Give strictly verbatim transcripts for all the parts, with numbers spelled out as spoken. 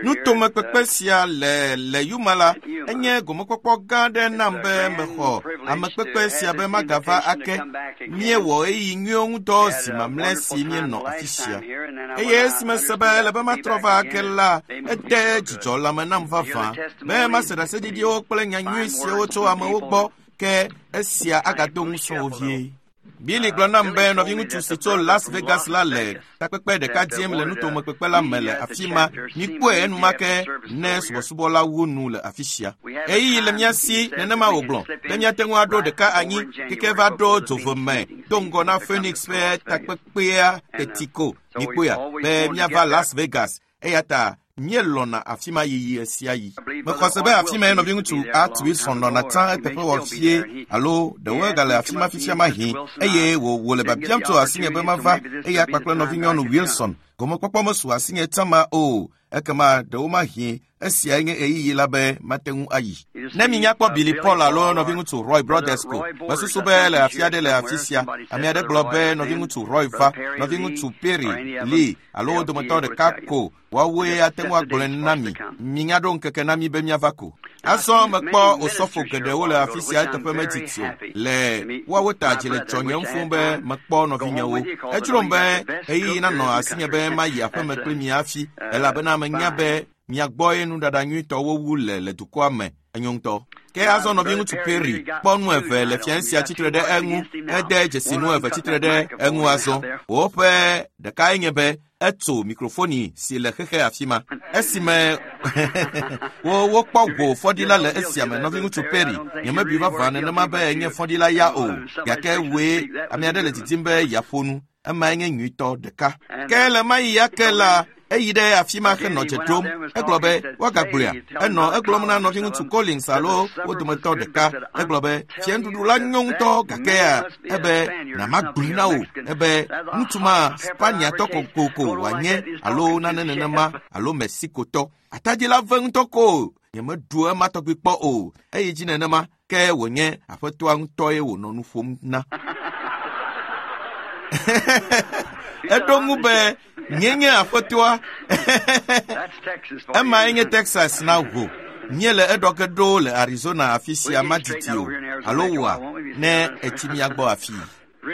Nutomekpekpe sia le le Yuma la enye gomekpɔkpɔ gã aɖe nam be mexɔ amekpekpe sia be magava ake. Míewɔ ɣeyiɣi nyuiwo ŋudɔ zi mamlɛ si míenɔ afi sia. Eye esi mese be ele be matrɔ va ake la, ede dzidzɔ lãme nam vavã be mase ɖaseɖiɖiwo kple nyanyui siawo tso amewo gbɔ ke esia agado ŋusẽ wo vie. Billy gblɔ nam be nɔviŋutsu si tso Las Vegas la le takpekpe ɖeka dzem le nutomekpekpe la me le afi ma. Mikpɔe enumake ne subɔsubɔ la wu nu le afi sia. Ɣeyiɣi le mía si nenema wògblɔ be míate ŋu aɖo ɖeka anyi keke va ɖo dzove me do ŋgɔ na Phoenix ƒe takpekpea teti ko. Mikpɔea be míava Las Vegas eya ta míelɔ̃na afi ma yiyi ɣe sia ɣi. Mexɔ se be afi mae nɔviŋutsu Art Wilson nɔna tsã eteƒe wɔ fie alo ɖewo egale afi ma fifia mahĩ eye wò wòle biabiam tso asinye be mava eya kpakple nɔvinyɔnu Wilson. Gomekpɔkpɔ mesu asinye tsã ma o. Ekema ɖewo mahĩ esiae nye ɣeyiɣi la be mate ŋu ayi. Ne minya kpɔ Billy Paul alo nɔviŋutsu Roy Brothers ko, mesusu be le afi aɖe le afi sia. Ame aɖe gblɔ be nɔviŋutsu Roy va, nɔviŋutsu Perry Lee alo wo dometɔ ɖeka ko woawoe ate ŋu agblɔe na mi. Minya ɖo ŋkeke na mi be míava ko. Azɔ mekpɔ osɔfo geɖewo le afi sia eteƒe medidi o. Le woawo ta dzi le dzɔnyem fũu be mekpɔ nɔvinyewo. Edzrom be ɣeyiɣi nanɔ asinye be mayi aƒeme kpli mi hafi elabena menya be mia gbɔe nuɖaɖa nyuitɔwo wu le le dukɔa me. Enyo ŋutɔ. Ke azɔ nɔviŋutsu Perry kpɔ nu eve le fiae sia tsitre ɖe eŋu. Ede dzesi nu eve tsitre ɖe eŋu azɔ. Woƒe ɖekae nye be etso mikrofoni si le xexe afi ma. Esime wo wokpɔ go fɔɖila le esia me nɔviŋutsu Perry nyemebui vavã nenema be enye fɔɖila ya o gake woe ame aɖe le didim be yeaƒo nu. Emae nye nyuitɔ ɖeka. Ke le ma yi ya ke la eyi ɖe afi ma henɔ dze ɖom. Egblɔ be woagagblɔea. Enɔ egblɔm na nɔviŋutsu Collins alo wo dometɔ ɖeka. Egblɔ be fianuɖuɖu la nyo ŋutɔ gakea ebe namagblɔe na wò ebe ŋutsu ma Spaniatɔ kokoko wòanye alo nane nenema alo Mexicotɔ. Atadi la ve ŋutɔ ko nyemeɖu ema tɔgbi kpɔ o. Eyi dzi nenema ke wònye aƒetɔa ŋutɔe wònɔ nu ƒom na. Eɖo ŋu be nye nye aƒetɔa. Emae nye Texas na wò. Míele eɖɔ ge ɖo le Arizona afi sia madidi o alo woa ne etsi mía gbɔ afii.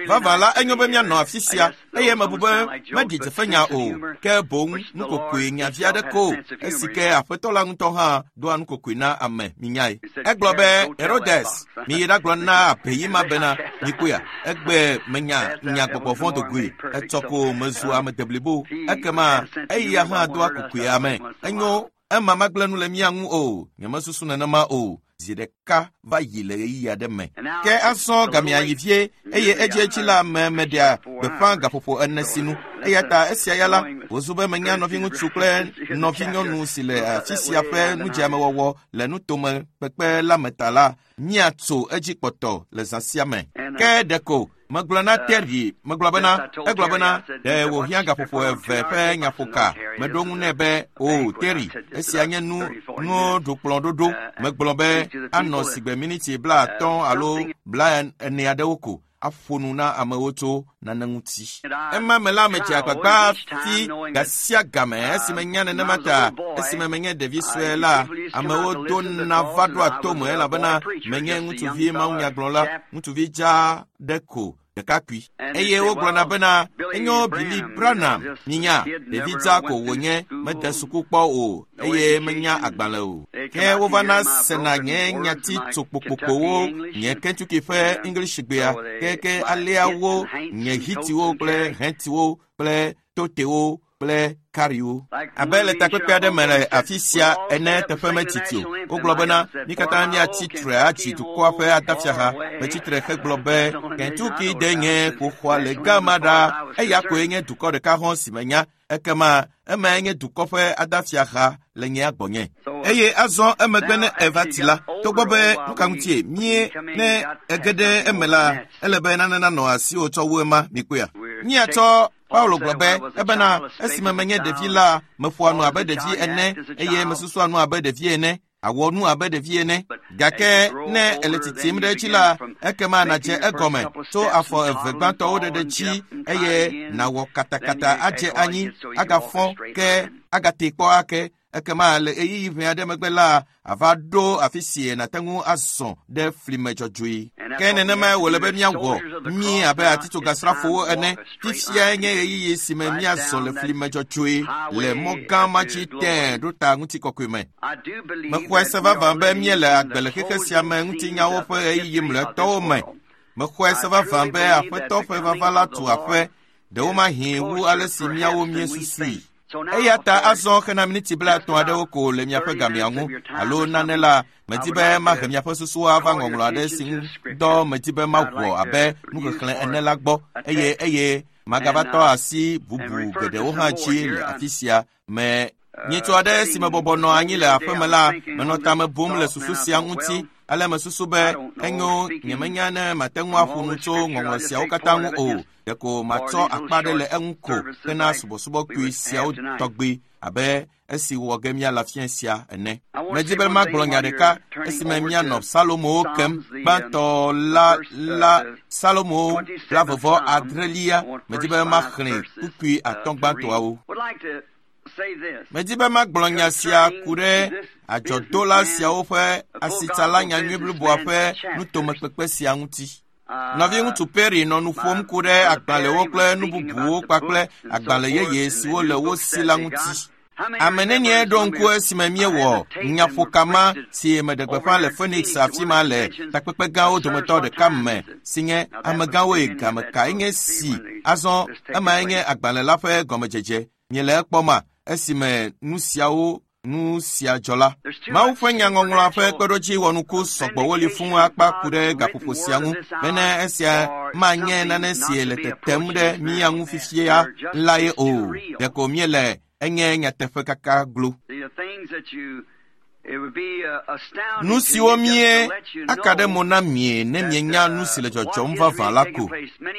Vavã la enyo be míanɔ afi sia eye mebu be meɖi dzefenya o ke boŋ nukokoe nyavi aɖe ko esi ke aƒetɔ la ŋutɔ hã doa nukokoe na ame minyae. Egblɔ be Herodes miyi ɖagblɔ na abeyi ma bena mikpɔea egbe menya nya gbɔgbɔ vɔ̃ dogoe etsɔ ko mezu ame deblibo ekema eya hã doa kokoe ame. Enyo ema magblẽ nu le mía ŋu o nyemesusu nenema o. Zi ɖeka va yi le ɣeyiɣi aɖe me. Ke azɔ gamea yi vie eye edziedzi la me meɖea gbeƒã gaƒoƒo ene sinu. Eya ta esia ya la wòzu be menya nɔviŋutsu kple nɔvinyɔnu si le afi sia ƒe nudzeamewɔwɔ le nutome kpekpe la me ta la míatso edzi kpɔtɔ le zã sia me. Ke ɖeko megblɔ na Terry megblɔ bena egblɔ bena ɖe wòhiã gaƒoƒo eve ƒe nyaƒoka. Meɖo ŋu nɛ be o Terry esia nye nu nuɖukplɔ̃ɖoɖo. Megblɔ be anɔ sigbe miniti blaatɔ̃ alo blaene aɖewo ko aƒo nu na amewo tso nane ŋuti. Ema me la medze agbagba fi gasia game esime nya nenema ta esime menye ɖevi sue la amewo dona va ɖoa tome elabena menye ŋutsuvi mawunyagblɔla ŋutsuvi dzaa ɖe ko ɖekakpui. Eye wogblɔna bena enyo Billy Branham minya ɖevi dzaa ko wònye mede suku kpɔ o eye menya agbalẽ o. Ke wovana sena nye nyati tso kpokpokpowo nye Kentucky ƒe English gbea keke aleawo nye hitiwo kple hentiwo kple totewo kple kariwo. Abe le takpekpe aɖe me le afi sia ene teƒe metiti o. Wogblɔ bena mí katã míatsi tre atsi dukɔa ƒe adafiaha. Metsi tre hegblɔ be Kentucky de nye ƒoxɔa le gama ɖa. Eya koe nye dukɔ ɖeka hɔ̃ si menya. Ekema emae nye dukɔ ƒe adafiaha le nye agbɔnye. Eye azɔ emegbe ne eva ti la, togbɔ be nu ka ŋutie mie ne ege ɖe eme la, ele be nane nanɔ asiwò tsɔ wu ema mikpɔea. Míatsɔ Paulo gblɔ be ebena esime menye ɖevi la meƒoa nu abe ɖevi ene eye mesusua nu abe ɖevi ene awɔ nu abe ɖevi ene gake ne ele tsitsim ɖe edzi la ekema nàdze egɔme tso afɔ eve gbãtɔwo ɖeɖe dzi eye nàwɔ katakata adze anyi agafɔ ke Agate kpɔ ake ekema le ɣeyiɣi ʋɛ aɖe megbe la ava ɖo afi si nàte ŋu azɔ ɖe flime dzɔdzɔe. Ke nenemae wòle be míawɔ mí abe atitsogasrafowo ene. Fifiae nye ɣeyiɣi si me míazɔ le flime dzɔdzɔe le mɔ gã ma dzi tẽe ɖo ta ŋutikɔkɔe me. Mexɔe se vavã be míele agbe le xexe sia me ŋutinyawo ƒe ɣeyiɣi mlɔetɔwo me. Mexɔe se vavã be Aƒetɔ ƒe vava la tu aƒe, ɖewomahi wu ale si míawo míesusui. Eya ta azɔ xena miniti blaetɔ̃ aɖewo ko le miaƒe gamea ŋu alo nane la, medi be mahe miaƒe susuwo ava ŋɔŋlɔ aɖe si ŋu dɔ medi be mawɔ abe nuxexlẽ ene la gbɔ eye eye magava tɔ asi bubu geɖewo hã dzi le afi sia me. Nyitsu aɖe si mebɔbɔ nɔ anyi le aƒeme la, menɔ tame bum le susu sia ŋuti. Ale mesusu be enyo nyemenya ne mate ŋu aƒo nu tso ŋɔŋlɔ siawo katã ŋu o. Ɖeko matsɔ akpa ɖe le eŋu ko hena subɔsubɔkui siawo tɔgbi abe esi wɔ ge míale afia sia ene. Medi be magblɔ nya ɖeka esime míanɔ Salomowo kem gbãtɔ la la Salomo blaeve adrelia. Medi be maxlẽ kpukpui atɔ̃ gbãtɔawo. Medi be magblɔ nya sia ku ɖe adzɔdola siawo ƒe asitsala nyanyui bliboa ƒe nutomekpekpe sia ŋuti. Nɔviŋutsu Perry nɔ nu ƒom ku ɖe agbalẽwo kple nu bubuwo kpakple agbalẽ yeye siwo le wo si la ŋuti. Ame nenie ɖo ŋku esime míewɔ nyaƒokama si meɖe gbeƒã le Phoenix afi ma le takpekpe gãwo dometɔ ɖeka me si nye amegãwoe game kae nye si. Azɔ emae nye agbalẽ la ƒe gɔmedzedze. Miele ekpɔma esime nu siawo nu sia dzɔ la. Mawu ƒe nyaŋɔŋlɔa ƒe kpeɖodzi wɔnuku sɔgbɔwo li fũu akpa ku ɖe gaƒoƒo sia ŋu bene esia manye nane si le tetem ɖe mía ŋu fifia lae o. Ɖeko míele enye nyateƒe kaka glo. Nu siwo mie aka ɖe mo na mie ne mienya nu si le dzɔdzɔm vavã la ko.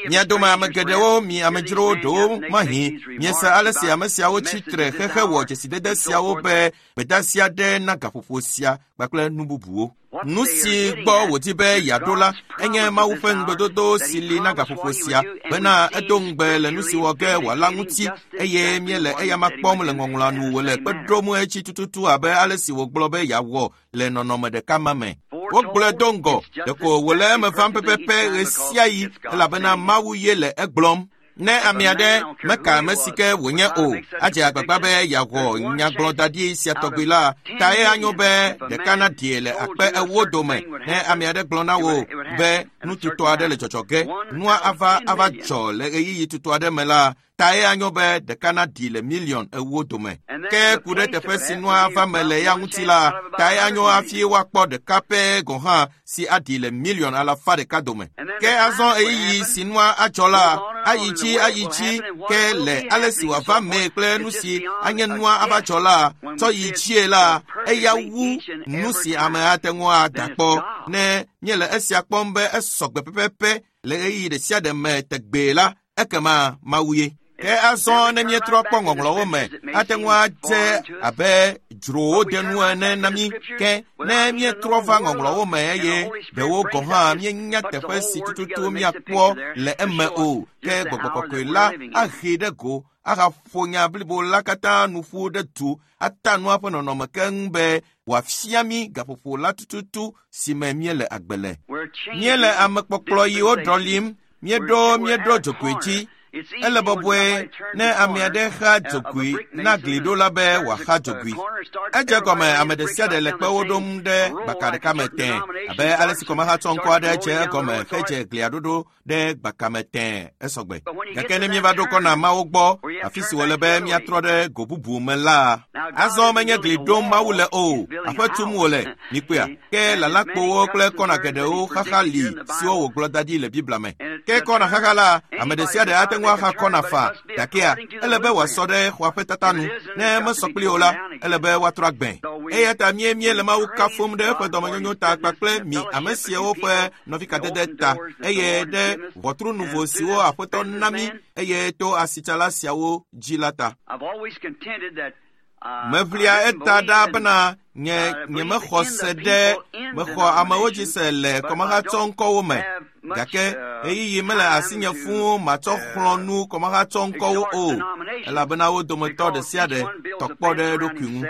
Mia dome ame geɖewo, mi amedzrowo ɖewo mahi, miese ale si ame siawo tsi tre xexe wɔ dzesidede siawo be gbedeasi aɖe na gaƒoƒo sia kpakple nu bubuwo. Nu si gbɔ wòdi be yeaɖo la enye Mawu ƒe ŋugbedodo si li na gaƒoƒo sia bena edo ŋugbe le nu si wɔ ge wòala ŋuti eye míele eyama kpɔm le ŋɔŋlɔa nu wòle kpe ɖom etsi tututu abe ale si wògblɔ be yeawɔ le nɔnɔme ɖeka ma me. Wogblɔe do ŋgɔ, ɖeko wòle eme vam pɛpɛpɛ ɣe sia ɣi elabena Mawu ye le egblɔm. Ne ame aɖe meka ame si ke wònye o, adze agbagba be yeawɔ nyagblɔdaɖi sia tɔgbi la, tae anyo be ɖeka naɖie le akpe ewo dome. Ne ame aɖe gblɔ na wò be nu tutɔ aɖe le dzɔdzɔ ge, nua ava ava dzɔ le ɣeyiɣi tutɔ aɖe me la, tae anyo be ɖeka naɖi le miliɔn ewo dome. Ke ku ɖe teƒe si nua ava me le ya ŋuti la, tae anyo hafi woakpɔ ɖeka pɛ gɔ̃ hã si aɖi le miliɔn alafa ɖeka dome. Ke azɔ ɣeyiɣi si nua adzɔ la, ayi dzi ayi dzi ke le ale si wòava mee kple nu si anye nua ava dzɔ la, tsɔ yi dzie la, eya wu nu si ame ate ŋu ada kpɔ. Ne míele esia kpɔm be esɔgbe pɛpɛpɛ le ɣeyiɣi ɖe sia ɖe me tegbee la, ekema Mawu ye. Ke azɔ ne míetrɔ kpɔ ŋɔŋlɔwo me, ate ŋu adze abe dzrowo de nu ene na mí. Ke ne míetrɔ va ŋɔŋlɔwo me eye ɖewo gɔ̃ hã míenya teƒe si tututu míakpɔ le eme o, ke Gbɔgbɔ Kɔkɔe la ahee ɖe go ahaƒo nya blibo la katã nu ƒu ɖe du ata nua ƒe nɔnɔme keŋ be wòafia mí gaƒoƒo la tututu si me míele agbe le. Míele amekpɔkplɔ yiwo ɖɔlim, míeɖo míeɖo dzogoe dzi. Ele bɔbɔe ne ame aɖe xa dzogoe na gliɖola be wòaxa dzogoe. Edze gɔme ame ɖe sia ɖe le kpewo ɖom ɖe gbaka ɖeka me tẽe abe ale si kɔmahatsɔ ŋkɔ aɖe dze egɔme hedze glia ɖoɖo ɖe gbaka me tẽe esɔgbe. Gake ne míeva ɖo kɔna mawo gbɔ, afi si wòle be míatrɔ ɖe go bubu me la, azɔ menye gli ɖom Mawu le o, aƒe tum wòle, mikpɔea? Ke lalakpowo kple kɔna geɖewo xaxa li siwo wògblɔ da ɖi le Biblia me. Ke kɔna xaxa la, ame ɖe sia ɖe ate ŋu axa kɔna faa, gakea ele be wòasɔ ɖe xɔa ƒe tata nu. Ne mesɔ kpli o la, ele be woatrɔ agbẽ. Eya ta míemie le Mawu kafum ɖe eƒe dɔmenyonyo ta kpakple mi ame siawo ƒe nɔvikadede ta eye ɖe ʋɔtru nuvo siwo Aƒetɔ na mí eye to asitsala siawo dzi la ta. Meʋlia eta ɖa bena nye nyemexɔ se ɖe mexɔ amewo dzi se le kɔmahatsɔ ŋkɔwo me. Gake ɣeyiɣi mele asinye fũu matsɔ xlɔ̃ nu kɔmahatsɔ ŋkɔwo o, elabena wo dometɔ ɖe sia ɖe tɔ kpɔ ɖe eɖokui ŋu.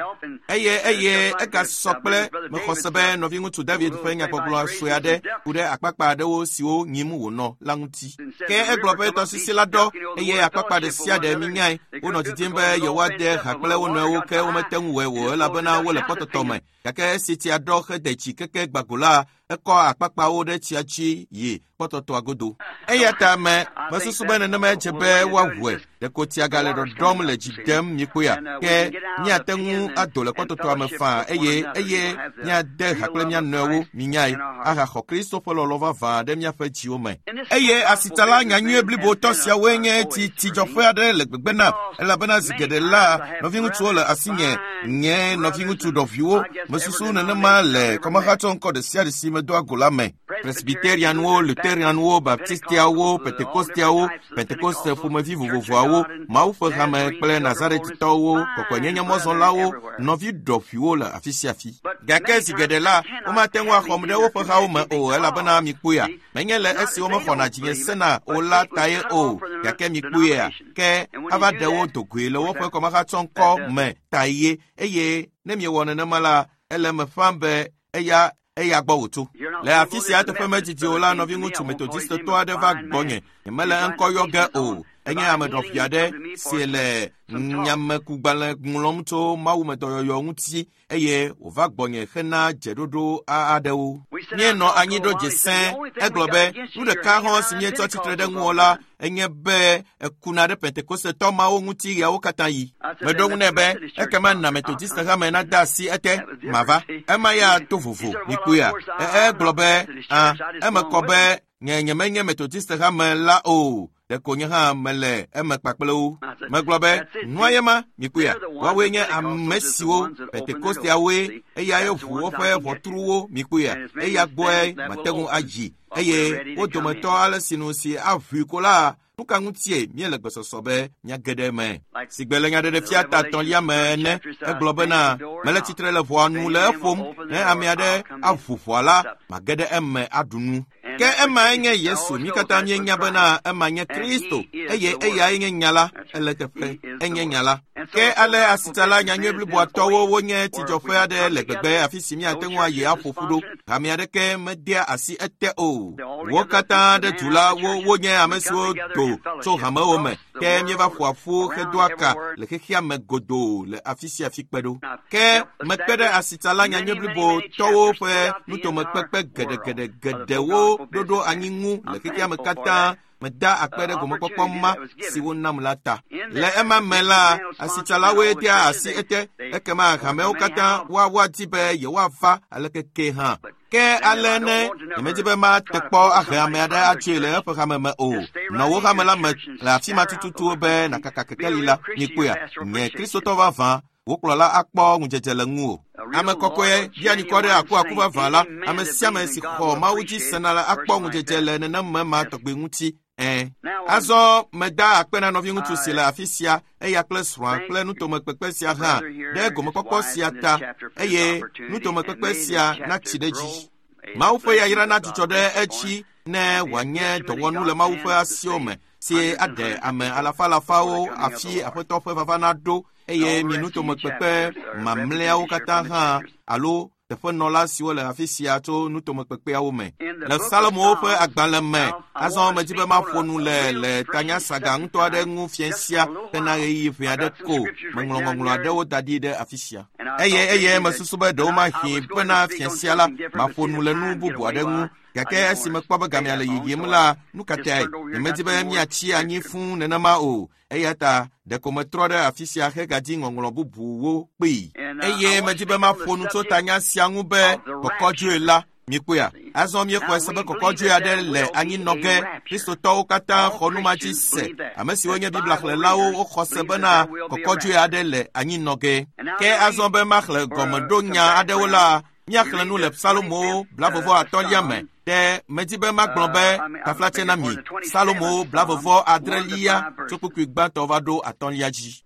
Eye eye egasɔ kple mexɔ se be nɔviŋutsu David ƒe nyagbɔgblɔ sue aɖe ku ɖe akpakpa aɖewo siwo nyim wònɔ la ŋuti. Ke egblɔ be tɔsisi la ɖɔ eye akpakpa ɖe sia ɖe minyae. Wonɔ didim be yewoade ha kple wo nɔewo ke womete ŋu wɔe o elabena wole kpɔtɔtɔ me. Gake esi tsia ɖɔ hede tsi keke gbago la, ekɔ akpakpawo ɖe tsia dzi yi kpɔtɔtɔa godo. Eya ta me mesusu be nenema dze be woaʋue. Ɖeko tsia gale ɖɔɖɔm le dzi dem mikpɔea. Ke míate ŋu ado le kpɔtɔtɔa me faa eye eye míade ha kple mía nɔewo minyae ahaxɔ Kristo ƒe lɔlɔ̃ vavã ɖe míaƒe dziwo me. Eye asitsala nyanyui blibotɔ siawoe nye tsi tsidzɔƒe aɖe le gbegbe nam elabena zi geɖe la nɔviŋutsuwo le asinye nye nɔviŋutsu ɖɔviwo mesusu nenema le kɔmahatsɔ ŋkɔ ɖe sia ɖe si medoa go la me. Presbyterianwo, Lutheranwo, Baptistiawo, Pentekosteawo, Pentekoste ƒomevi vovovoawo, Mawu ƒe hame kple Nazaretitɔwo, kɔkɔenyenyemɔzɔlawo, nɔvi ɖɔƒiwo le afi sia afi. Gake zi geɖe la, womate ŋu axɔm ɖe woƒe hawo me o elabena mikpɔea, menye le esi womexɔna dzinye sena o la tae o, gake mikpɔea, ke ava ɖe wo dogoe le woƒe kɔmahatsɔŋkɔ me tae eye ne miewɔ nenema la, ele eme ƒãm be eya eya gbɔ wòtso. Le afi sia teƒe medzidzi o la, nɔviŋutsu metodistetɔ aɖe va gbɔnye. Nyemele eŋkɔ yɔ ge o. Enye ame ɖɔƒi aɖe si le nyamekugbalẽ ŋlɔm tso mawumedɔyɔyɔ ŋuti eye wòva gbɔnye hena dzeɖoɖo aɖewo. Míenɔ anyi ɖo dze sẽ. Egblɔ be nu ɖeka hã si míetsɔ tsitre ɖe ŋuwò la enye be ekuna ɖe Pentekostetɔ mawo ŋuti ɣeawo katã yi. Meɖo ŋu nɛ be ekema na Metodiste hame nade asi ete mava. Ema ya to vovo mikpɔea. Egblɔ be a eme kɔ be nye nyemenye Metodiste hame la o. Ɖeko nye hã mele eme kpakple wo. Megblɔ be nua ye ma mikpɔea. Woawoe nye ame siwo Pentekosteawoe eyae ʋu woƒe ʋɔtruwo mikpɔea. Eya gbɔe mate ŋu ayi eye wo dometɔ ale sinu si aʋui ko la nu ka ŋutie míele gbesɔsɔ be míage ɖe eme. Sigbe le nyaɖeɖefia ta etɔ̃lia me ene, egblɔ bena mele tsitre le ʋɔa nu le eƒom ne ame aɖe aʋu ʋɔa la, mage ɖe eme aɖu nu. Ke emae nye Yesu, mí katã míenya bena ema nye Kristo eye eyae nye nya la, ele teƒe, enye nya la. Ke ale asitsala nyanyui bliboatɔwo wonye tsidzɔƒe aɖe le gbegbe afi si míate ŋu ayi aƒo ƒu ɖo. Hame aɖeke medea asi ete o. Wo katã ɖe du la, wo wonye ame siwo do tso hamewo me. Ke míeva ƒoa ƒu hedoa ka le xexea me godoo le afi sia afi kpe ɖo. Ke mekpe ɖe asitsala nyanyui blibotɔwo ƒe nutomekpekpe geɖegeɖe geɖewo ɖoɖo anyi ŋu le xexea me katã. Meda akpe ɖe gomekpɔkpɔ ma si wonam la ta. Le ema me la, asitsalawoe dea asi ete ekema hamewo katã woawoadi be yewoava aleke ke hã. Ke ale ne nyemedi be mate kpɔ ahe ame aɖe atsoe le eƒe hame me o. Nɔ wo hame la me le afi ma tututu be nàkaka kekeli la mikpɔea. Nye Kristotɔ vavã, wo kplɔla akpɔ ŋudzedze le ŋuwò. Ame kɔkɔe ɖianikɔ ɖe akuaku vavã la, ame sia ame si xɔ Mawu dzi sena la akpɔ ŋudzedze le nenema ma tɔgbi ŋuti. Ẽ. Azɔ meda akpe na nɔviŋutsu si le afi sia, eya kple srɔ̃a kple nutomekpekpe sia hã ɖe gomekpɔkpɔ sia ta eye nutomekpekpe sia natsi ɖe dzi. Mawu ƒe yayra nadzudzɔ ɖe edzi ne wòanye dɔwɔnu le Mawu ƒe asiwo me si aɖe ame alafa alafawo afi Aƒetɔ ƒe vava naɖo eye mi nutomekpekpe mamlɛawo katã hã alo teƒenɔla siwo le afi sia tso nutomekpekpeawo me. Le Salomo ƒe agbalẽ me, azɔ medi be maƒo nu le le tanyasaga ŋutɔ aɖe ŋu fiẽ sia hena ɣeyiɣi ʋɛ aɖe ko. Meŋlɔ ŋɔŋlɔ aɖewo da ɖi ɖe afi sia. Eye eye mesusu be ɖewo mahi bena fiẽ sia la, maƒo nu le nu bubu aɖe ŋu. Gake esi mekpɔ be gamea le yiyim la, nu ka tae? Nyemedi be míatsi anyi fũu nenema o. Eya ta ɖeko metrɔ ɖe afi sia hegadi ŋɔŋlɔ bubuwo kpee. Eye medi be maƒo nu tso tanya sia ŋu be kɔkɔdzoe la. Mikpɔea? Azɔ míexɔe se be kɔkɔdzoe aɖe le anyinɔ ge. Kristotɔwo katã xɔ nu ma dzi se. Ame siwo nye Biblia xlẽlawo woxɔ se bena kɔkɔdzoe aɖe le anyinɔ ge. Ke azɔ be maxlẽ gɔmeɖonya aɖewo la, míaxlẽ nu le Salomo blavevɔ atɔ̃lia me. Ɖe medi be magblɔ be taflatse na mi. Salomo blavevɔ adrelia tso kpukpui gbãtɔ va ɖo atɔ̃lia dzi.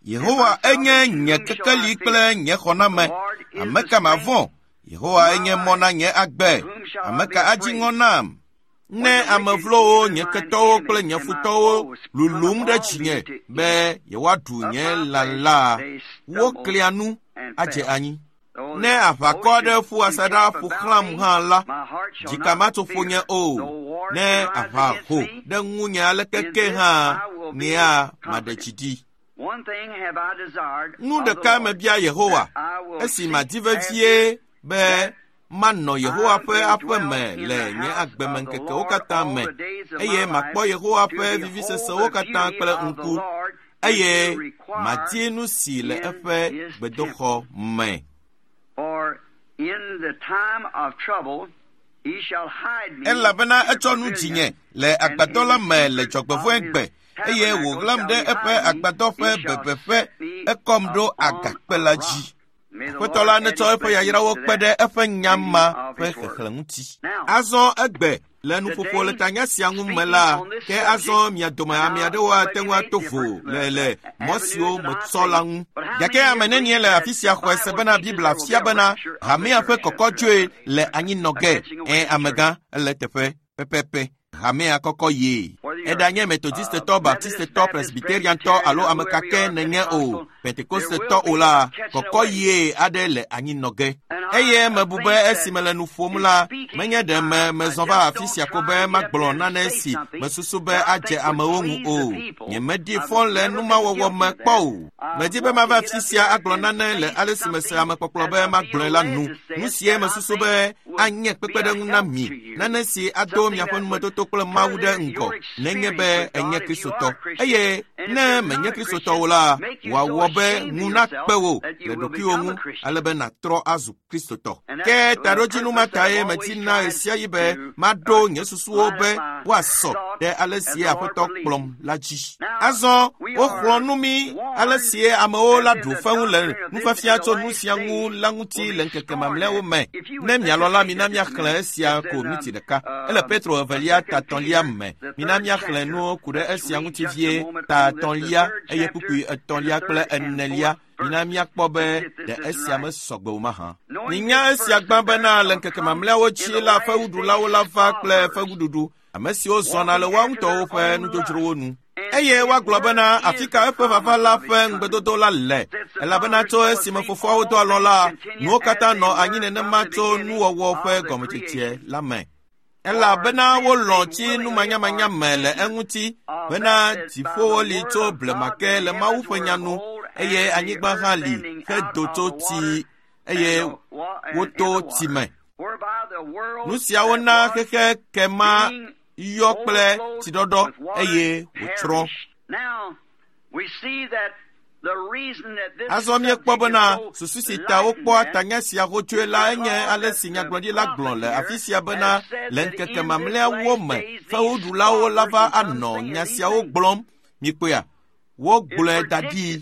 Yehowa enye nye kekeli kple nye xɔname. Ame ka mavɔ̃? Yehowa enye mɔ na nye agbe. Ame ka adzi ŋɔ nam? Ne ame vlowo, nye ketɔwo kple nye futɔwo lulum ɖe dzinye be yewoaɖu nye lã la, woklia nu adze anyi. Ne aʋakɔ aɖe ƒu asaɖa ƒo xlãm hã la, dzika matso ƒonye o. Ne aʋa ho ɖe ŋunye aleke ke hã, nyea maɖe dzi ɖi. Nu ɖeka mebia Yehowa, esi madi vevie be manɔ Yehowa ƒe aƒe me le nye agbemeŋkekewo katã me, eye makpɔ Yehowa ƒe vivisesewo katã kple ŋku, eye madi nu si le eƒe gbedoxɔ me. Elabena etsɔ nu dzinye le agbadɔ la me le dzɔgbevɔ̃egbe, eye wòɣlam ɖe eƒe agbadɔ ƒe bebeƒe, ekɔm ɖo agakpe la dzi. Aƒetɔ la netsɔ eƒe yayrawo kpe ɖe eƒe nya ma ƒe xexlẽ ŋuti. Azɔ egbe le nuƒoƒo le tanya sia ŋu me la, ke azɔ mia dome ame aɖewo ate ŋu ato vo le le mɔ siwo metsɔ la ŋu. Gake ame nenie le afi sia xɔe se bena Biblia fia bena hamea ƒe kɔkɔdzoe le anyinɔ ge. Ẽ, amegã, ele teƒe pɛpɛpɛ. Hamea kɔkɔ ye. Eɖanye Metodistetɔ, Baptistetɔ, Presbyteriantɔ alo ame ka ke nenye o, Pentekostetɔ o la, kɔkɔ ye aɖe le anyinɔ ge. Eye mebu be esime le nu ƒom la, menye ɖe me mezɔ va afi sia ko be magblɔ nane si mesusu be adze amewo ŋu o. Nyemedi fɔ le numawɔwɔ me kpɔ o. Medi be mava afi sia agblɔ nane le ale si mese amekpɔkplɔ be magblɔe la nu. Nu sie mesusu be anye kpekpeɖeŋu na mi, nane si ado miaƒe numetoto kple Mawu ɖe ŋgɔ nenye be enye Kristotɔ. Eye ne menye Kristotɔ o la, wòawɔ be ŋu nakpe wò le ɖokuiwò ŋu ale be nàtrɔ azu Kristotɔ. Ke taɖodzinu ma tae medina ɣesiaɣi be maɖo nye susuwo be woasɔ ɖe ale si Aƒetɔ kplɔm la dzi. Azɔ woxlɔ̃ nu mí ale si amewo la ɖu fewu le nufiafia tso nu sia ŋu la ŋuti le ŋkeke mamlɛawo me. Ne mialɔ̃ la, mina míaxlẽ esia ko miniti ɖeka. Ele Petro evelia tatɔ̃lia me. Mina míaxlẽ nuwo ku ɖe esia ŋuti vie, tatɔ̃lia eye kpukpui etɔ̃lia kple enelia. Mina míakpɔ be ɖe esia mesɔgbe o mahã. Minya esia gbã bena le ŋkeke mamlɛawo dzi la, fewuɖulawo la va kple fewuɖuɖu, ame siwo zɔna le woa ŋutɔwo ƒe nudzodzrowo nu. Eye woagblɔ bena afi ka eƒe vava la ƒe ŋugbedodo la le, elabena tso esime fofoawo do alɔ la, nuwo katã nɔ anyi nenema tso nuwɔwɔ ƒe gɔmedzedze la me. Elabena wolɔ̃ tsi numanyamanya me le eŋuti bena dziƒowo li tso blema ke le Mawu ƒe nya nu, eye anyigba hã li hedo tso tsi, eye woto tsi me. Nu siawo na xexe kema yɔ kple tsiɖɔɖɔ eye wòtsrɔ̃. Azɔ míekpɔ bena susu si ta wokpɔa tanya sia xotsoe la enye ale si nyagblɔɖila gblɔ le afi sia bena le ŋkeke mamlɛawo me fewuɖulawo la va anɔ nya siawo gblɔm. Mikpɔea, wogblɔe da ɖi.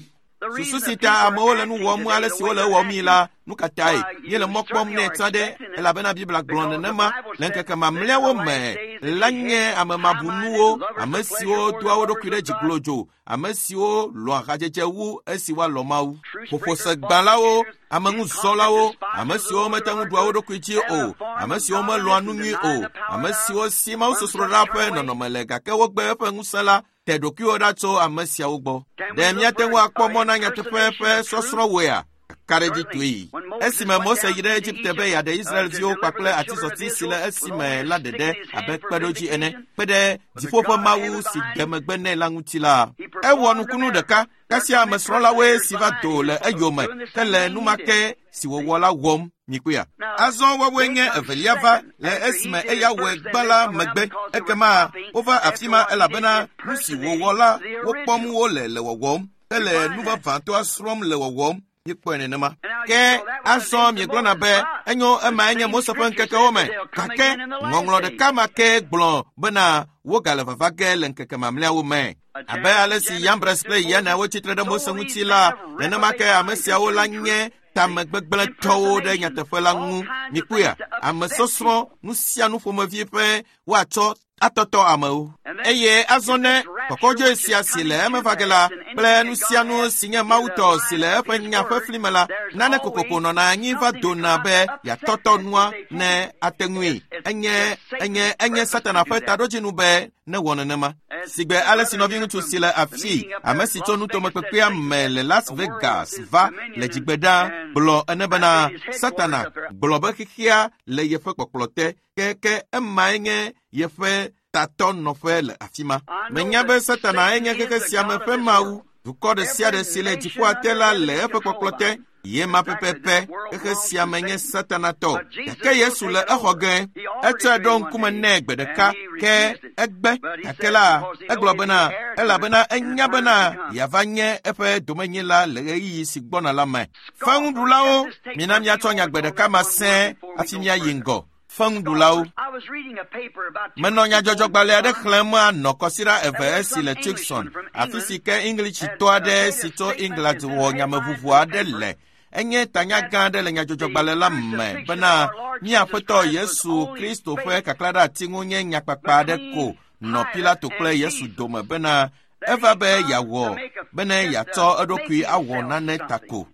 Susu si ta amewo le nu wɔm ale si wole wɔmii la, nu ka tae míele mɔ kpɔm nɛ tsã ɖe? Elabena Biblia gblɔ nenema le ŋkeke mamlɛawo me la nye ame mabunuwo, ame siwo doa wo ɖokui ɖe dzi glodzo, ame siwo lɔ̃a hadzedze wu esi woalɔ̃ Mawu. Ƒoƒosegbãlawo, ameŋuzɔlawo, ame siwo mete ŋu ɖua wo ɖokui dzi o, ame siwo melɔ̃a nu nyui o, ame siwo si mawusosroɖa ƒe nɔnɔme le gake wogbe eƒe ŋusẽ la, te ɖokuiwo ɖa tso ame siawo gbɔ. Ɖe míate ŋu akpɔ mɔ na nyateƒe ƒe sɔsrɔ̃woea? Kaɖedzi toe. Esime Mose yi ɖe Egipte be yeaɖe Israelviwo kpakple atizɔti si le esime la ɖeɖe abe kpeɖodzi ene, kpe ɖe dziƒo ƒe Mawu si de megbe nɛ la ŋuti la, ewɔ nukunu ɖeka. Kasia ame srɔ̃lawoe si va do le eyome ke le numake si wòwɔ la wɔm. Mikpɔea? Azɔ woawoe nye evelia va le esime eya wɔe gbã la megbe. Ekema wova afi ma elabena nu si wòwɔ la wokpɔm wole le wɔwɔm hele nu vavãtɔa srɔ̃m le wɔwɔm. Míekpɔe nenema. Ke azɔ miegblɔna be enyo ema enye Mose ƒe ŋkekewo me, gake ŋɔŋlɔ ɖeka ma ke gblɔ bena wogale vava ge le ŋkeke mamlɛawo me. Abe ale si Yambres kple Yana wotsitre ɖe Mose ŋuti la, nenema ke ame siawo la nye tamegbegblẽtɔwo ɖe nyateƒe la ŋu. Mikpɔea, ame sɔsrɔ̃ nu sia nu ƒomevi ƒe woatsɔ atɔtɔ amewo. Eye azɔ ne kɔkɔdzoe sia si le eme va ge la kple nu sia nu si nye Mawu tɔ si le eƒe nya ƒe fli me la, nane kokoko nɔna anyi va dona be yeatɔtɔ nua ne ate ŋui. Enye enye enye Satana ƒe taɖodzinu be newɔ nenema. Sigbe ale si nɔviŋutsu si le afi, ame si tso nutomekpekpea me le Las Vegas va le dzigbe ɖa gblɔ ene bena Satana gblɔ be xexea le yeƒe kpɔkplɔ te, ke ke emae nye yeƒe tatɔ nɔƒe le afi ma. Menya be Satana enye xexe sia me ƒe mawu. Dukɔ ɖe sia ɖe si le dziƒoa te la le eƒe kpɔkplɔ te. Ye ma pɛpɛpɛ, xexe sia me nye Satana tɔ. Gake Yesu le exɔ ge. Etsɔe ɖo ŋkume nɛ gbe ɖeka, ke egbe. Gake la, egblɔ bena, elabena enya bena yeava nye eƒe domenyila le ɣeyiɣi si gbɔna la me. Feŋuɖulawo, mina míatsɔ nya gbe ɖeka ma sẽe hafi míayi ŋgɔ. Feŋuɖulawo. Menɔ nyadzɔdzɔgbalẽ aɖe xlẽm anɔ kɔsiɖa eve esi le Tucson, afi si ke Englishitɔ aɖe si tso England wɔ nyameʋuʋu aɖe le. Enye tanya gã aɖe le nyadzɔdzɔgbalẽ la me bena míaƒetɔ Yesu Kristo ƒe kaklaɖeati ŋu nye nyakpakpa aɖe ko nɔ Pilato kple Yesu dome bena eva be yeawɔ bene yeatsɔ eɖokui awɔ nane ta ko.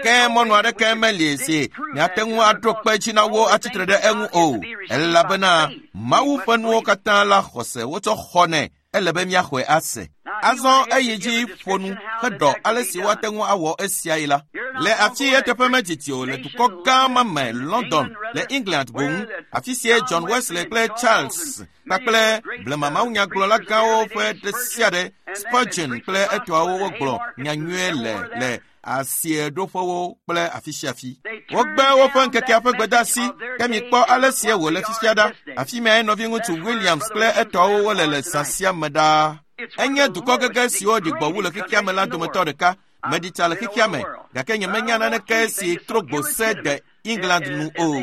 Ke mɔnu aɖeke meli si miate ŋu aɖo kpe dzi na wo atsitre ɖe eŋu o, elabena Mawu ƒe nuwo katã la xɔse wotsɔ xɔnɛ, ele be míaxɔe ase. Azɔ eyi dzi ƒo nu heɖɔ ale si woate ŋu awɔ esiae la. Le afi eteƒe medidi o le dukɔ gã ma me London le England boŋ, afi sie John Wesley kple Charles kpakple blema mawunyagblɔla gãwo ƒe ɖe sia ɖe Spurgeon kple etɔawo wogblɔ nyanyuie le le asieɖoƒewo kple afi sia afi. Wogbe woƒe ŋkekea ƒe gbedeasi, ke mikpɔ ale sie wòle fifia ɖa. Afi mae nɔviŋutsu Williams kple etɔawo wole le zã sia me ɖaa. Enye dukɔ gege siwo ɖi gbɔ wu le xexea me la dometɔ ɖeka. Meɖi tsa le xexea me, gake nyemenya naneke si trɔ gbo se de England nu o.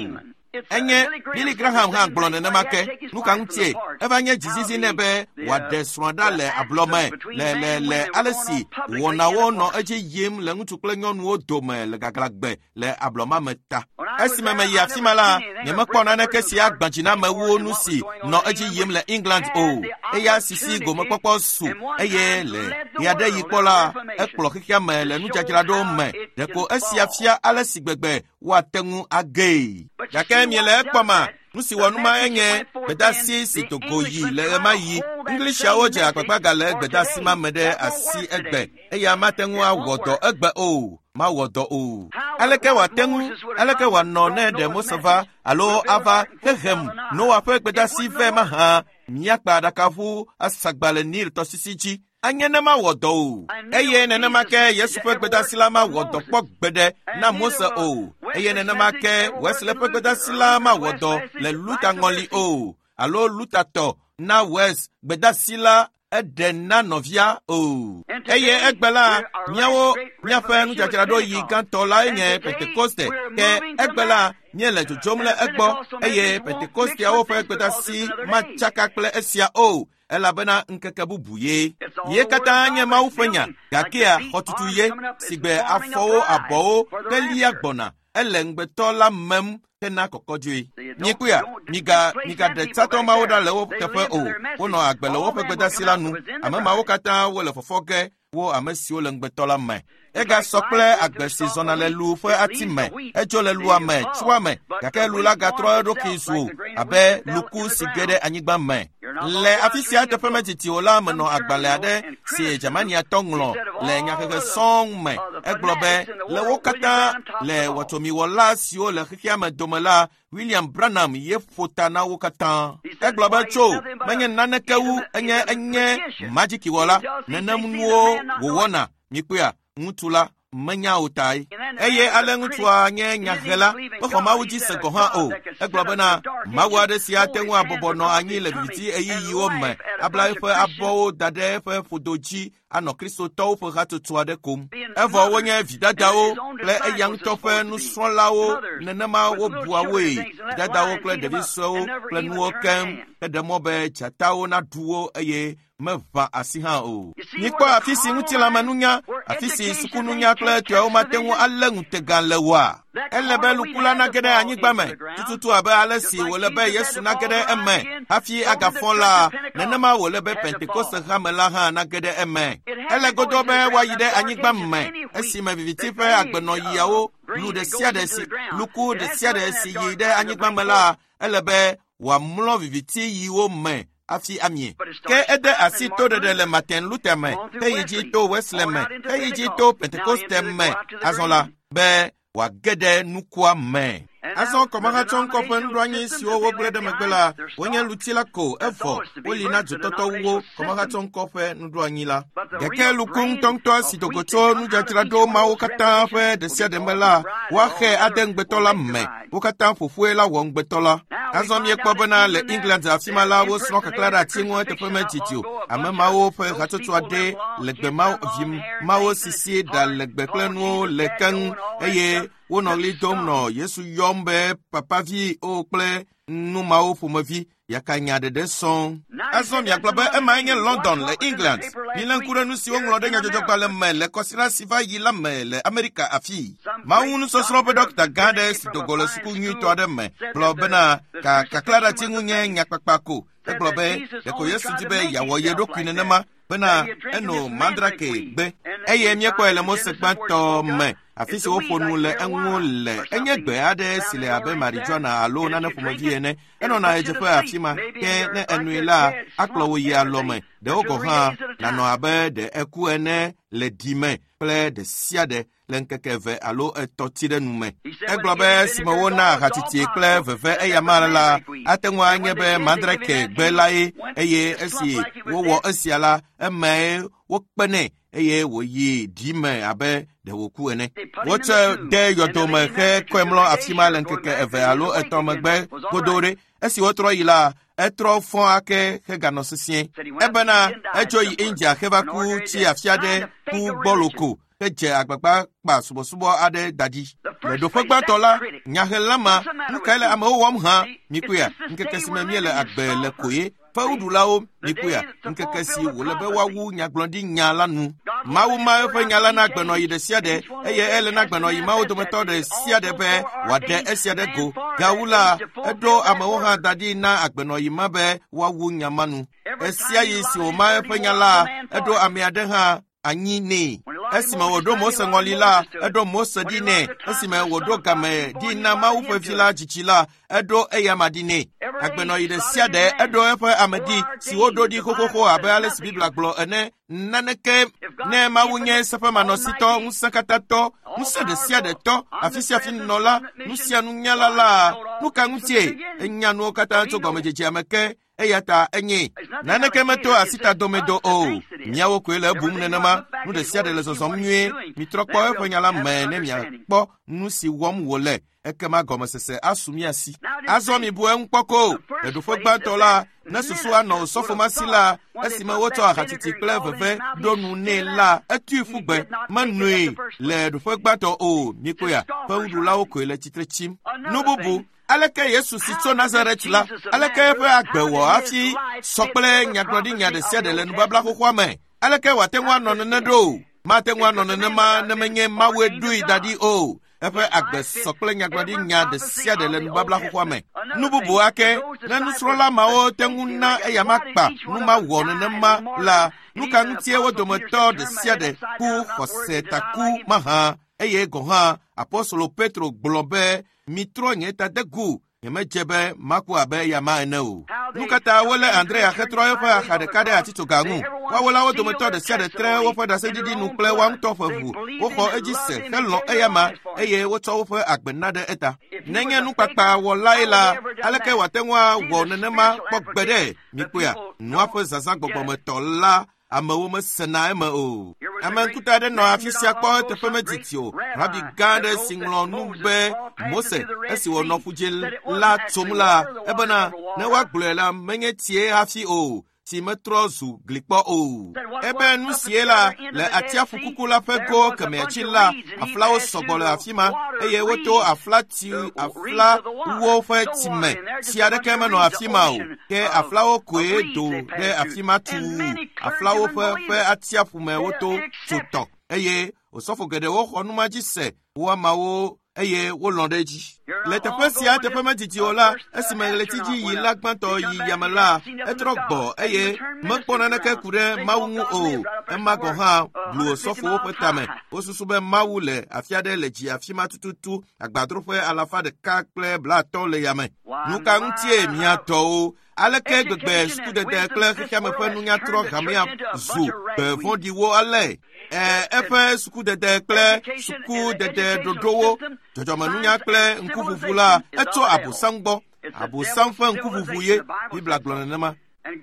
Enye Billy Graham hã gblɔ nenema ke. Nu ka ŋutie? Eva nye dzizizi nɛ be wòaɖe srɔ̃a ɖa le ablɔme le le le ale si wɔnawo nɔ edzi yim le ŋutsu kple nyɔnuwo dome le gaglãgbe le ablɔma me ta. Esime meyi afi ma la, nyemekpɔ naneke si agbã dzi na amewo nu si nɔ edzi yim le England o. Eya sisi gomekpɔkpɔ su eye le ɣeaɖeɣi kpɔ la, ekplɔ xexea me le nudzadzraɖo me. Ɖeko esia fia ale si gbegbe woate ŋu agee. Gake miele ekpɔma, nu si wɔ numa enye gbedeasi si dogo yi le ɣemaɣi. Englishaawo dze agbagba gale gbedeasi ma me ɖe asi egbe. Eya mate ŋu awɔ dɔ egbe o, mawɔ dɔ o. Aleke wòate ŋu, aleke wòanɔ ne ɖe Mose va alo ava hehem Noa ƒe gbedeasi vɛ mahã míakpa aɖakaʋu asagba le Nil tɔsisi dzi. Anye ne mawɔ dɔ o. Eye nenema ke Yesu ƒe gbedeasi la mawɔ dɔ kpɔ gbeɖe na Mose o. Eye nenema ke Wesley ƒe gbedeasi la mawɔ dɔ le Luther ŋɔli o, alo Luther tɔ na Wes gbedeasi la eɖe na nɔvia o. Eye egbe la, míawo míaƒe nudzadzraɖoɣi gãtɔ lae nye Pentekoste. Ke egbe la, míele dzodzom le egbɔ eye Pentekosteawo ƒe gbedeasi matsaka kple esia o. Elabena ŋkeke bubu ye. Ye katã nye Mawu ƒe nya, gakea xɔtutu ye, si gbe afɔwo abɔwo ke lia gbɔna. Ele ŋugbetɔ la mem hena kɔkɔdzoe. Miekpɔea, miga migaɖe tsatɔ mawo ɖa le wo teƒe o. Wonɔ agbe le woƒe gbedeasi la nu. Ame mawo katã wole fɔfɔ ge wo ame siwo le ŋugbetɔ la me. Egasɔ kple agbe si zɔna le lu ƒe ati me. Edzo le lua me, tsoa me, gake lu la gatrɔ eɖokui zu abe luku si ge ɖe anyigba me. Le afi sia teƒe medidi o la, menɔ agbalẽ aɖe si Germaniatɔ ŋlɔ le nyahehe sɔŋ me. Egblɔ be le wo katã le wɔtomiwɔla siwo le xexea me dome la, William Branham ye ƒo ta na wo katã. Egblɔ be tso menye naneke wu enye enye madzikiwɔla. Nenem nuwo wòwɔna. Mikpɔea, ŋutsu la menya o tae. Eye ale ŋutsua nye nyahela, mexɔ Mawu dzi se gɔ̃ hã o. Egblɔ bena Mawu aɖe si ate ŋu abɔbɔ nɔ anyi le viviti ɣeyiɣiwo me, abla eƒe abɔwo da ɖe eƒe ƒodo dzi anɔ Kristotɔwo ƒe hatsotso aɖe kom. Evɔ wonye vidadawo kple eya ŋutɔ ƒe nusrɔ̃lawo nenema wobua woe. Vidadawo kple ɖevi suewo kple nuwo keŋ heɖe mɔ be dzatawo naɖu wo eye meʋã asi hã o. Mikpɔ afi si ŋutilãmenunya, afi si sukununya kple etɔawo mate ŋu alé ŋutega le oa? Ele be luku la nage ɖe anyigba me tututu abe ale si wòle be Yesu nage ɖe eme hafi agafɔ la, nenema wòle be Pentekoste hame la hã nage ɖe eme. Ele godoo be woayi ɖe anyigba me esime viviti ƒe agbenɔɣiawo lu ɖe sia ɖe si luku ɖe sia ɖe si yi ɖe anyigba me la, ele be wòamlɔ viviti ɣiwo me hafi amie. Ke ede asi toɖeɖe le Martin Luther me, heyi dzi to Wesley me, heyi dzi to Pentekoste me azɔ la be wòage ɖe nukua me. Azɔ kɔmahatsɔŋkɔ ƒe nuɖoanyi siwo wogblẽ ɖe megbe la, wonye luti la ko evɔ woli na dzotɔtɔwuwo kɔmahatsɔŋkɔ ƒe nuɖoanyi la. Gake luku ŋutɔŋutɔ si dogo tso nudzadzraɖo mawo katã ƒe ɖe sia ɖe me la, woaxe ade ŋugbetɔ la me. Wo katã ƒoƒoe la wɔ ŋugbetɔ la. Azɔ miekpɔ bena le England afi ma la, wosrɔ̃ kaklã ɖe ati ŋu eteƒe medidi o. Ame mawo ƒe hatsotso aɖe le gbe mawo vi mawo sisi ɖa legbe kple nuwo le keŋ eye wonɔ ɣli dom nɔ Yesu yɔm be papavi o kple nu mawo ƒomevi yakanya ɖeɖe sɔŋ. Azɔ miagblɔ be emae nye London le England. Milé ŋku ɖe nu si woŋlɔ ɖe nyadzɔdzɔgbalẽ me le kɔsiɖa si va yi la me le Amerika afii. Mawu nusɔsrɔ̃ ƒe ɖɔkita gã aɖe si do go le suku nyuitɔ aɖe me gblɔ bena ka kaklãɖati ŋu nye nyakpakpa ko. Egblɔ be ɖeko Yesu di be yeawɔ ye ɖokui nenema bena eno mandrake gbe eye míekpɔe le Mose gbãtɔ me afi si woƒo nu le eŋu le. Enye gbe aɖe si le abe marijuana alo nane ƒomevi ene. Enɔna ɣedzeƒe afi ma ke ne enoe la akplɔ wò yi alɔme. Ɖewo gɔ̃ hã nanɔ abe ɖe eku ene le ɖi me kple ɖe sia ɖe le ŋkeke eve alo etɔ̃ ti ɖe nu me. Egblɔ be esime wona ahatiti kple veve eyama la, ate ŋu anye be mandrake gbe lae eye esi wowɔ esia la, emae wokpe nɛ eye wòyi ɖi me abe ɖe wòku ene. Wotsɔe de yɔdome hekɔe mlɔ afi ma le ŋkeke eve alo etɔ̃ megbe godoo ɖe. Esi wotrɔ yi la, etrɔ fɔ ake heganɔ sesĩe. Ebena edzo yi India heva ku tsi afi aɖe ku gbɔlo ko hedze agbagba kpa subɔsubɔ aɖe da ɖi. Le ɖoƒe gbãtɔ la, nyahela ma, nu kae le amewo wɔm hã? Mikpɔea, ŋkeke si me míele agbe le koe. Fewuɖulawo, mikpɔea, ŋkeke si wòle be woawu nyagblɔɖinya la nu. Mawu ma eƒe nya la na agbenɔɣi ɖe sia ɖe eye ele na agbenɔɣi mawo dometɔ ɖe sia ɖe be wòaɖe esia ɖe go. Gawu la, eɖo amewo hã da ɖi na agbenɔɣi ma be woawu nya ma nu. Esia ɣi si wòma eƒe nya la, eɖo ame aɖe hã anyi nɛ. Esime wòɖo Mose ŋɔli la, eɖo Mose ɖi nɛ. Esime wòɖo game ɖi na Mawu ƒe vi la dzidzi la, eɖo eyama ɖi nɛ. Agbenɔɣi ɖe sia ɖe eɖo eƒe ame ɖi si woɖo ɖi xoxoxo abe ale si Biblia gblɔ ene. Naneke ne Mawu nye seƒemanɔsitɔ, ŋusẽkatãtɔ, ŋusẽ ɖe sia ɖe tɔ, afi sia afi nɔla, nu sia nunyala la, nu ka ŋutie? Enya nuwo katã tso gɔmedzedzea me ke. Eya ta enye naneke meto asitadomedo o. Miawo koe le ebum nenema. Nu ɖe sia ɖe le zɔzɔm nyuie. Mitrɔ kpɔ eƒe nya la me ne miakpɔ nu si wɔm wòle. Ekema gɔmesese asu mia si. Azɔ mibu eŋu kpɔ ko. Le ɖoƒe gbãtɔ la, ne susu anɔ osɔfo ma si la, esime wotsɔ ahatiti kple veve ɖo nu nɛ la, etui ƒu gbe. Menoe le ɖoƒe gbãtɔ o. Mikpɔea, fewuɖulawo koe le tsitre tsim. Nu bubu. Aleke Yesu si tso Nazaret la, aleke eƒe agbe wɔ hafi sɔ kple nyagblɔɖinya ɖe sia ɖe le nubabla xoxoa me? Aleke wòate ŋu anɔ nene ɖo? Mate ŋu anɔ nenema ne menye Mawue ɖoe da ɖi o. Eƒe agbe sɔ kple nyagblɔɖinya ɖe sia ɖe le nubabla xoxoa me. Nu bubu ake, ne nusrɔ̃la mawo te ŋu na eyama kpa nu ma wɔ nenema la, nu ka ŋutie wo dometɔ ɖe sia ɖe ku xɔsetaku mahã? Eye gɔ̃ hã Apostolo Petro gblɔ be mitrɔ nye tadegu, nyemedze be maku abe eyama ene o. Nu ka ta wolé Andrea hetrɔ eƒe axa ɖeka ɖe atitsoga ŋu? Woawo la wo dometɔ ɖe sia ɖe tre woƒe ɖaseɖiɖi nu kple woa ŋutɔ ƒe ʋu. Woxɔ edzi se helɔ̃ eyama eye wotsɔ woƒe agbe na ɖe eta. Nenye nukpakpa wɔlae la, aleke wòate ŋu awɔ nenema kpɔ gbe ɖe? Mikpɔea, nua ƒe zazã gbɔgbɔmetɔ la, amewo mesena eme o. Ame ŋkuta aɖe nɔ afi sia kpɔ eteƒe medidi o. Rabi gã aɖe si ŋlɔ nu be Mose esi wònɔ ƒudze la tsom la, ebena ne woagblɔe la menye tsie hafi o. si metrɔ zu glikpɔ o. Ebe nu sie la le atsiaƒu kuku la ƒe go kemɛ dzi la, aflawo sɔgbɔ le afi ma eye woto aflati aflawo ƒe tsime. Tsi aɖeke menɔ afi ma o, ke aflawo koe do ɖe afi ma tuu. Aflawo ƒe ƒe atsiaƒu me woto tso tɔ eye osɔfo geɖewo xɔ numa dzi se wo ameawo eye wolɔ̃ ɖe edzi. Le teƒe sia teƒe medidi o la, esime ɣleti dzi yi la gbãtɔ yi yame la, etrɔ gbɔ eye mekpɔ naneke ku ɖe Mawu ŋu o. Ema gɔ̃ hã blu osɔfowo ƒe tame. Wosusu be Mawu le afi aɖe le dzi afi ma tututu agbadroƒe alafa ɖeka kple blaatɔ̃ le yame. Nu ka ŋutie mia tɔwo? Aleke gbegbe sukudede kple xexeame ƒe nunya trɔ hamea zu gbe vɔ̃ɖiwo ale? E, eƒe sukudede kple sukudede ɖoɖowo, dzɔdzɔmenunya kple ŋkuʋuʋu la, etso Abosam gbɔ. Abosam ƒe ŋkuʋuʋu ye, Biblia gblɔ nenema.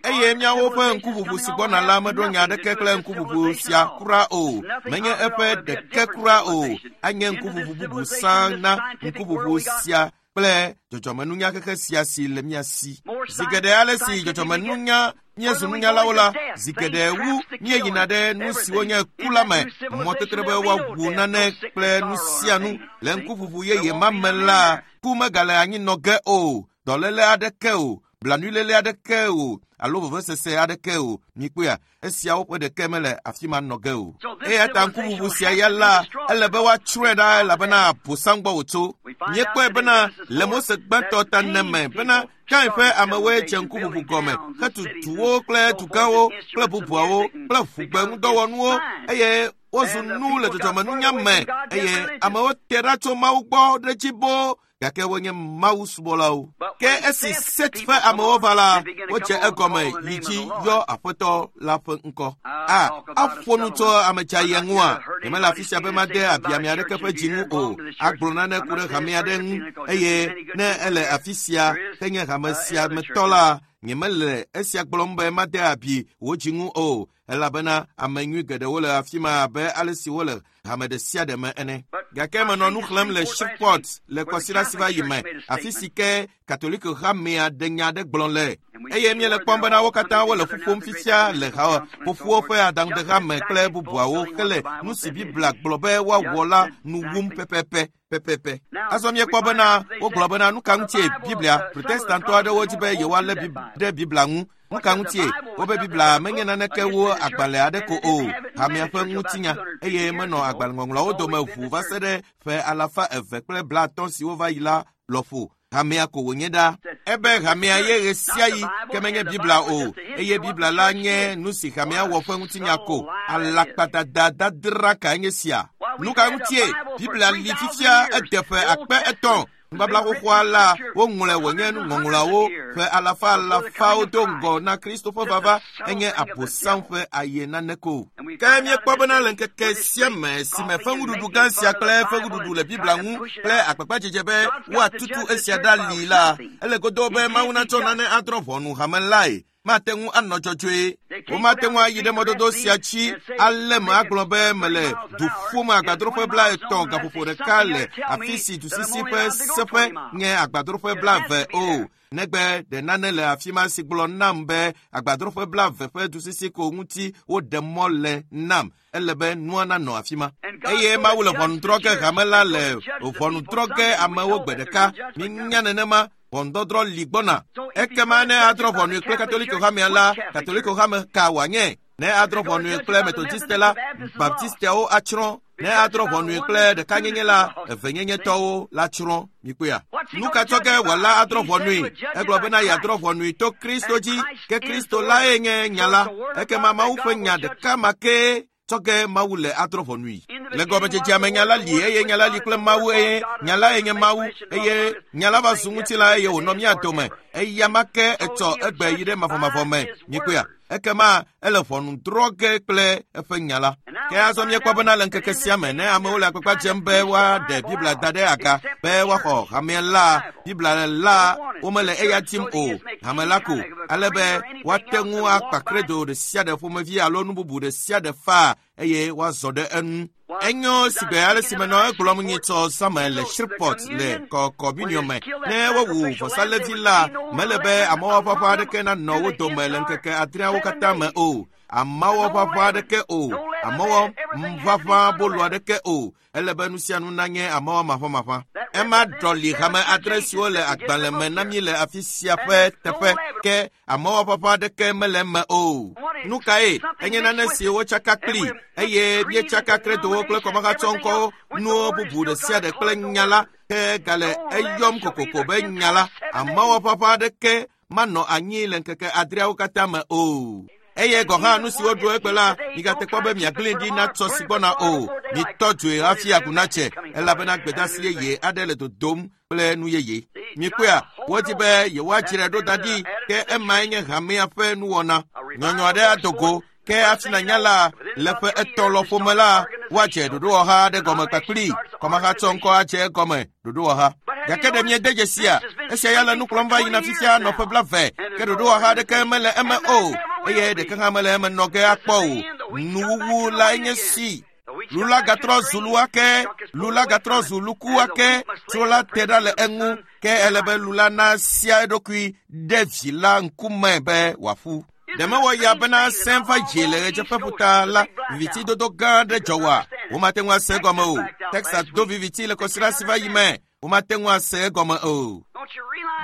Eye míawo ƒe ŋkuʋuʋu si gbɔna la meɖo nya aɖeke kple ŋkuʋuʋu sia kura o. Menye eƒe ɖeke kura o. Anye ŋkuʋuʋu bubu sã na ŋkuʋuʋu sia kple dzɔdzɔmenunya xexe sia si le mía si. Zi geɖe ale si dzɔdzɔmenunya míezu nunyalawo la, zi geɖe wu míeyina ɖe nu siwo nye ku la me, mɔtetre be woaʋu nane kple nu sia nu. Le ŋkuʋuʋu yeye ma me la, ku megale anyi nɔ ge o, dɔléle aɖeke o, blanuiléle aɖeke o, alo vevesese aɖeke o. Mikpɔea, esiawo ƒe ɖeke mele afi ma nɔ ge o. Eya ta ŋkuʋuʋu sia ya la, ele be woatsrɔ̃e ɖa elabena Abosam gbɔ wòtso. Míekpɔe bena le Mose gbãtɔ ta ne me bena Kain ƒe amewoe dze ŋkuʋuʋu gɔme hetu duwo kple dugãwo kple bubuawo kple ʋugbe ŋudɔwɔnuwo eye wozu nu le dzɔdzɔmenunya me eye amewo te ɖa tso Mawu gbɔ ɖe dzi boo gake wonye Mawu subɔlawo. Ke esi Set ƒe amewo va la, wodze egɔme yi dzi yɔ Aƒetɔ la ƒe ŋkɔ. A, aƒo nu tso ame dzayia ŋua? Nyemele afi sia be made abi ame aɖeke ƒe dzi ŋu o. Agblɔ nane ku ɖe hame aɖe ŋu eye ne ele afi sia henye hame sia me tɔ la, nyemele esia gblɔm be made abi wò dzi ŋu o, elabena ame nyui geɖewo le afi ma abe ale si wole hame ɖe sia ɖe me ene. Gake menɔ nu xlẽm le Shreveport le kɔsiɖa si va yi me, afi si ke Katoliko hamea ɖe nya aɖe gblɔ le. Eye míele kpɔm bena wo katã wole ƒu ƒom fifia le ha ƒoƒuwo ƒe aɖaŋudehame kple bubuawo hele nu si Biblia gblɔ be woawɔ la nu wum pɛpɛpɛ pɛpɛpɛ. Azɔ míekpɔ bena wogblɔ bena nu ka ŋutie Biblia Protestantɔ aɖewo dzi be yewoalé ɖe Biblia ŋu. Nu ka ŋutie wobe Biblia menye naneke wu agbalẽ aɖe ko o, hamea ƒe ŋutinya eye menɔ agbalẽŋɔŋlɔawo dome ʋu va se ɖe ƒe alafa eve kple blaatɔ̃ siwo va yi la lɔƒo. Hamea ko wònye ɖa. Ebe hamea ye ɣe sia ɣi ke menye Biblia o, eye Biblia la nye nu si hamea wɔ ƒe ŋutinya ko. Alakpadada dadra kae nye sia? Nu ka ŋutie Biblia li fifia ede ƒe akpe etɔ̃? Nubabla xoxoa la woŋlɔe wònye nuŋɔŋlɔawo ƒe alafa alafawo do ŋgɔ na Kristo ƒe vava enye Abosam ƒe aye nane ko. Ke míekpɔ bena le ŋkeke sia me si me feŋuɖuɖu gã sia kple feŋuɖuɖu le Biblia ŋu kple agbagbadzedze be woatutu esia ɖa li la, ele godoo be Mawu natsɔ nane adrɔ̃ ʋɔnu hame lae. Mate ŋu anɔ dzɔdzɔe. Womate ŋu ayi ɖe mɔdodo sia dzi ale me agblɔ be mele du ƒom agbadroƒe blaetɔ̃ gaƒoƒo ɖeka le afi si dusisi ƒe seƒe nye agbadroƒe blaeve o. Negbe ɖe nane le afi ma si gblɔ nam be agbadroƒe blaeve ƒe dusisi ko ŋuti woɖe mɔ le nam. Ele be nua nanɔ afi ma. Eye Mawu le ʋɔnu drɔ̃ ge hame la le ʋɔnu drɔ̃ ge amewo gbe ɖeka. Mínya nenema. Ʋɔnudɔdrɔ̃ li gbɔna. Ekema ne adrɔ̃ ʋɔnui kple Katoliko hamea la, Katoliko hame ka wòanye? Ne adrɔ̃ ʋɔnui kple Metodiste la, Baptisteawo atsrɔ̃. Ne adrɔ̃ ʋɔnui kple ɖekanyenye la, evenyenyetɔwo la tsrɔ̃. Mikpɔea? Nu ka tsɔ ge wòala adrɔ̃ ʋɔnui? Egblɔ bena yeadrɔ̃ ʋɔnui to Kristo dzi, ke Kristo lae nye nya la. Ekema Mawu ƒe nya ɖeka ma kee tsɔ ge Mawu le adrɔ̃ ʋɔnui. Le gɔmedzedzea me nya la li eye nya la li kple Mawu eye nya lae nye Mawu eye nya la va zu ŋutilã eye wònɔ mía dome. Eya ma ke etsɔ egbe yi ɖe mavɔmavɔ me. Mikpɔea? Ekema ele ʋɔnu drɔ̃ ge kple eƒe nya la. Ke azɔ míekpɔ bena le ŋkeke sia me ne amewo le agbagba dzem be woaɖe Biblia da ɖe aga be woaxɔ hamea la, Biblia la womele eya tim o hame la ko ale be woate ŋu akpa kredo ɖe sia ɖe ƒomevi alo nu bubu ɖe sia ɖe faa eye woazɔ ɖe enu. Enyo sigbe ale si menɔ egblɔm nyitsɔ zãme le Shreveport le kɔkɔminiɔ me. Ne wowu vɔsalevi la, mele be amewɔƒaƒã aɖeke nanɔ wo dome le ŋkeke adreawo katã me o. Amewɔƒaƒã aɖeke o, amewɔƒaƒã bolu aɖeke o. Ele be nu sia nu nanye amewɔ maƒamaƒã. Ema ɖɔli hame adre siwo le agbalẽ me na mí le afi sia ƒe teƒe ke amewɔƒaƒã aɖeke mele eme o. Nu kae? Enye nane si wotsaka kpli eye míetsaka kredowo kple kɔmahatsɔŋkɔwo nuwo bubu ɖe sia ɖe kple nya la ke gale eyɔm kokoko be nya la. Amewɔƒaƒã aɖeke manɔ anyi le ŋkeke adreawo katã me o. Eye gɔ̃ hã nu si woɖu egbe la, migate kpɔ be miagblẽe ɖi na tsɔ si gbɔna o. Mitɔ dzoe hafi agu natse, elabena gbedeasi yeye aɖe le dodom kple nu yeye. Mikpɔea, wodi be yewoadzrae ɖo da ɖi, ke emae nye hamea ƒe nuwɔna. Nyɔnyɔ aɖe ado go, ke hafi nanya la, le ƒe etɔ̃ lɔƒo me la, woadze ɖoɖowɔha aɖe gɔme kpakpli. Kɔmahatsɔŋkɔ adze egɔme ɖoɖowɔha. Gake ɖe miede dzesia? Esia ya le nu kplɔm va yina fifia nɔ ƒe blaeve, ke ɖoɖowɔha aɖeke mele eme o, eye ɖeke hã mele eme nɔ ge akpɔ o. Nuwuwu lae nye si. Lu la gatrɔ zu lu ake, lu la gatrɔ zu luku ake, tso la te ɖa le eŋu, ke ele be lu la nasia eɖokui ɖe vi la ŋkume be wòaƒu. Ɖe mewɔ ya bena sẽ va dzi le ɣedzeƒeƒuta la, vivitidodo gã aɖe dzɔ oa? Womate ŋu ase egɔme o. Texas do viviti le kɔsiɖa si va yi me. Womate ŋu ase egɔme o.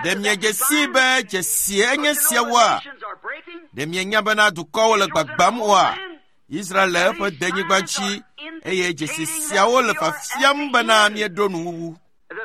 Ɖe miedze sii be dzesie enye siawoa? Ɖe mienya bena dukɔwo le gbagbam oa? Israel le eƒe denyigba dzi eye dzesi siawo le fafiam bena míeɖo nuwuwu.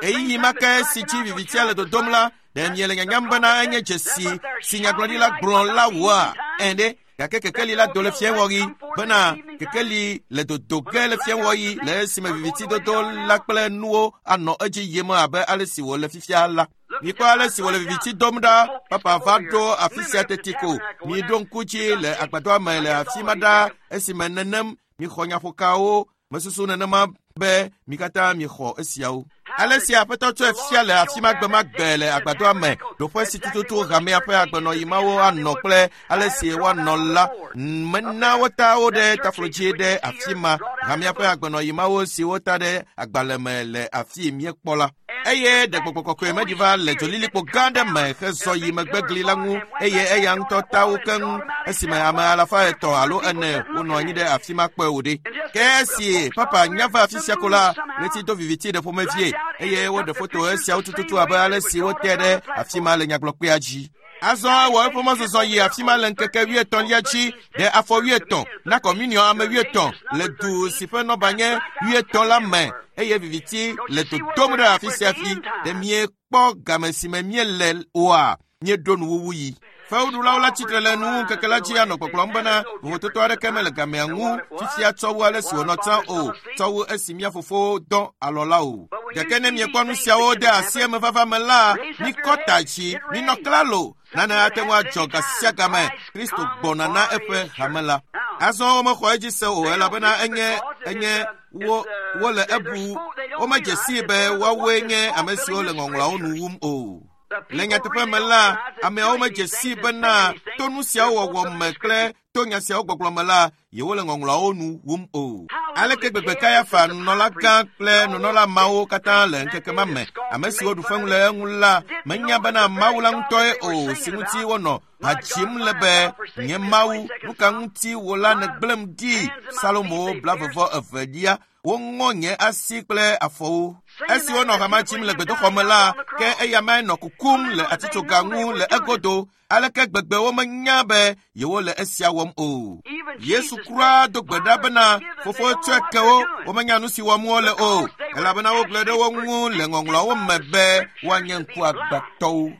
Ɣeyiɣi ma ke si dzi vivitia le dodom la, ɖe miele nyanyam bena enye dzesi si nyagblɔɖila gblɔ la woa? Ẽ ɖe, gake kekeli la do le fiẽwɔɣi bena kekeli le dodo ge le fiẽwɔɣi le esime vivitidodo la kple nuwo anɔ edzi yim abe ale si wòle fifia la. Mikpɔ ale si wòle viviti dom ɖa. Papa va ɖo afi sia teti ko. Miɖo ŋku dzi le agbadɔa me le afi ma ɖa esime nenem mixɔ nyaƒokawo. Mesusu nenema be mi katã mixɔ esiawo. Ale si Aƒetɔ tsɔe fia le afi ma gbe ma gbe le agbadɔa me, ɖoƒe si tututu hamea ƒe agbenɔɣi mawo anɔ kple ale si woanɔ la, mena wota wo ɖe taflo dzi ɖe afi ma. Hamea ƒe agbenɔɣi mawo si wota ɖe agbalẽ me le afi míekpɔ la. Eye ɖe gbɔgbɔ kɔkɔe meɖi va le dzolilikpo gã aɖe me hezɔ yi megbegli la ŋu eye eya ŋutɔ ta wo keŋ esime ame alafa etɔ̃ alo ene wonɔ anyi ɖe afi ma kpɔe wò ɖe. Ke esi papa nya va afi sia ko la, ɣleti do viviti ɖe ƒomevie eye woɖe foto esiawo tututu abe ale si wote ɖe afi ma le nyagblɔkpea dzi. Azɔ ewɔ eƒe mɔzɔzɔ yi afi ma le ŋkeke wuietɔ̃lia dzi ɖe afɔ wuietɔ̃ na kɔmuniɔ ame wuietɔ̃ le du si ƒe nɔba nye wuietɔ̃ la me eye viviti le dodom ɖe afi sia afi. Ɖe miekpɔ game si me míele oa? Míeɖo nuwuwu yi. Fewuɖulawo la tsitre le nuwuŋkeke la dzi anɔ gbɔgblɔm bena vovototo aɖeke mele gamea ŋu fifia tsɔ wu ale si wònɔ tsã o, tsɔ wu esi mía fofowo dɔ alɔ la o. Gake ne miekpɔ nu siawo de asi emevava me la, mikɔ ta dzi, minɔ klalo. Nane ate ŋu adzɔ ga sia game. Kristo gbɔna na eƒe hame la. Azɔ womexɔ edzi se o elabena enye enye wo wole ebu womedze sii be woawoe nye ame siwo le ŋɔŋlɔawo nu wum o. Le nyateƒe me la, ameawo medze sii bena to nu siawo wɔwɔ me kple to nya siawo gbɔgblɔ me la, yewole ŋɔŋlɔawo nu wum o. Aleke gbegbe Kayafa, nunɔlagã kple nunɔla mawo katã le ŋkeke ma me, ame siwo ɖu fewu le eŋu la, menya bena Mawu la ŋutɔe o si ŋuti wonɔ ha dzim le be, nye Mawu, nu ka ŋuti wò la nègblẽm ɖi? Salomo blavevɔ evelia, woŋɔ nye asi kple afɔwo. Esi wonɔ hama dzim le gbedoxɔ me la, ke eya mae nɔ kukum le atitsoga ŋu le egodo. Aleke gbegbe womenya be yewole esia wɔm o. Yesu kura do gbe ɖa bena, fofo tsɔe ke wo, womenya nu si wɔm wole o, elabena wogblɔe ɖe wo ŋu le ŋɔŋlɔawo me be woanye ŋkuagbãtɔwo.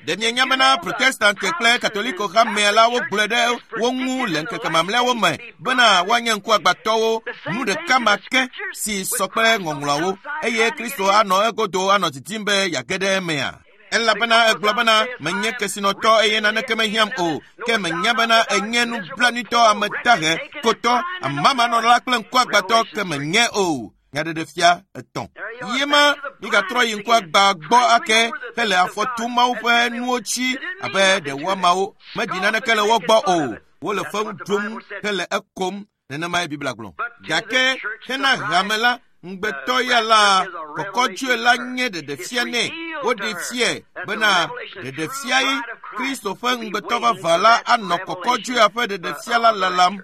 Ɖe mienya bena Protestante kple Katoliko hamea la wogblɔe ɖe wo ŋu le ŋkeke mamlɛawo me bena woanye ŋkuagbãtɔwo, nu ɖeka ma ke si sɔ kple ŋɔŋlɔawo, eye Kristo anɔ egodo anɔ didim be yeage ɖe emea? Elabena egblɔ bena menye kesinɔtɔ eye naneke mehiãm o, ke menya bena enye nublanuitɔ, ame dahe, kotɔ, amamanɔla kple ŋkuagbãtɔ ke menye o. Nyaɖeɖefia etɔ̃. Ye ma migatrɔ yi ŋkua gba gbɔ ake hele afɔ tum Mawu ƒe nuwo tsi abe ɖe woamawo meɖi naneke le wo gbɔ o. Wole fewu ɖum hele ekom. Nenemae Biblia gblɔ. Gake hena hame la, ŋugbetɔ ya la kɔkɔdzoe la nye ɖeɖefia nɛ. Woɖe fiae bena ɖeɖefiae Kristo ƒe ŋugbetɔ vavã la anɔ kɔkɔdzoea ƒe ɖeɖefia la lalam.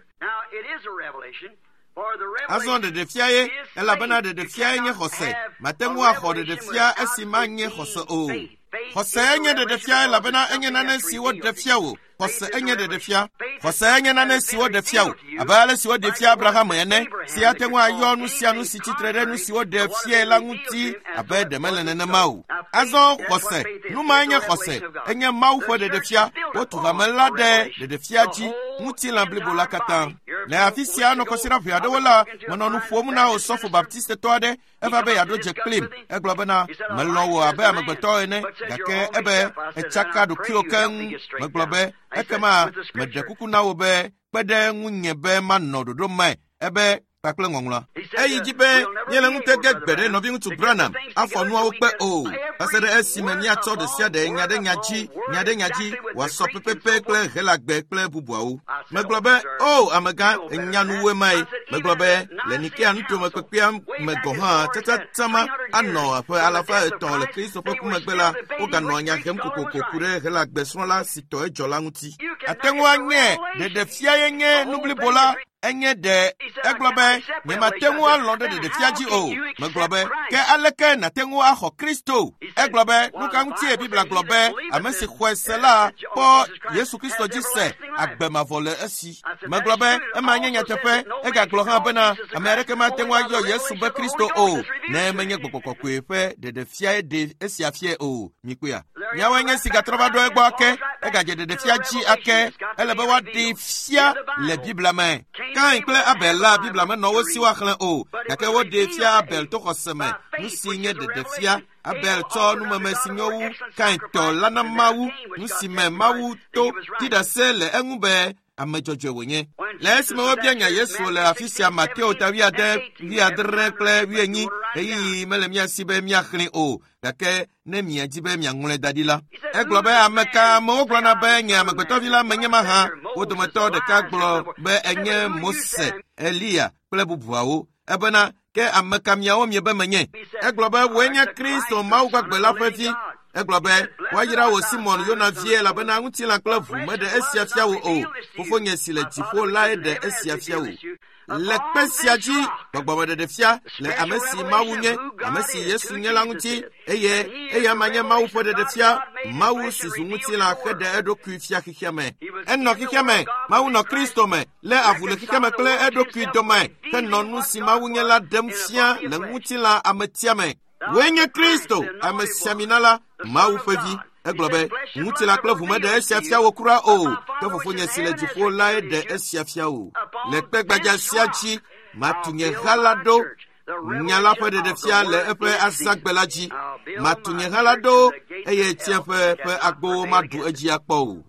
Azɔ ɖeɖefia ye, elabena ɖeɖefiae nye xɔse. Mate ŋu axɔ ɖeɖefia esi manye xɔse o. Xɔse nye ɖeɖefia elabena enye nane si woɖe fia wò. Xɔse enye ɖeɖefia. Xɔse enye nane si woɖe fia wò, abe ale si woɖe fia Abraham ene, si ate ŋu ayɔ nu sia nu si tsitre ɖe nu si woɖe fiae la ŋuti abe ɖe mele nenema o. Azɔ xɔse, nu mae nye xɔse, enye Mawu ƒe ɖeɖefia. Wotu hame la ɖe ɖeɖefia dzi, ŋutilã blibo la katã. Le afi sia nɔ kɔsiɖa ʋɛ aɖewo la, menɔ nu ƒom na osɔfo baptistetɔ aɖe, eva be yeaɖo dze kplim. Egblɔ bena, melɔ̃ wò abe amegbetɔ ene, gake ebe etsaka ɖokuiwò keŋ. Megblɔ be, ekema meɖe kuku na wò be kpe ɖe ŋunye be manɔ ɖoɖo me. Ebe kpakple ŋɔŋlɔa. Eyi dzi be míele ŋutege gbe ɖe nɔviŋutsu Branham afɔ nuawo kpe o. Va se ɖe esime míatsɔ ɖe sia ɖe nya ɖe nya dzi, nya ɖe nya dzi wòasɔ pɛpɛpɛ kple Helagbe kple bubuawo. Megblɔ be, o amegã, enya nuwoe mae. Megblɔ be, le Nikea nutome kpekpea me gɔ̃ hã tsatsatsama anɔ ƒe alafa etɔ̃ le Kristo ƒe ku megbe la, woganɔ nya hem kokoko ku ɖe Helagbe srɔ̃la si tɔ edzɔ la ŋuti. Ate ŋu anye ɖeɖefia ye nye nu blibo la. Enye ɖe egblɔ be nyemate ŋu alɔ̃ ɖe ɖeɖefia dzi o. Megblɔ be ke aleke nàte ŋu axɔ Kristo? Egblɔ be nu ka ŋutie Biblia gblɔ be ame si xɔe se la kpɔ Yesu Kristo dzi se agbe mavɔ le esi. Megblɔ be ema nye nyateƒe. Egagblɔ hã bena ame aɖeke mate ŋu ayɔ Yesu be Kristo o ne menye gbɔgbɔ kɔkɔe ƒe ɖeɖefiae ɖe esia fiae o. Mikpɔea? Miawoe nye si gatrɔ va ɖo egbɔ ake. Egadze ɖeɖefia dzi ake. Ele be woaɖee fia le Biblia me. Kain kple Abel la Biblia menɔ wo si woaxlẽ o, gake woɖee fia Abel to xɔse me, nu si nye ɖeɖefia. Abel tsɔ numeme si nyo wu Kain tɔ la na Mawu, nu si me Mawu to ɖi ɖase le eŋu be ame dzɔdzɔe wònye. Le esime wobia nya Yesu le afi sia Mateo ta wuiade, wuiadre kple wuienyi, ɣeyiɣi mele mía si be míaxlẽe o, gake ne miadi be miaŋlɔe da ɖi la. Egblɔ be ame ka amewo gblɔna be nye amegbetɔvi la menye mahã. Wo dometɔ ɖeka gblɔ be enye Mose, Eliya kple bubuawo. Ebena ke ame ka miawo miebe menye? Egblɔ be wòe nye Kristo Mawu gbagbe la ƒe vi. Egblɔ be woayra wò Simɔn Yona vie elabena ŋutilã kple ʋu meɖe esia fia wò o. Fofonye si le dziƒo lae ɖe esia fia wò. Le kpe sia dzi gbɔgbɔmeɖeɖefia le ame si Mawu nye, ame si Yesu nye la ŋuti, eye eya ma nye Mawu ƒe ɖeɖefia. Mawu si zu ŋutilã heɖe eɖokui fia xexea me. Enɔ xexea me, Mawu nɔ Kristo me, lé avu le xexea me kple eɖokui dome, henɔ nu si Mawu nye la ɖem fia le ŋutilã ametia me. Wòe nye Kristo, amesiamina la, Mawu ƒe vi. Egblɔ be ŋutilã kple ʋu meɖe esia fia wò kura o, ke fofonye si le dziƒo lae ɖe esia fia wò. Le kpe gbadza sia dzi, matu nye ha la ɖo, nya la ƒe ɖeɖefia le eƒe azãgbe la dzi. Matu nye ha la ɖo eye tsiẽƒe ƒe agbowo maɖu edzi akpɔ o.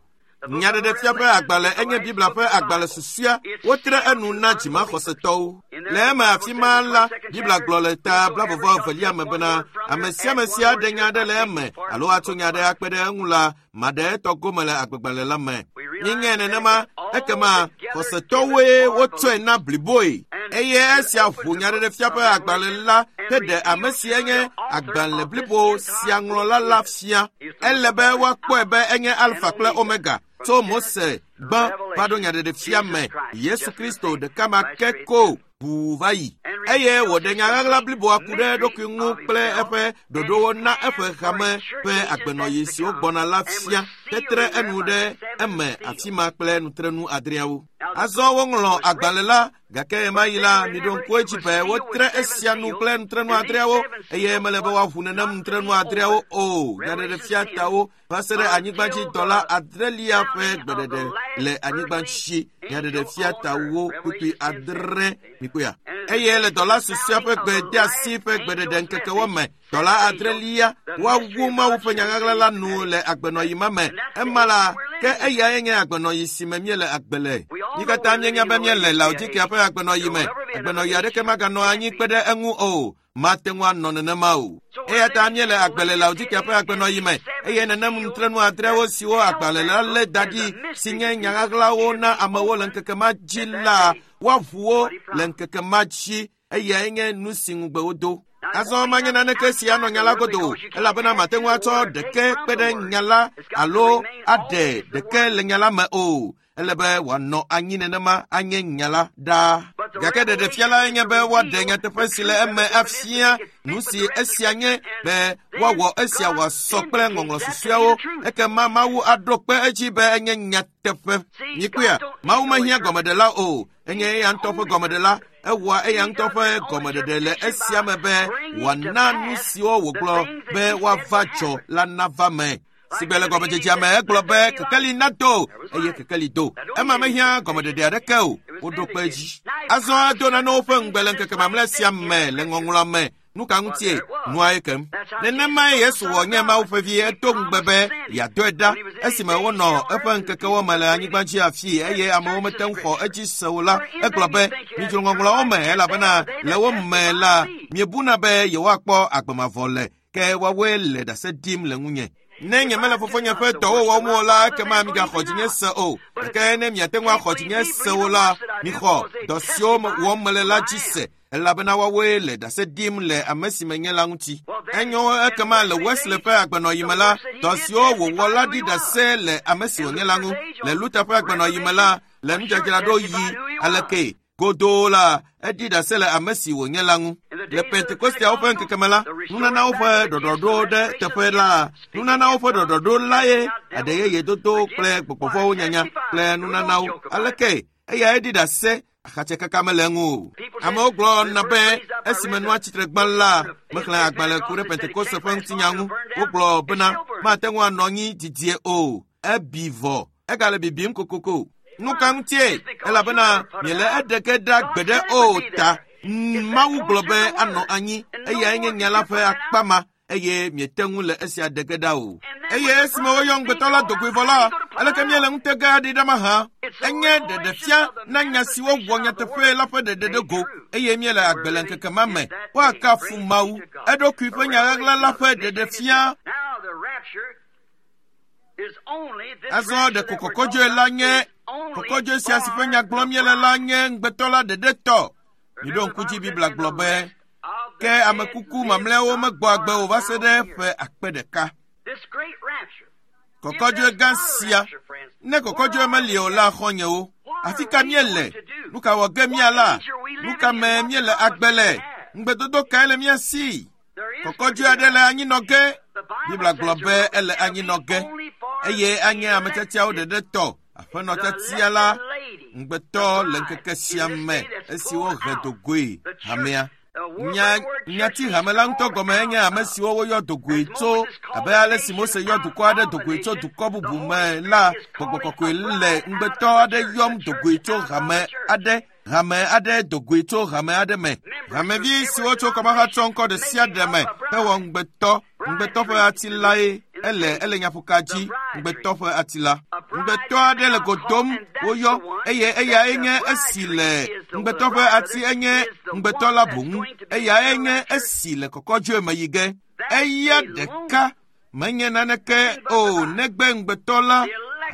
Nyaɖeɖefia ƒe agbalẽ enye Biblia ƒe agbalẽ susɔea. Wotre enu na dzimaxɔsetɔwo. Le eme afi ma la, Biblia gblɔ le ta blaeve evelia me bena ame sia ame si aɖe nya aɖe le eme alo atso nya aɖe akpe ɖe eŋu la, maɖe etɔ gome le agbegbalẽ la me. Míenyae nenema, ekema xɔsetɔwoe wotsɔe na bliboe. Eye esia ʋu nyaɖeɖefia ƒe agbalẽ la heɖe ame si enye agbalẽ blibo sia ŋlɔla la fia. Ele be woakpɔe be enye Alfa kple Omega. Tso Mose gbã va ɖo nyaɖeɖefia me, Yesu Kristo ɖeka ma ke ko ʋuu va yi. Eye wòɖe nya ɣaɣla bliboa ku ɖe eɖokui ŋu kple eƒe ɖoɖowo na eƒe hame ƒe agbenɔɣi siwo gbɔna la fia, tetre enu ɖe eme afi ma kple nutrenu adreawo. Azɔ woŋlɔ agbalẽ la, gake ɣemaɣi la, miɖo ŋku edzi be wotre esia nu kple nutrenu adreawo, eye mele be woaʋu nenem nutrenu adreawo o. Nyaɖeɖefia tawo va se ɖe anyigbadzidɔla adrelia ƒe gbeɖeɖe le anyigba dzi. Nyaɖeɖefia tawo kpukpui adre mikpɔea. Eye le dɔla susɔea ƒe gbedeasi ƒe gbeɖeɖe ŋkekewo me, Dɔla adrelia woawu Mawu ƒe nyaɣaɣla la nu le agbenɔyi ma me. Ema la, ke eyae nye agbenɔyi si me míele agbe le. Mí katã míenya be míele Laodikea ƒe agbenɔyi me. Agbenɔyi aɖeke maganɔ anyi kpe ɖe eŋu o. Mate ŋu anɔ nenema o. Eya ta míele agbe le Laodikea ƒe agbenɔyi me eye nenem nutrenu adrewo siwo agbalẽ la lé da ɖi si nye nyaɣaɣlawo na amewo le ŋkeke ma dzi la, woaʋu wo le ŋkeke ma dzi. Eyae nye nu si ŋugbe wodo. Azɔ manye naneke si anɔ nya la godo o, elabena mate ŋu atsɔ ɖeke kpe ɖe nya la alo aɖe ɖeke le nya la me o. Ele be wòanɔ anyi nenema anye nya la ɖaa. Gake ɖeɖefia lae nye be woaɖe nyateƒe si le eme afia nu si esia nye be woawɔ esia wòasɔ kple ŋɔŋlɔ susɔeawo. Ekema Mawu aɖo kpe edzi be enye nyateƒe. Mikpɔea, Mawu mehiã gɔmeɖela o. Enye eya ŋutɔ ƒe gɔmeɖela. Ewɔa eya ŋutɔ ƒe gɔmeɖeɖe le esia me be wòana nu siwo wògblɔ be woava dzɔ la nava me. Sigbe le gɔmedzedzea me egblɔ be kekeli nado eye kekeli do. Ema mehiã gɔmeɖeɖe aɖeke o. Woɖo kpe edzi. Azɔ edo nanewo ƒe ŋugbe le ŋkeke mamlɛ sia me le ŋɔŋlɔa me. Nu ka ŋutie? Nua ye kem. Nenemae Yesu wɔ nye Mawu ƒe vi. Edo ŋugbe be yeadɔe ɖa esime wonɔ eƒe ŋkekewo me le anyigba dzi afii eye amewo mete ŋu xɔ edzi se o la, egblɔ be midzro ŋɔŋlɔawo me elabena le wo me la miebuna be yewoakpɔ agbe mavɔ le, ke woawoe le ɖase ɖim le ŋunye. Ne nyemele fofonye ƒe dɔwo wɔm o la, ekema migaxɔ dzinye se o. Gake ne miate ŋu axɔ dzinye se o la, mixɔ dɔ siwo wɔm mele la dzi se, elabena woawoe le ɖase ɖim le ame si menye la ŋuti. Enyo ekema le Wesley ƒe agbenɔyi me la, dɔ siwo wòwɔ la ɖi ɖase le ame si wònye la ŋu. Le Luther ƒe agbenɔyi me la, le nudzadzraɖo yi aleke godoo la, eɖi ɖase le ame si wònye la ŋu. Le Pentekosteawo ƒe ŋkeke me la, nunanawo ƒe ɖɔɖɔɖo ɖe teƒe la, nunanawo ƒe ɖɔɖɔɖo lae aɖe yeye dodo kple gbɔgbɔvɔwo nyanya kple nunanawo. Aleke eyae ɖi ɖase axatsekaka mele eŋu o. Amewo gblɔna be esime nua tsitre gbã la, mexlẽ agbalẽ ku ɖe Pentekoste ƒe ŋutinya ŋu. Wogblɔ bena mate ŋu anɔ anyi didie o. Ebi vɔ. Egale bibim kokoko. Nu ka ŋutie? Elabena miele eɖeke ɖa gbeɖe o ta. Mawu gblɔ be anɔ anyi. Eyae nye nya la ƒe akpa ma eye miete ŋu le esia ɖeke ɖa o. Eye esime woyɔ ŋugbetɔ la dogoe vɔ la, aleke míele ŋutega aɖi ɖa mahã? Enye ɖeɖefia na nya siwo wɔ nyateƒe la ƒe ɖeɖe ɖe go eye míele agbe le ŋkeke ma me. Woakafu Mawu. Eɖokui ƒe nyaɣaɣla la ƒe ɖeɖefia. Azɔ ɖeko kɔkɔdzoe la nye kɔkɔdzoe sia si ƒe nya gblɔm míele la nye ŋugbetɔ la ɖeɖe tɔ. Miɖo ŋku dzi Biblia gblɔ be ke ame kuku mamlɛawo megbɔ agbe o va se ɖe ƒe akpe ɖeka. Kɔkɔdzoe gã sia, ne kɔkɔdzoe meli o la, xɔ̃nyewo, afi ka míele? Nu ka wɔ ge míala? Nu ka me míele agbe le? Ŋugbedodo kae le mía si? Kɔkɔdzoe aɖe le anyinɔ ge. Biblia gblɔ be ele anyinɔ ge eye anye ame tiatiawo ɖeɖe tɔ. Aƒenɔ tiatia la ŋugbetɔ le ŋkeke sia me esi wohe dogoe hamea. Nya nyati hame la ŋutɔ gɔme enye ame siwo woyɔ dogoe tso abe ale si Mose yɔ dukɔ aɖe dogoe tso dukɔ bubu me la, gbɔgbɔ kɔkɔe le ŋugbetɔ aɖe yɔm dogoe tso hame aɖe hame aɖe dogoe tso hame aɖe me. Hamevi siwo tso kɔmahatsɔ ŋkɔ ɖe sia ɖe me hewɔ ŋugbetɔ. Ŋugbetɔ ƒe ati lae ele ele nyaƒoka dzi. Ŋugbetɔ ƒe ati la. Ŋugbetɔ aɖe le go dom woyɔ eye eyae nye esi le ŋugbetɔ ƒe ati enye ŋugbetɔ la boŋ. Eyae nye esi le kɔkɔdzoe me yi ge. Eya ɖeka menye naneke o negbe ŋugbetɔ la,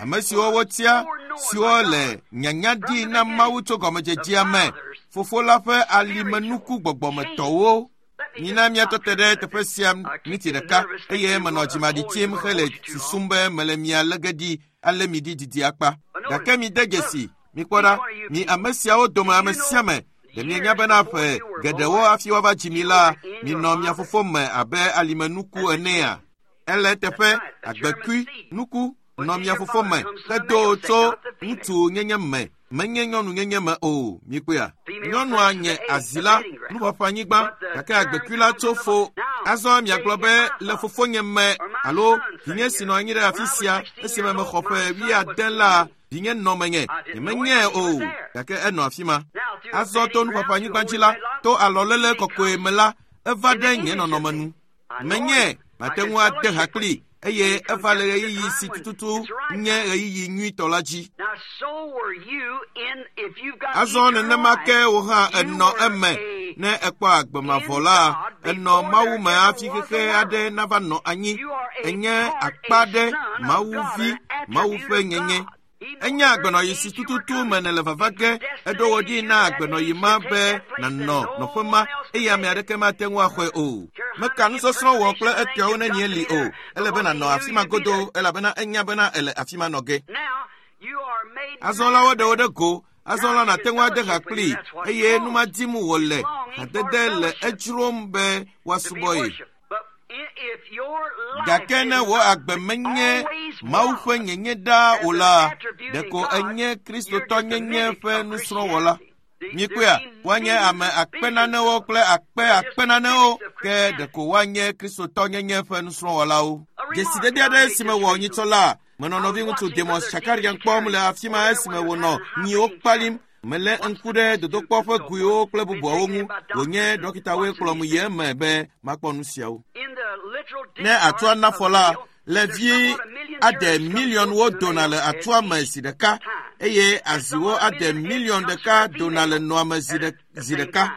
ame siwo wotia siwo le nyanya ɖi na Mawu tso gɔmedzedzea me, fofo la ƒe alimenuku gbɔgbɔmetɔwo. Mina míatɔ te ɖe teƒe sia miniti ɖeka eye menɔ dzimaɖi tsim hele susum be mele mia lé ge ɖi ale mi ɖi didi akpa. Gake mide dzesi, mikpɔ ɖa, mi ame siawo dome ame sia ame, ɖe mienya bena ƒe geɖewo hafi woava dzi mi la, minɔ mia fofo me abe alimenuku enea? Ele eteƒe agbekui nuku nɔ mia fofo me hedo tso ŋutsu nyenye me, menye nyɔnu nyenye me o. Mikpɔea? Nyɔnua nye azi la, nuƒaƒã anyigba, gake agbekui la tso fo. Azɔ miagblɔ be le fofonye me alo vinye si nɔ anyi ɖe afi sia esime mexɔ ƒe wuiade la, vinye nɔ menye, nyemenyae o, gake enɔ afi ma. Azɔ to nuƒaƒã anyigba dzi la, to alɔléle kɔkɔe me la, eva ɖe nye nɔnɔme nu. Menye mate ŋu ade ha kpli eye eva le ɣeyiɣi si tututu nye ɣeyiɣi nyuitɔ la dzi. Azɔ nenema ke wò hã enɔ eme ne ekpɔ agbe mavɔ la, enɔ Mawu me hafi xexe aɖe nava nɔ anyi. Enye akpa ɖe Mawu vi, Mawu ƒe nyenye. Enye agbenɔyi si tututu me nèle vava ge, eɖo wò ɖi na agbenɔyi ma be nànɔ nɔƒe ma eye ame aɖeke mate ŋu axɔe o. Meka nusɔsrɔ̃ wɔ kple etɔawo ne nye li o. Ele be nànɔ afi ma godoo elabena enya bena ele afi ma nɔ ge. Azɔ la woɖe wo ɖe go. Azɔ la nàte ŋu ade ha kplii eye nu ma dim wòle hadede le edzrom be woasubɔ ye. Gake ne wò agbe menye Mawu ƒe nyenye ɖaa o la, ɖeko enye Kristotɔnyenye ƒe nusrɔ̃wɔla. Mikpɔea, woanye ame akpe nanewo kple akpe akpe nanewo, ke ɖeko woanye Kristotɔnyenye ƒe nusrɔ̃wɔlawo. Dzesidede aɖe si mewɔ nyitsɔ la, menɔ nɔviŋutsu Demos Shakarian kpɔm le afi ma esime wònɔ nyiwo kpalim. Melé ŋku ɖe dodokpɔ ƒe goewo kple bubuawo ŋu. Wònye ɖɔkitawoe kplɔm yi eme be makpɔ nu siawo. Ne atua nafɔ la, le vi ade miliɔnwo dona le atua me zi ɖeka eye aziwo ade miliɔn ɖeka dona le nɔa me zi ɖeka.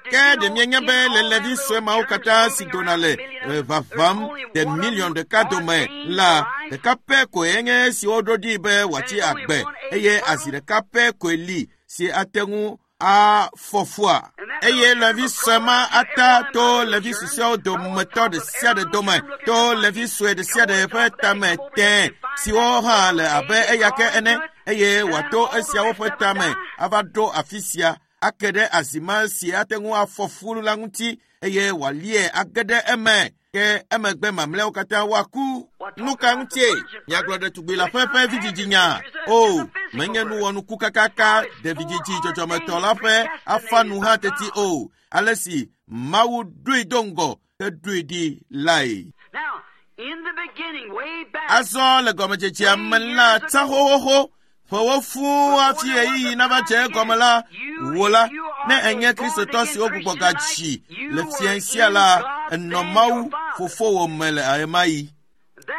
Ke ɖe mienya be le levi sue mawo katã si dona le vavam de miliɔn ɖeka dome la, ɖeka pɛ koe nye esi woɖo ɖi be wòatsi agbe eye azi ɖeka pɛ koe li si ate ŋu afɔ fua. Eye levi sue ma ata to levi susɔeawo dometɔ ɖe sia ɖe dome, to levi sue ɖe sia ɖe ƒe tame tẽ siwo hã le abe eya ke ene, eye wòato esiawo ƒe tame ava ɖo afi sia ake ɖe azi ma si ate ŋu afɔ fu la ŋuti eye wòalie age ɖe eme. Ke emegbe mamlɛawo katã woaku. Nu ka ŋutie miagblɔ ɖetugbi la ƒe ƒe vidzidzinya? O, menye nuwɔnuku kakaka ɖe vidzidzi dzɔdzɔmetɔ la ƒe afa nu hã teti o. Ale si Mawu ɖoe do ŋgɔ heɖoe ɖi lae. Azɔ le gɔmedzedzea me la tsã xoxoxo ƒewo fũu hafi ɣeyiɣi nava dze egɔme la, wò la, ne enye Kristotɔ siwo gbugbɔ gadzi le fia sia la, enɔ Mawu fofowò me le ɣemaɣi.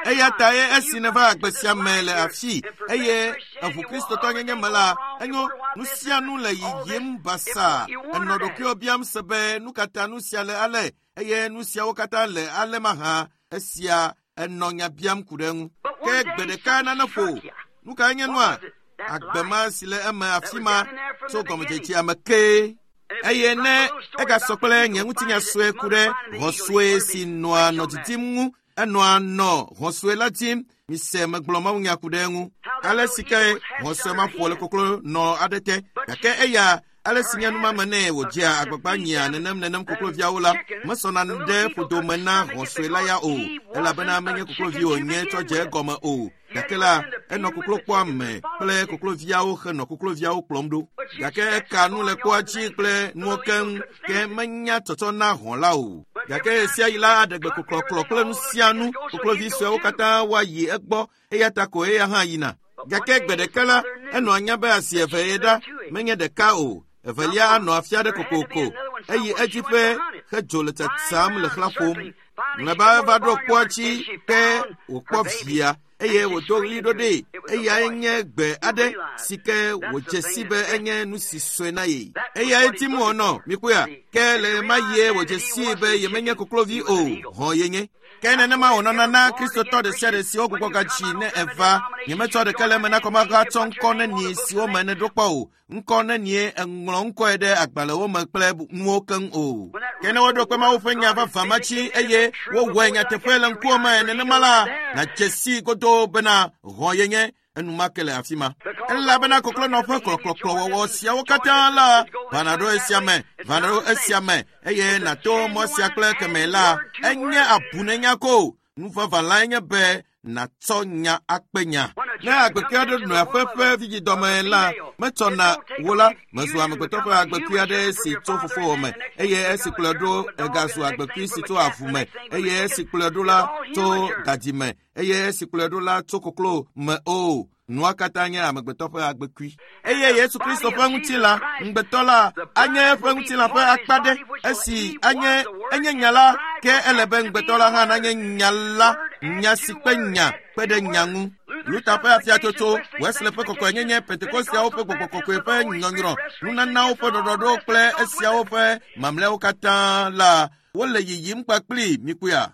Eya tae esi neva agbe sia me le afi eye eʋu Kristotɔnyenye me la, enyo nu sia nu le yiyim basaa. Enɔ ɖokuiwò biam se be nu ka ta nu sia le ale eye nu siawo katã le ale mahã. Esia enɔ nya biam ku ɖe eŋu. Ke gbe ɖeka nane ƒo. Nu kae nye nua? Agbe ma si le eme afi ma tso gɔmedzedzea me kee. Eye ne egasɔ kple nye ŋutinya sue ku ɖe hɔ̃ sue si nɔa nɔ didim ŋu, enɔa nɔ hɔ̃ sue la dim. Mise megblɔ mawunya ku ɖe eŋu. Ale si ke hɔ̃ sue ma ƒo le koklo nɔ aɖe te, gake eya ale si nye numame nɛ wòdzea agbagba nyia nenem nenem kokloviawo la, mesɔna ɖe ƒodome na hɔ̃ sue la ya o, elabena menye koklovi wònye tsɔ dze egɔme o. Gake la, enɔ koklokpɔa me kple kokloviawo henɔ kokloviawo kplɔm ɖo. Gake eka nu le kpoa dzi kple nuwo keŋ, ke menya tsɔtsɔ na hɔ̃ la o. Gake ɣe sia ɣi la aɖe gbe koklɔklɔ kple nu sia nu, koklovi suewo katã woayi egbɔ, eya ta ko eya hã yina. Gake gbe ɖeka la, enɔ anya be asi eve ye ɖa, menye ɖeka o. Evelia anɔ afi aɖe kokoko. Eyi edzi ƒe hedzo le tsatsam le xlã ƒom. Mlɔeba eva ɖo kpoa dzi ke wòkpɔ via eye wòdo ɣli ɖo ɖee. Eyae nye gbe aɖe si ke wòdze si be enye nu si sɔe na ye. Eyae dim wònɔ, mikpɔea? Ke le ɣemaɣie wòdze sii be yemenye koklovi o, hɔ̃ yenye. Ke nenema wònɔna na Kristotɔ ɖe sia ɖe si wogbugbɔ gadzi ne eva. Nyemetsɔ ɖeke le eme na kɔmahatsɔ ŋkɔ nenie siwo me nèɖo kpɔ o. Ŋkɔ nenie eŋlɔ ŋkɔe ɖe agbalẽwo me kple nuwo keŋ o. Ke ne woɖo kpe Mawu ƒe nya vavã ma dzi eye wowɔe nyateƒe le ŋkuwò me nenema la, nàdze sii godoo bena hɔ̃ yenye enumake le afi ma. Elabena koklonɔ ƒe kplɔkplɔkplɔwɔwɔ siawo katã la vana ɖo esia me, vana ɖo esia me eye nàto mɔ sia kple kemɛ la, enye abunenya ko. Nu vavã lae nye be nàtsɔ nya akpe nya. Ne agbekui aɖe nɔ aƒe ƒe vidzidɔme la, metsɔna wò la, mezu amegbetɔ ƒe agbekui aɖe si tso fofowò me, eye esi kplɔe ɖo egazu agbekui si tso avu me, eye esi kplɔe ɖo la tso dadi me, eye esi kplɔe ɖo la tso koklo me o. Nua katã nye amegbetɔ ƒe agbekui. Eye Yesu Kristo ƒe ŋutilã, ŋugbetɔ la, anye eƒe ŋutilã ƒe akpa ɖe, esi anye enye nya la, ke Ke ele be ŋugbetɔ la hã nanye nya la, nya si kpe nya kpe ɖe nya ŋu. Luther ƒe afiatsotso, Wesley ƒe kɔkɔenyenye, Pentekosteawo ƒe gbɔgbɔ kɔkɔe ƒe nyɔnyrɔ, nunanawo ƒe ɖɔɖɔɖo kple esiawo ƒe mamlɛawo katã la, wole yiyim kpakpli mikpɔea.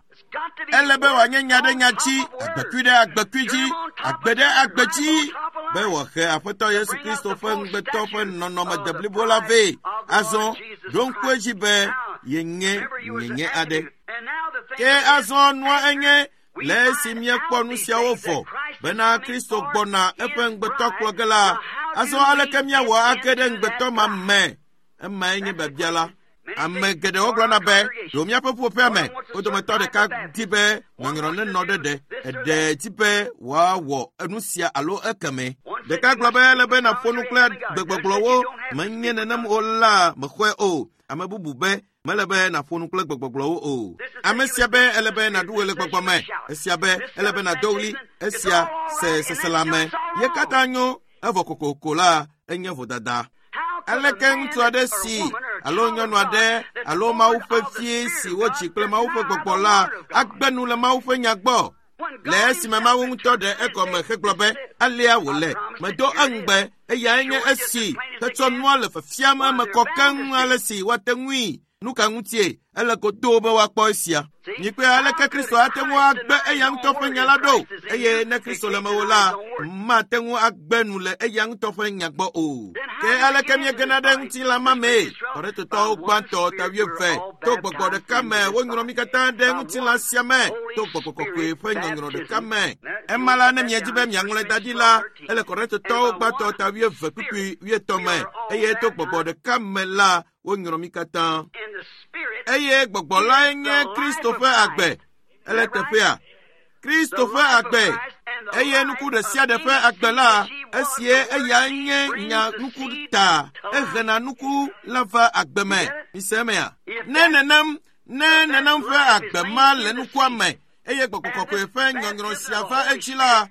Ele be wòanye nya ɖe nya dzi, agbekui ɖe agbekui dzi, agbe ɖe agbe dzi, be wòahe Aƒetɔ Yesu Kristo ƒe ŋugbetɔ ƒe nɔnɔme deblibo la vɛ. Azɔ, ɖo ŋku edzi be yenye nyenye aɖe. Ke azɔ nua enye le esi míekpɔ nu siawo vɔ bena Kristo gbɔna eƒe ŋugbetɔ kplɔ ge la, azɔ aleke míawɔ age ɖe ŋugbetɔ ma me? Emae nye biabia la. Ame geɖewo gblɔna be ɖo míaƒe ƒuƒoƒea me, wo dometɔ ɖeka di be nyɔnyrɔ nenɔ ɖe ɖe, eɖe di be wòawɔ enu sia alo ekeme. Ɖeka gblɔ be ele be nàƒo nu kple gbegbɔgblɔwo, menye nenem o la mexɔe o. Ame bubu be mele be nàƒo nu kple gbegbɔgblɔwo o. Ame sia be ele be nàɖu ɣe le gbɔgbɔ me, esia be ele be nàdo ɣli, esia se seselãme. Ye katã nyo, evɔ kokoko la enye vodada. Aleke ŋutsu aɖe si alo nyɔnu aɖe alo Mawu ƒe vie si wodzi kple Mawu ƒe gbɔgbɔ la agbe nu le Mawu ƒe nya gbɔ? Le esime Mawu ŋutɔ ɖe egɔme hegblɔ be alea wòle, medo eŋugbe, eyae nye esi hetsɔ nua le fiafiam eme kɔ keŋ ale si woate ŋui. Nu ka ŋutie ele godoo be woakpɔ esia? Mikpɔe aleke Kristo ate ŋu agbe eya ŋutɔ ƒe nya la ɖo, eye ne Kristo le mewò la, mate ŋu agbe nu le eya ŋutɔ ƒe nya gbɔ o. Ke aleke míegena ɖe ŋutilã ma mee? Kɔrintotɔwo gbãtɔ ta wuieve, to gbɔgbɔ ɖeka me wonyrɔ mí katã ɖe ŋutilã sia me, to gbɔgbɔ kɔkɔe ƒe nyɔnyrɔ ɖeka me. Ema la, ne miedi be miaŋlɔe da ɖi la, ele Kɔrintotɔwo gbãtɔ ta wuieve kpukpui wuietɔ̃ me, eye to gbɔgbɔ ɖeka me la, wonyrɔ mí katã. Eye gbɔgbɔ lae nye Kristo ƒe agbe. Ele teƒea. Kristo ƒe agbe. Eye nuku ɖe sia ɖe ƒe agbe la, esie eyae nye nya nuku ta. Ehena nuku la va agbe me. Mise emea? Ne nenem, ne nenem ƒe agbe ma le nukua me, eye gbɔgbɔ kɔkɔe ƒe nyɔnyrɔ sia va edzi la,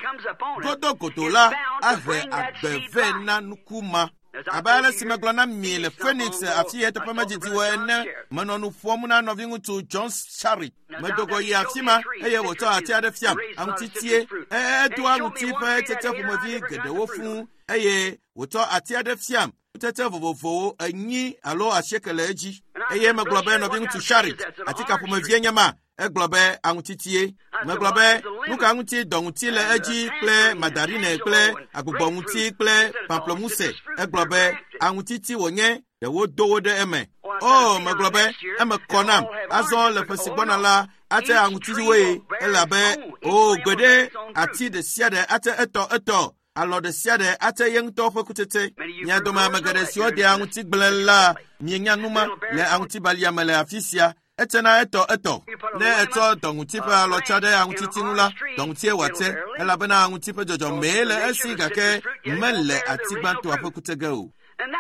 godogodo la ahe agbe vɛ na nuku ma. Abe ale si megblɔ na mi le Phoenix afi eteƒe medzidziwo ene, menɔ nu ƒom na nɔviŋutsu John Sharrit. Medo go yi afi ma eye wòtsɔ ati aɖe fiam, aŋutitie. Edoa aŋuti ƒe tsetse ƒomevi geɖewo fũu eye wòtsɔ ati aɖe fiam, kutsetse vovovowo enyi alo asieke le edzi. Eye megblɔ be nɔviŋutsu Sharrit, atika ƒomevie nye ma. Egblɔ be aŋutitie. Megblɔ be nu ka ŋuti dɔŋuti le edzi kple mandarine kple agbugbɔŋuti kple pamplemousse. Egblɔ be aŋutiti wònye, ɖe wodo wo ɖe eme. O, megblɔ be eme kɔ nam. Azɔ le ƒe si gbɔna la, ate aŋutitiwoe elabe o gbeɖe ati ɖe sia ɖe ate etɔ etɔ. Alɔ ɖe sia ɖe ate ye ŋutɔ ƒe kutsetse. Mia dome ame geɖe siwo dea aŋutigble la, mienya nu ma le aŋutibalia me le afi sia. Etsena etɔ etɔ. Ne etsɔ dɔŋuti ƒe alɔtsa ɖe aŋutiti ŋu la, dɔŋutie wòate, elabena aŋuti ƒe dzɔdzɔmee le esi gake mele ati gbãtɔa ƒe kutse ge o.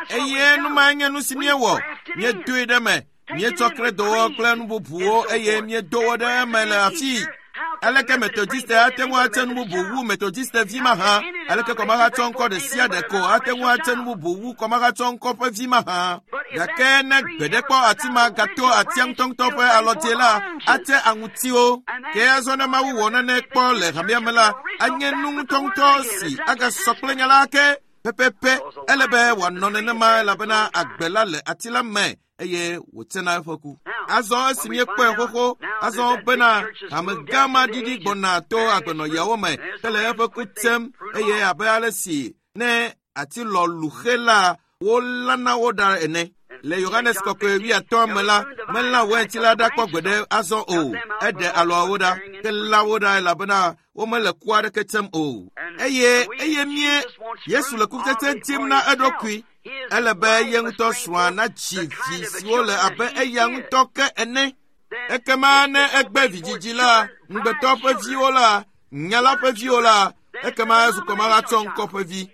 Eye nu mae nye nu si míewɔ. Míedoe ɖe eme, míetsɔ kredowɔ kple nu bubuwo eye míedo wo ɖe eme le afii. Aleke Methodiste ate ŋu atse nu bubu wu Methodiste vi mahã? Aleke kɔmahatsɔ ŋkɔ ɖe sia ɖe ko ate ŋu atse nu bubu wu kɔmahatsɔ ŋkɔ ƒe vi mahã? Gake ne gbeɖe kpɔ ati ma gato atia ŋutɔŋutɔ ƒe alɔdze la, ate aŋutiwo. Ke azɔ ne Mawu wɔ nane kpɔ le hamea me la, anye nu ŋutɔŋutɔ si agasɔ kple nya la ke pɛpɛpɛ. Ele be wòanɔ nenema elabena agbe la le ati la me eye wòtsena eƒe ku. Azɔ esi míekpɔe xoxo, azɔ bena hamegã ma ɖiɖi gbɔna to agbenɔyawo me hele eƒe ku tsem eye abe ale si ne ati lɔ luxe la, wolãna wo ɖa ene. Le Yohanes kɔkɔe wuiatɔ̃ me la, melã wɛnti la ɖa kpɔ gbeɖe azɔ o. Eɖe alɔawo ɖa, ke lã wo ɖa elabena womele ku aɖeke tsem o. Eye eye mie Yesu le kutsetse dim na eɖokui. Ele be ye ŋutɔ srɔ̃a nadzi vi siwo le abe eya ŋutɔ ke ene. Ekema ne egbe vidzidzi la, ŋugbetɔ ƒe viwo la, nya la ƒe viwo la, ekema ezu kɔmahatsɔ ŋkɔ ƒe vi.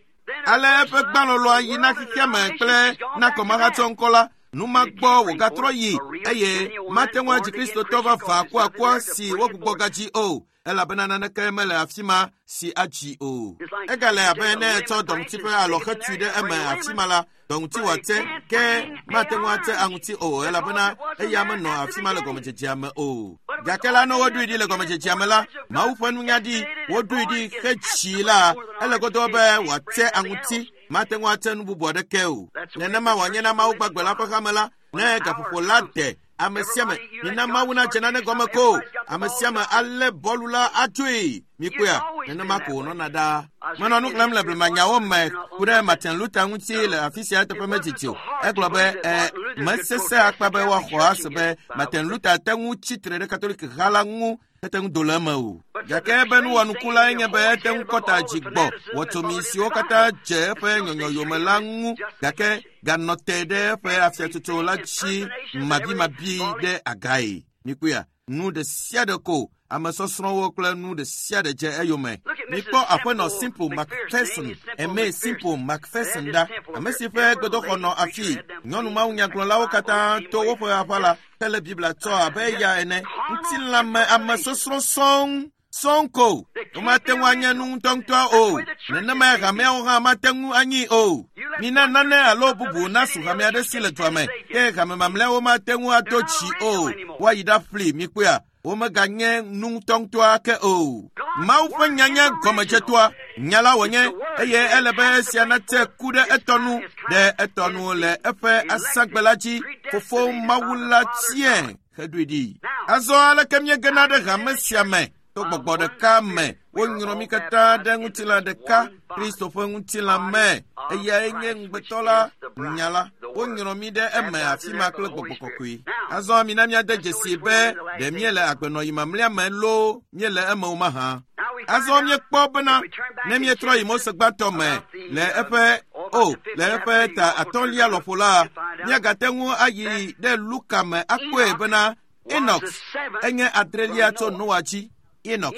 Ale eƒe gbalɔlɔa yi na xexea me kple na kɔmahatsɔ ŋkɔ la. Nu ma gbɔ wògatrɔ yi eye mate ŋu adzi Kristotɔ vavã akuakua si wogbugbɔ gadzi o, elabena naneke mele afi ma si adzi o. Egale abe ne etsɔ dɔŋuti ƒe alɔ hetui ɖe eme afi ma la, dɔŋuti wòate, ke mate ŋu ate aŋuti o, elabena eya menɔ afi ma le gɔmedzedzea me o. Gake la, ne woɖoe ɖi le gɔmedzedzea me la, Mawu ƒe nunya ɖi, woɖoe ɖi hetsi la, ele godoo be wòate aŋuti, mate ŋu ate nu bubu aɖeke o. Nenema wòanye na Mawu gbagbe la ƒe hame la, ne gaƒoƒo la de ame sia ame, mina Mawu nadze nane gɔme ko, ame sia ame alé bɔlu la atsoe. Mikpɔea, nenema ko wònɔna ɖaa. Menɔ nu xlẽm le blemanyawo me ku ɖe Martin Luther ŋuti le afi sia eteƒe medidi o. Egblɔ be e mesesẽ akpa be woaxɔ ase be Martin Luther te ŋu tsi tre ɖe Katolik ha la ŋu ete ŋu do le eme o. Gake ebe nuwɔnuku lae nye be ete ŋu kɔta dzi gbɔ wɔtsomi siwo katã dze eƒe nyɔnyɔ yome la ŋu, gake ganɔ te ɖe eƒe afiatsotso la dzi mabimabi ɖe agae. Mikpɔea, nu ɖe sia ɖe ko ame sɔsrɔ̃wo kple nu ɖe sia ɖe dze eyome. Mikpɔ aƒenɔ Simple Macpherson, Aimé Simple Macpherson ɖa, ame si ƒe gbedoxɔ nɔ afi. Nyɔnu mawunyagblɔlawo katã to woƒe aʋa la hele Biblia tsɔ abe eya ene. Ŋutilãme ame sɔsrɔ̃ sɔŋ sɔŋ ko. Womate ŋu anye nu ŋutɔŋutɔ o. Nenemae hameawo hã mate ŋu anyi o. Mina nane alo bubu nasu hame aɖe si le dua me, ke hame mamlɛawo mate ŋu ado dzi o. Woayi ɖaƒli, mikpɔea, womeganye nu ŋutɔŋutɔa ke o. Mawu ƒe nya nye gɔmedzetoa, nya la wònye, eye ele be esia nate ku ɖe etɔ nu, ɖe etɔ nu le eƒe asagbe la dzi. Fofo Mawu la tiae heɖoe ɖi. Azɔ aleke míegena ɖe hame sia me? To gbɔgbɔ ɖeka me, wonyrɔ mí katã ɖe ŋutilã ɖeka, Kristo ƒe ŋutilã me. Eyae nye ŋugbetɔ la, nya la. Wonyrɔ mí ɖe eme afi ma kple gbɔgbɔ kɔkɔe. Azɔ mina míade dzesi be ɖe míele agbenɔyi mamlɛa me loo míele eme o mahã. Azɔ míekpɔ bena ne míetrɔ yi Mose gbãtɔ me le eƒe o le eƒe ta atɔ̃lia lɔƒo la, míagate ŋu ayi ɖe Luka me akpɔe bena Enoch enye adrelia tso Noa dzi. Enoch,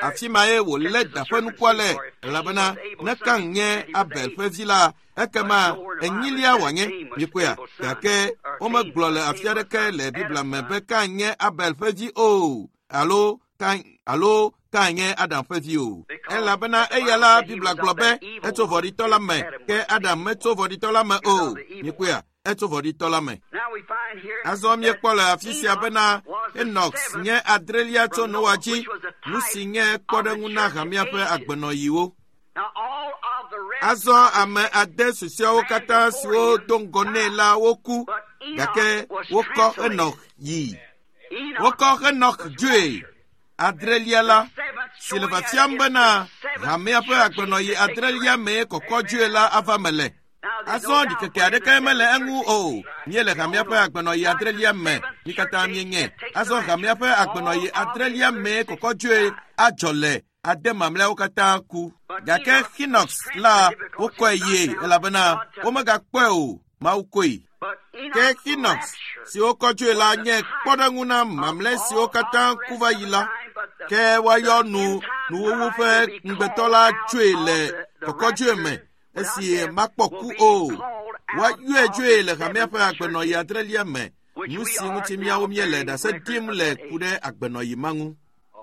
afi mae wòlé daƒe nukua le, elabena ne Kain nye Abel ƒe vi la, ekema enyilia wòanye. Mikpɔea, gake womegblɔ le afi aɖeke le Biblia me be Kain nye Abel ƒe vi o, alo Kain alo Kain nye Adam ƒe vi o. Elabena eya la Biblia gblɔ be etso vɔ̃ɖitɔ la me, ke Adam metso vɔ̃ɖitɔ la me o. Mikpɔea, etso vɔ̃ɖitɔ la me. Azɔ míekpɔ le afi sia bena Enoch nye adrelia tso Noa dzi, nu si nye kpɔɖeŋu na hamea ƒe agbenɔyiwo. Azɔ ame ade susɔeawo katã siwo do ŋgɔ nɛ la woku, gake wokɔ Enoch yi. Wokɔ Enoch dzoe. Adrelia la, si le fiafiam bena hamea ƒe agbenɔyi adrelia mee kɔkɔ dzoe la ava me le. Azɔ ɖikeke aɖeke mele eŋu o. Míele hamea ƒe agbenɔyi adrelia me, mí katã míenye. Azɔ hamea ƒe agbenɔyi adrelia mee kɔkɔ dzoe adzɔ le ade mamlɛawo katã ku. Gake Enoch la wokɔe yie elabena womegakpɔe o, Mawu kɔe. Ke Enoch si wokɔ dzoe la nye kpɔɖeŋu na mamlɛ siwo katã ku va yi la. Ke woayɔ nu nuwuwu ƒe ŋugbetɔ la tsoe le kɔkɔdzoe me esi makpɔ ku o. Woayɔe dzoe le hamea ƒe agbenɔyi adrelia me, nu si ŋuti míawo míele ɖase ɖim le ku ɖe agbenɔyi ma ŋu.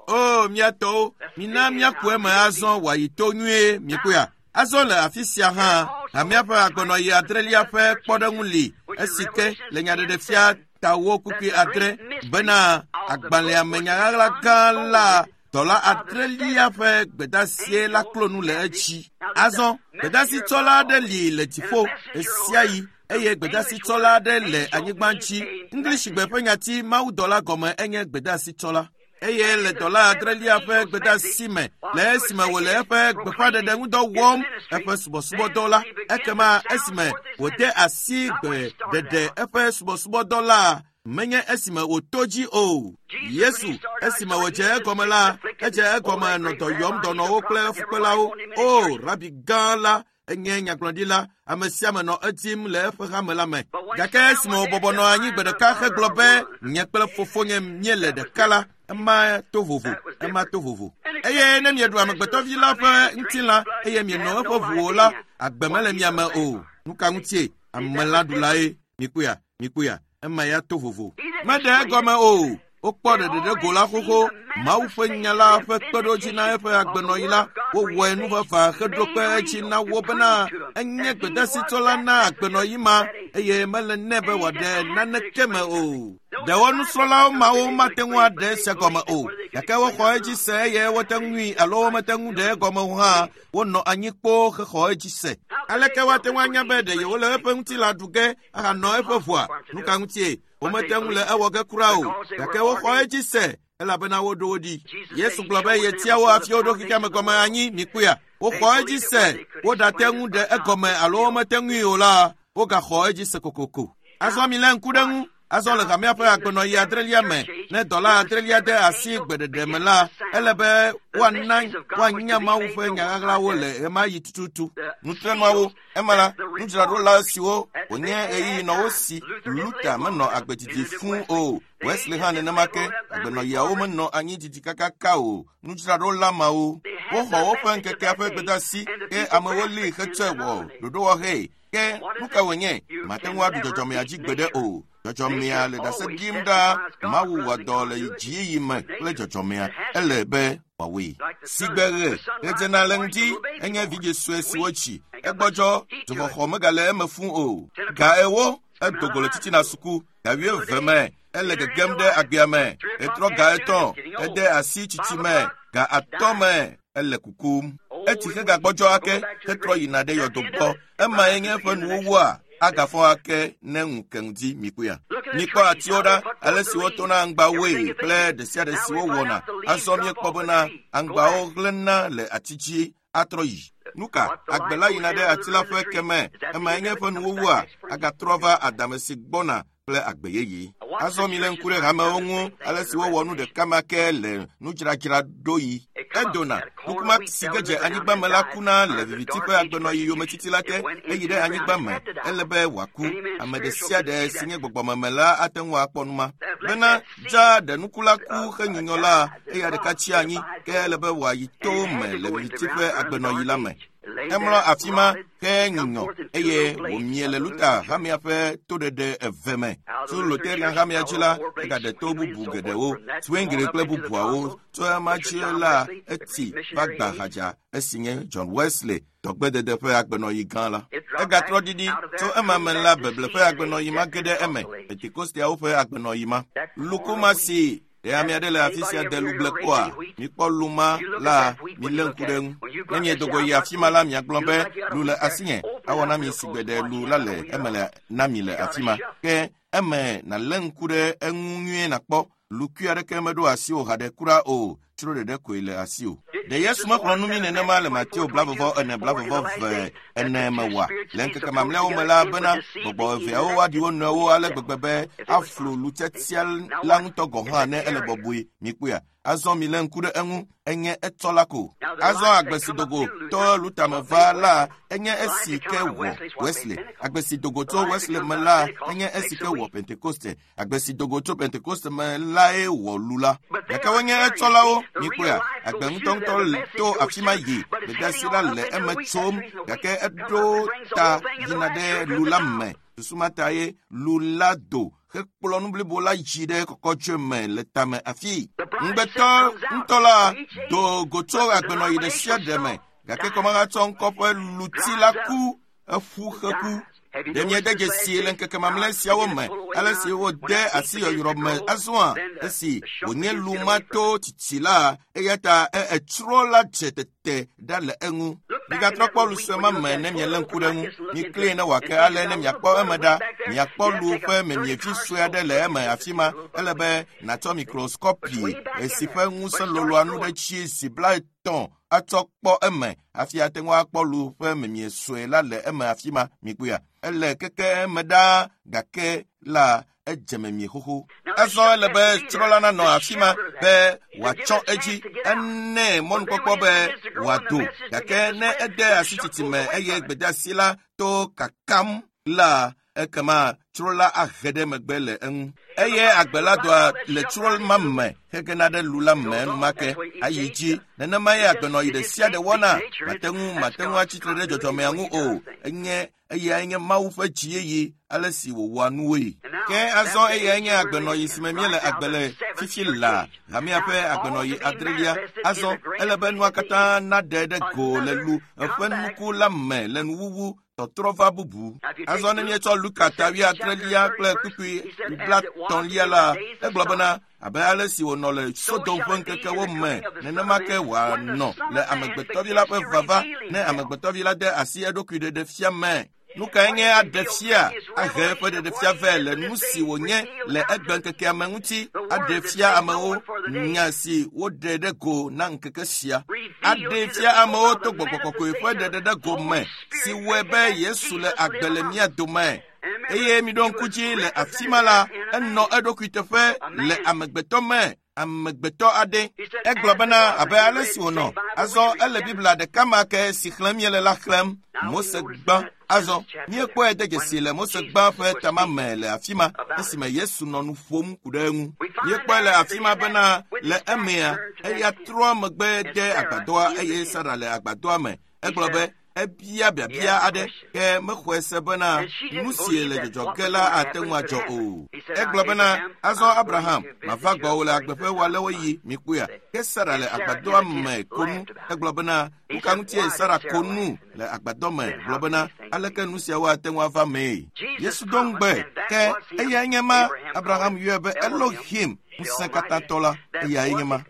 O mía tɔwo, mina míaku eme azɔ wòayi to nyuie, mikpɔea. Azɔ le afi sia hã, hamea ƒe agbenɔyi adrelia ƒe kpɔɖeŋu li, esi ke le nyaɖeɖefia tawo kpukpui adre bena agbalẽa me nyaɣaɣla gã la dɔla adrelia ƒe gbedasie la klo nu le edzi. Azɔ gbedasitsɔla aɖe li le dziƒo ɣesiaɣi eye gbedasitsɔla aɖe le anyigba dzi. Englishigbe ƒe nyati mawudɔla gɔme enye gbedasitsɔla. Eye le dɔla adrelia ƒe gbedasi me, le esime wòle eƒe gbeƒãɖeɖe ŋudɔ wɔm eƒe subɔsubɔdɔ la, ekema esime wòde asi gbeɖeɖe eƒe subɔsubɔdɔ la, menye esime wòto dzi o. Yesu, esime wòdze egɔme la, edze egɔme nɔ dɔ yɔm dɔnɔwo kple fukpelawo. O, rabi gã la enye nyagblɔɖila, ame sia ame nɔ edim le eƒe hame la me. Gake esime wòbɔbɔ nɔ anyi gbe ɖeka hegblɔ be nye kple fofonye míele ɖeka la, ema to vovo, ema to vovo. Eye ne mieɖu amegbetɔvi la ƒe ŋutilã eye mieno eƒe ʋu o la, agbe mele mia me o. Nu ka ŋutie? Amelãɖulae. Mikpɔea, mikpɔea, ema ya to vovo. Meɖe egɔme o. Wokpɔ ɖeɖe ɖe go la xoxo. Mawu ƒe nya la ƒe kpeɖodzi na eƒe agbenɔɣi la, wowɔe nuʋaʋã heɖo kpe edzi na wo bena enye gbedasitsɔla na agbenɔɣi ma eye mele nɛ be wòaɖe naneke me o. Ɖewo nusrɔ̃lawo mawo mate ŋu aɖe esia gɔme o, gake woxɔ edzi se eye wote ŋui alo womete ŋu ɖe egɔme o hã, wonɔ anyi kpoo hexɔ edzi se. Aleke woate ŋu anya be ɖe yewole eƒe ŋutilã ɖu ge ahanɔ eƒe ʋua? Nu ka ŋutie? Womete ŋu le ewɔ ge kura o, gake woxɔ edzi se elabena woɖo wo ɖi. Yesu gblɔ be yetia wo hafi woɖo xexea me gɔme anyi mikpɔea. Woxɔ edzi se, woɖate ŋu ɖe egɔme alo womete ŋui o la, wogaxɔ edzi se kokoko. Azɔ milé ŋku ɖe ŋu. Azɔ le hamea ƒe agbenɔɣi adrelia me, ne dɔla adrelia de asi gbeɖeɖe me la, ele be woana woanya Mawu ƒe nya ɣaɣlawo le ɣemaɣi tututu. Nutrenuawo, ema la, nudzraɖola siwo wònye ɣeyiɣi nɔ wo si. Luther menɔ agbe didi fũu o. Wesley hã nenema ke. Agbenɔɣiawo menɔ anyi didi kakaka o. Nudzraɖola mawo, woxɔ woƒe ŋkekea ƒe gbedeasi ke amewo li hetsɔe wɔ ɖoɖowɔhee. Ke nu ka wònye? Mate ŋu aɖu dzɔdzɔmea dzi gbeɖe o. Dzɔdzɔmea le ɖase ɖim ɖaa. Mawu wɔ dɔ le dziyiyi me kple dzɔdzɔmea. Ele be wòawɔe. Sigbe ɣe ɣedzena le ŋdi enye vidzĩ sue si wotsi. Egbɔdzɔ, dzoxɔxɔ megale eme fũu o. Ga ewo edo go le titina suku. Ga wuieve me ele gegem ɖe agbea me. Etrɔ ga etɔ̃ ede asi tsitsi me. Ga atɔ̃ me ele kukum. Etsi hegagbɔdzɔ ake hetrɔ yina ɖe yɔdo gbɔ. Emae nye eƒe nuwuwua. Agafɔ ake ne ŋu ke ŋdi mikpɔea. Mikpɔ atiwo ɖa, ale si wotona aŋgbawoe kple ɖe sia ɖe si wowɔna. Azɔ míekpɔ bena aŋgbawo hlẽna le ati dzi atrɔ yi. Nu ka? Agbe la yina ɖe ati la ƒe keme. Emae nye eƒe nuwuwua. Agatrɔ va adame si gbɔna kple agbe yeye. Azɔ milé ŋku ɖe hamewo ŋu, ale si wowɔ nu ɖeka ma ke le nudzradzraɖoɣi. Edona, nukuma si ge dze anyigba me la kuna le viviti ƒe agbenɔɣi yometiti la te, eyi ɖe anyigba me, ele be wòaku. Ame ɖe sia ɖe si nye gbɔgbɔmeme la ate ŋu akpɔ nu ma. Bena dza ɖe nuku la ku henyunyɔ la, eya ɖeka tsi anyi, ke ele be wòayi to me le viviti ƒe agbenɔɣi la me. Emlɔ afi ma henyunyɔ eye wòmie le Luther hamea ƒe toɖeɖe eve me. Tso Lutheran hamea dzi la, egaɖe to bubu geɖewo, Zwingli kple bubuawo. Tso ema dzi la, etsi va gba hadza esi nye John Wesley dɔgbedede ƒe agbenɔɣi gã la. Egatrɔ ɖiɖi tso ema me la, beble ƒe agbenɔɣi ma ge ɖe eme, Pentekosteawo ƒe agbenɔɣi ma. Lukuma si ɖe ame aɖe le afi sia de lugble kpɔa? Mikpɔ lu ma la, milé ŋku ɖe eŋu. Ne miedo go yi afi ma la, miagblɔ be lu le asinye. Awɔ na mi sigbe ɖe lu la le eme le na mi le afi ma. Ke eme nàlé ŋku ɖe eŋu nyuie nàkpɔ. Lukui aɖeke meɖo asiwò haɖe kura o. Tsro ɖeɖe koe le asiwò. Ɖe Yesu mexlɔ̃ nu mí nenema le Mateo blavɔvɔ ene blavɔvɔ ve ene me oa? Le ŋkeke mamlɛawo me la bena gbɔgbɔ eveawo woaɖi wo nɔewo ale gbegbe be aflu lutsetsia la ŋutɔ gɔ̃ hã ne ele bɔbɔe. Mikpɔea? Azɔ milé ŋku ɖe eŋu, enye etsɔ la ko. Azɔ agbe si dogo to Luther me va la, enye esi ke wɔ Wesley. Agbe si dogo tso Wesley me la, enye esi ke wɔ Pentekoste. Agbe si dogo tso Pentekoste me lae wɔ lu la. Gake wonye etsɔlawo, mikpɔea? Agbe ŋutɔŋutɔ to afi ma yi, gbedeasi la le eme tsom, gake eɖo ta yina ɖe lu la me. Susu ma ta ye lu la do hekplɔ nu blibo la dzi ɖe kɔkɔtsɔe me le tame afi. Ŋugbetɔ ŋutɔ la do go tso agbenɔɣi ɖe sia ɖe me, gake kɔmahatsɔ ŋkɔ ƒe luti la ku, eƒu heku. Ɖe miede dzesi le ŋkeke mamlɛ siawo me, ale si wode asi yɔyrɔ me azɔa, esi wònye lu ma to tsitsi la, eya ta etsrɔ̃ la dze tete ɖa le eŋu. Migatrɔ kpɔ lu sue ma me ne mielé ŋku ɖe eŋu. Mikli ne wòake ale ne miakpɔ eme ɖa. Miakpɔ lu ƒe memievi sue aɖe le eme afi ma. Ele be nàtsɔ mikroskopi esi ƒe ŋusẽ loloa nu ɖe tsi zi blaetɔ̃ atsɔ kpɔ eme hafi ate ŋu akpɔ lu ƒe memie sue la le eme afi ma. Mikpɔea? Ele keke eme ɖaa gake la edze memie xoxo. Azɔ ele be tsrɔ̃la nanɔ afi ma be wòatsɔ edzi. Ene mɔnukpɔkpɔ be wòado gake ne ede asi tsitsi me eye gbedeasi la to kakam la, Ekema tsro la ahe ɖe megbe le eŋu. Eye agbe la doa le tsro ma me hegena ɖe lu la me enumake ayi dzi. Nenema ye agbenɔyi ɖe sia ɖe wɔna. Mate ŋu mate ŋu atsitre ɖe dzɔdzɔmea ŋu o. Enye eyae nye Mawu ƒe dziyeye ale si wòwɔa nuwoe. Ke azɔ eyae nye agbenɔyi si me míele agbe le fifi laa, hamea ƒe agbenɔyi adrelia. Azɔ ele be nua katã naɖe ɖe go le lu eƒe nuku la me le nuwuwu tɔtrɔ va bubu. Azɔ ne míetsɔ Luka ta wuiadrelia kple kpukpui blatɔ̃lia la, egblɔ bena abe ale si wònɔ le Sodom ƒe ŋkekewo me, nenema ke wòanɔ le amegbetɔvi la ƒe vava ne amegbetɔvi la de asi eɖokui ɖeɖe fia me. Nu kae nye aɖe fia ahe eƒe ɖeɖefia vɛ le nu si wònye le egbe ŋkekea me ŋuti, aɖe fia amewo nya si woɖe ɖe go na ŋkeke sia. Aɖe fia amewo to gbɔgbɔ kɔkɔe ƒe ɖeɖe ɖe go me si wɔe be Yesu le agbe le mía dome. Eye miɖo ŋku dzi le afi ma la, enɔ eɖokui teƒe le amegbetɔ me. Amegbetɔ aɖe. Egblɔ bena abe ale si wònɔ. Azɔ ele Biblia ɖeka ma ke si xlẽm míele la xlẽm. Mose gbã. Azɔ míekpɔe de dzesi le Mose gbã ƒe tama me le afi ma esime Yesu nɔ nu ƒom ku ɖe eŋu. Míekpɔe le afi ma bena le emea eya trɔ megbe de agbadɔa eye Sara le agbadɔa me. Egblɔ be ebia biabia aɖe ke mexɔe se bena nu si le dzɔdzɔ ge la ate ŋu adzɔ o. Egblɔ bena azɔ Abraham mava gbɔwò le agbe ƒe wòalewo yi mikpɔea. Ke Sara le agbadɔa me ko nu. Egblɔ bena nu ka ŋutie Sara ko nu le agbadɔ me? Gblɔ bena aleke nu siawo ate ŋu ava mee? Yesu do ŋugbe ke eyae nye ma. Abraham yɔe be Elohim, ŋusẽkatãtɔ la, eyae nye ma.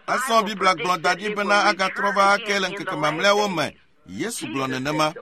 Azɔ Biblia gblɔ da ɖi bena agatrɔ va ake le ŋkeke mamlɛawo me. Yesu gblɔ nenema.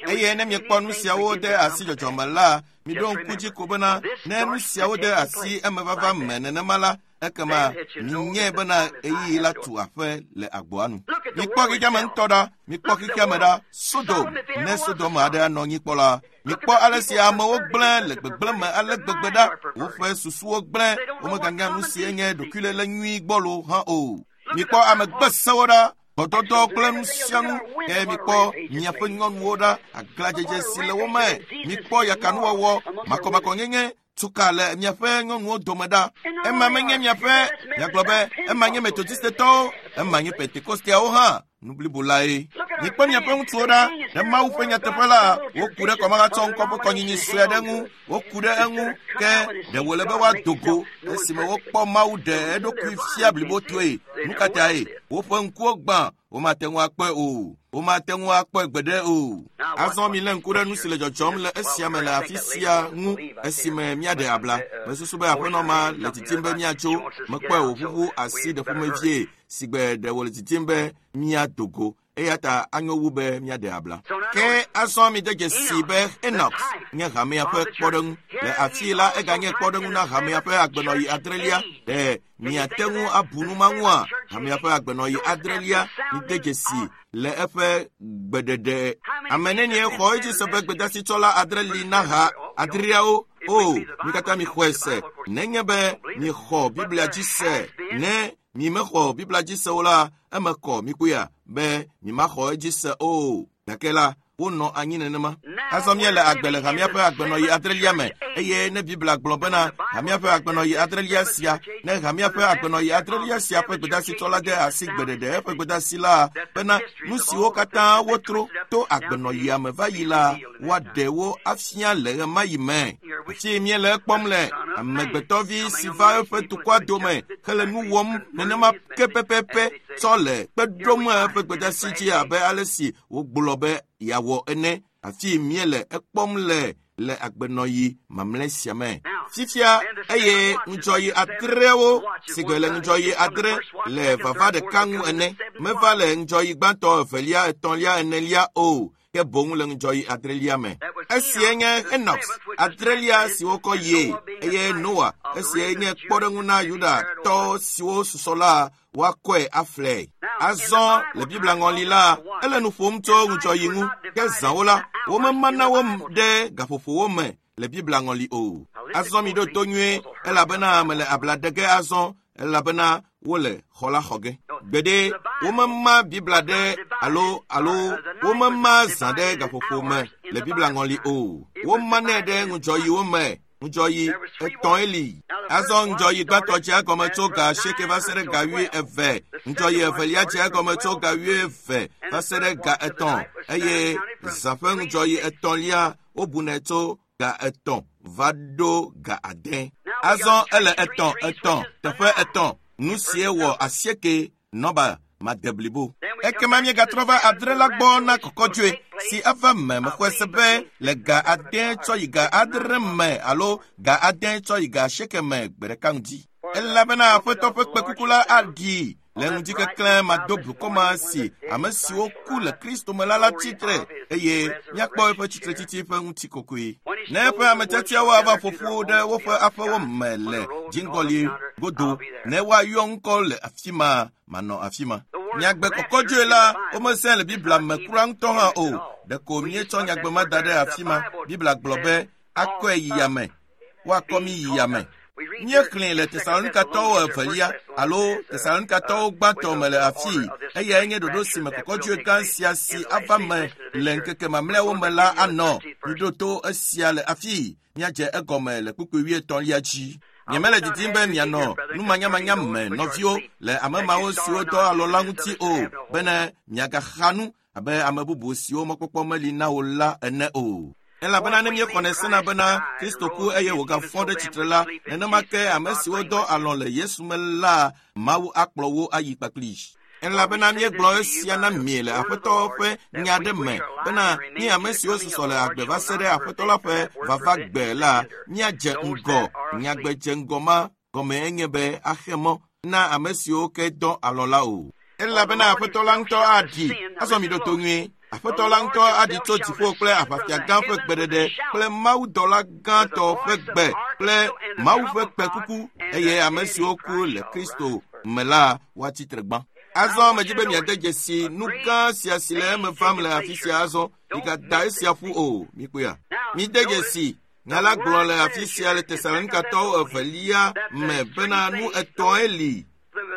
Eye ne miekpɔ nu siawo de asi dzɔdzɔme la, miɖo ŋku dzi ko bena ne nu siawo de asi emevava me nenema la, ekema minyae bena ɣeyiɣi la tu aƒe le agboa nu. Mikpɔ xexeame ŋutɔ ɖa, mikpɔ xexeame ɖa, Sodom, ne Sodom aɖe anɔ anyi kpɔ la, mikpɔ ale si amewo gblẽ le gbegblẽ me ale gbegbe ɖa, woƒe susuwo gblẽ, womeganya nu si nye ɖokuilélé nyui gbɔlo hã o. Mikpɔ ame gbesewo ɖa, gbɔdɔdɔ kple nu sia nu, ke mikpɔ miaƒe nyɔnuwo ɖa, aglãdzedze si le wo me. Mikpɔ yakanuwɔwɔ, makɔmakɔnyenye, tsuka le miaƒe nyɔnuwo dome ɖa. Ema menye miaƒe, miagblɔ be ema nye Metodistetɔwo, ema nye Pentekosteawo hã. Nu blibo lae. Mikpɔ miaƒe ŋutsuwo ɖa, ɖe Mawu ƒe nyateƒe la, woku ɖe kɔmahatsɔ ŋkɔ ƒe kɔnyinyi sue aɖe ŋu, woku ɖe eŋu, ke ɖe wòle be woado go esime wokpɔ Mawu ɖe eɖokui fia blibotoe. Nu ka tae? Woƒe ŋkuwo gbã, womate ŋu akpɔe o. Womate ŋu akpɔe gbeɖe o. Azɔ milé ŋku ɖe nu si le dzɔdzɔm le esia me le afi sia ŋu esime míaɖe abla. Mesusu be aƒenɔ ma le didim be míatso. Mekpɔe wòʋuʋu asi ɖe ƒomevie si gbe ɖe wòle didim be míado go. Eya ta anyo wu be míaɖe abla. Ke azɔ mide dzesi be Enoch nye hamea ƒe kpɔɖeŋu. Le afii la eganye kpɔɖeŋu na hamea ƒe agbenɔyi adrelia. Ɖe miate ŋu abu nu ma ŋua? Hamea ƒe agbenɔyi adrelia mide dzesi le eƒe gbeɖeɖe. Ame nenie xɔ edzi se be gbedasitsɔla adre li na ha adreawo? O, mi katã mixɔe se. Nenye be miexɔ Biblia dzi se, ne mimexɔ Biblia dzi se o la, eme kɔ mikpɔea be mimaxɔ edzi se o. Gake la, wonɔ anyi nenema. Azɔ míele agbe le hamea ƒe agbenɔyi adrelia me, eye ne Biblia gblɔ bena hamea ƒe agbenɔyi adrelia sia, ne hamea ƒe agbenɔyi adrelia sia ƒe gbedasitsɔla de asi gbeɖeɖe eƒe gbedasi la bena nu siwo katã wotro to agbenɔyia me va yi la, woaɖe wo afia le ɣemaɣi me. Fi míele ekpɔm le amegbetɔvi si va eƒe dukɔa dome hele nu wɔm nenema ke pɛpɛpɛ tsɔ le kpe ɖom eƒe gbedasi dzi abe ale si wogblɔ be yeawɔ ene. Afi míele ekpɔm le le agbenɔyi mamlɛ sia me. Fifia eye ŋudzɔyi adreawo si gbe le ŋudzɔyi adre le vava ɖeka ŋu ene. Meva le ŋudzɔyi gbãtɔ, evelia, etɔ̃lia, enelia o, ke boŋ le ŋudzɔyi adrelia me. Esie nye Enoch adrelia si wokɔ yie, eye Noa esie nye kpɔɖeŋu na Yudatɔ siwo susɔ la woakɔe aflɛ. Azɔ le Biblia ŋɔli la, ele nu ƒom tso ŋudzɔyi ŋu, ke zãwo la, womemana wo ɖe gaƒoƒowo me le Biblia ŋɔli o. Azɔ miɖo to nyuie, elabena mele abla ɖe ge azɔ, elabena wole xɔ la xɔ ge. Gbeɖe womema Biblia ɖe alo alo womema zã ɖe gaƒoƒo me le Biblia ŋɔli o. Womanɛ ɖe ŋudzɔyiwo me. Ŋudzɔyi etɔ̃e li. Azɔ ŋudzɔyi gbãtɔ dze egɔme tso ga asieke va se ɖe ga wuieve. Ŋudzɔyi evelia dze egɔme tso ga wuieve va se ɖe ga etɔ̃ eye zã ƒe ŋudzɔyi etɔ̃lia wobunɛ tso ga etɔ̃ va ɖo ga ade. Azɔ ele etɔ̃ etɔ̃ teƒe etɔ̃. Nu sie wɔ asieke nɔba madeblibo. Ekema míegatrɔ va adre la gbɔ na kɔkɔdzoe si eva me mexɔe se be le ga ade tsɔ yi ga adre me alo ga ade tsɔ yi ga asieke me gbe ɖeka ŋdi. Elabena Aƒetɔ ƒe kpekuku la aɖi le ŋdikeklẽ mado blukɔ ma si ame siwo ku le Kristo me la la tsitre eye míakpɔ eƒe tsitretsitsi ƒe ŋutikɔkɔe. Ne eƒe ame tiatiawo ava ƒo ƒu ɖe woƒe aƒewo me le dziŋgɔli godo ne woayɔ ŋkɔ le afi ma manɔ afi ma. Nyagbe kɔkɔdzoe la womesẽ le Biblia me kura ŋutɔ hã o. Ɖeko míetsɔ nyagbe ma da ɖe afi ma. Biblia gblɔ be akɔe yi yame. Woakɔ mí yi yame. Míexlẽe le Tesalonikatɔwo evelia alo Tesalonikatɔwo gbãtɔ me le afii. Eyae nye ɖoɖo si me kɔkɔdzoe gã sia si ava me le ŋkeke mamlɛawo me la anɔ. Miɖo to esia le afii. Míadze egɔme le kpukpui wuietɔ̃lia dzi. Nyemele didim be mianɔ numanyamanya me nɔviwo le ame mawo siwo dɔ alɔ la ŋuti o bene miagaxa nu abe ame bubu siwo mɔkpɔkpɔ meli na wo la ene o. Elabena ne míexɔnɛ sena bena Kristo ku eye wògafɔ ɖe tsitre la, nenema ke ame siwo dɔ alɔ le Yesu me la, Mawu akplɔ wo ayi kpakpli. Elabena míegblɔ esia na mi le Aƒetɔ ƒe nya ɖe me bena mí ame siwo susɔ le agbe va se ɖe Aƒetɔ la ƒe vava gbe la, míadze ŋgɔ. Nyagbe dze ŋgɔ ma gɔme enye be axe mɔ na ame siwo ke dɔ alɔ la o. Elabena Aƒetɔ la ŋutɔ aɖi. Azɔ miɖo to nyuie. Aƒetɔ la ŋutɔ aɖi tso dziƒo kple aʋafia gã ƒe gbeɖeɖe kple mawudɔla gãtɔ ƒe gbe kple Mawu ƒe kpekuku eye ame siwo ku le Kristo me la woatsi tre gbã. Azɔ medzi be miade dzesi nu gã sia si le eme vam le afi sia azɔ. Migada esia ƒu o. Mikpɔea? Mide dzesi. Nya la gblɔ le afi sia le Tesalonikatɔwo evelia me bena nu etɔ̃e li.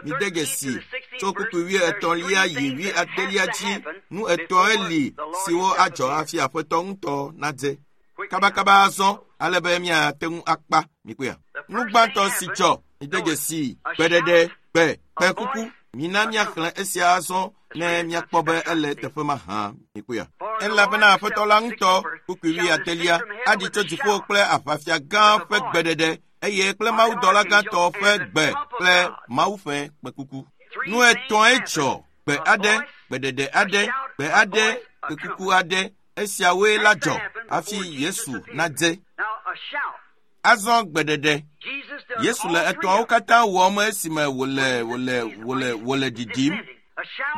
Mide dzesi tso kpukpui wuietɔ̃lia yi wuiadelia dzi. Nu etɔ̃e li siwo adzɔ hafi Aƒetɔ ŋutɔ nadze. Kabakaba azɔ ale be míate ŋu akpa. Mikpɔea? Nu gbãtɔ si dzɔ. Mide dzesi gbeɖeɖe, gbe, kpekuku. Mina míaxlẽ esia azɔ ne míakpɔ be ele teƒe ma hã. Mikpɔea? Elabena Aƒetɔ la ŋutɔ kpukpui wuiadelia aɖi tso dziƒo kple aʋafia gã ƒe gbeɖeɖe eye kple mawudɔla gãtɔ ƒe gbe kple Mawu ƒe kpekuku. Nu etɔ̃e dzɔ. Gbe aɖe, gbeɖeɖe aɖe, gbe aɖe, kpekuku aɖe. Esiawoe la dzɔ hafi Yesu nadze. Azɔ gbeɖeɖe. Yesu le etɔ̃awo katã wɔm esime wòle wòle wòle wòle ɖiɖim.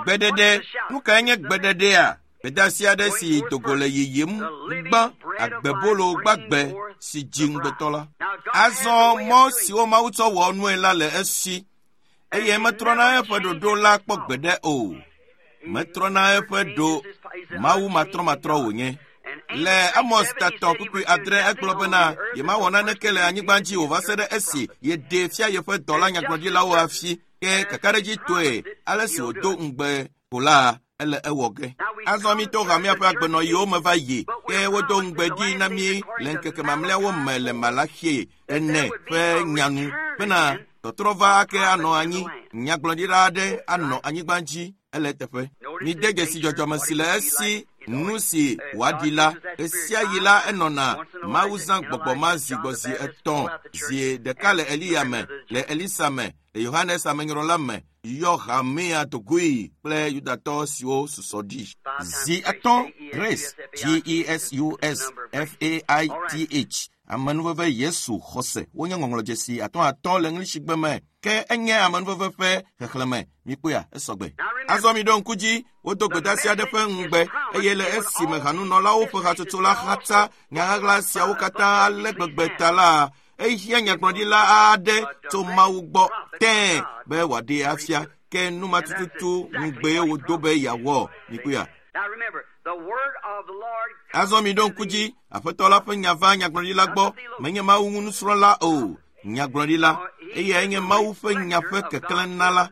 Gbeɖeɖe. Nu kae nye gbeɖeɖea? Gbedeasi aɖe si dogo le yiyim gbã agbebolo gbagbe si dzi ŋugbetɔ la. Azɔ mɔ siwo Mawu tsɔ wɔ nue la le esi eye metrɔna eƒe ɖoɖo la kpɔ gbeɖe o. Metrɔna eƒe ɖo. Mawu matrɔmatrɔ wònye. Le Amos tatɔ kpukpui adre egblɔ bena yemawɔ naneke le anyigba dzi o va se ɖe esi yeɖee fia yeƒe dɔla nyagblɔɖilawo hafi. Ke kakaɖedzitɔe ale si wòdo ŋugbe ko la ele ewɔ ge. Azɔ mi to hamea ƒe agbenɔɣiwo me va yi ke wodo ŋugbe ɖi na mí le ŋkeke mamlɛawo me le Malaxi ene ƒe nyanu bena tɔtrɔ va ake anɔ anyi. Nyagblɔɖila aɖe anɔ anyigba dzi ele teƒe. Mide dzesi dzɔdzɔme si le esi nu si wòaɖi la. Ɣesiaɣi la enɔna Mawu zã gbɔgbɔ ma zi gbɔ zi etɔ̃ zi ɖeka le Eliya me, le Elisa me, le Yohanes amenyrɔla me, yɔ hamea dogoe kple Yudatɔ siwo susɔ ɖi. Zi etɔ̃ Grace G E S U S F A I T H amenuveve Yesu xɔse wonye ŋɔŋlɔdzesi atɔ̃ atɔ̃ le ŋlishigbe me ke enye amenuveve ƒe xexlẽme. Mikpɔea? Esɔgbe. Azɔ miɖo ŋku dzi wodo gbedeasi aɖe ƒe ŋugbe eye le esime hanunɔlawo ƒe hatsotso la xatsa nyaɣaɣla siawo katã ale gbegbe ta la, ehiã nyagblɔɖila aɖe tso Mawu gbɔ tẽe be wòaɖee afia ke nu ma tututu ŋugbee wòdo be yeawɔ. Mikpɔea? Azɔ miɖo ŋku dzi Aƒetɔ la ƒe nya va nyagblɔɖila gbɔ. Menye Mawu ŋu nusrɔ̃la o, nyagblɔɖila. Eyae nye Mawu ƒe nya ƒe keklẽnala.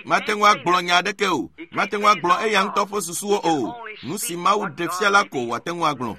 Mate ŋu agblɔ nya aɖeke o. Mate ŋu agblɔ eya ŋutɔ ƒe susuwo o. Nu si Mawu ɖe fia la ko wòate ŋu agblɔ.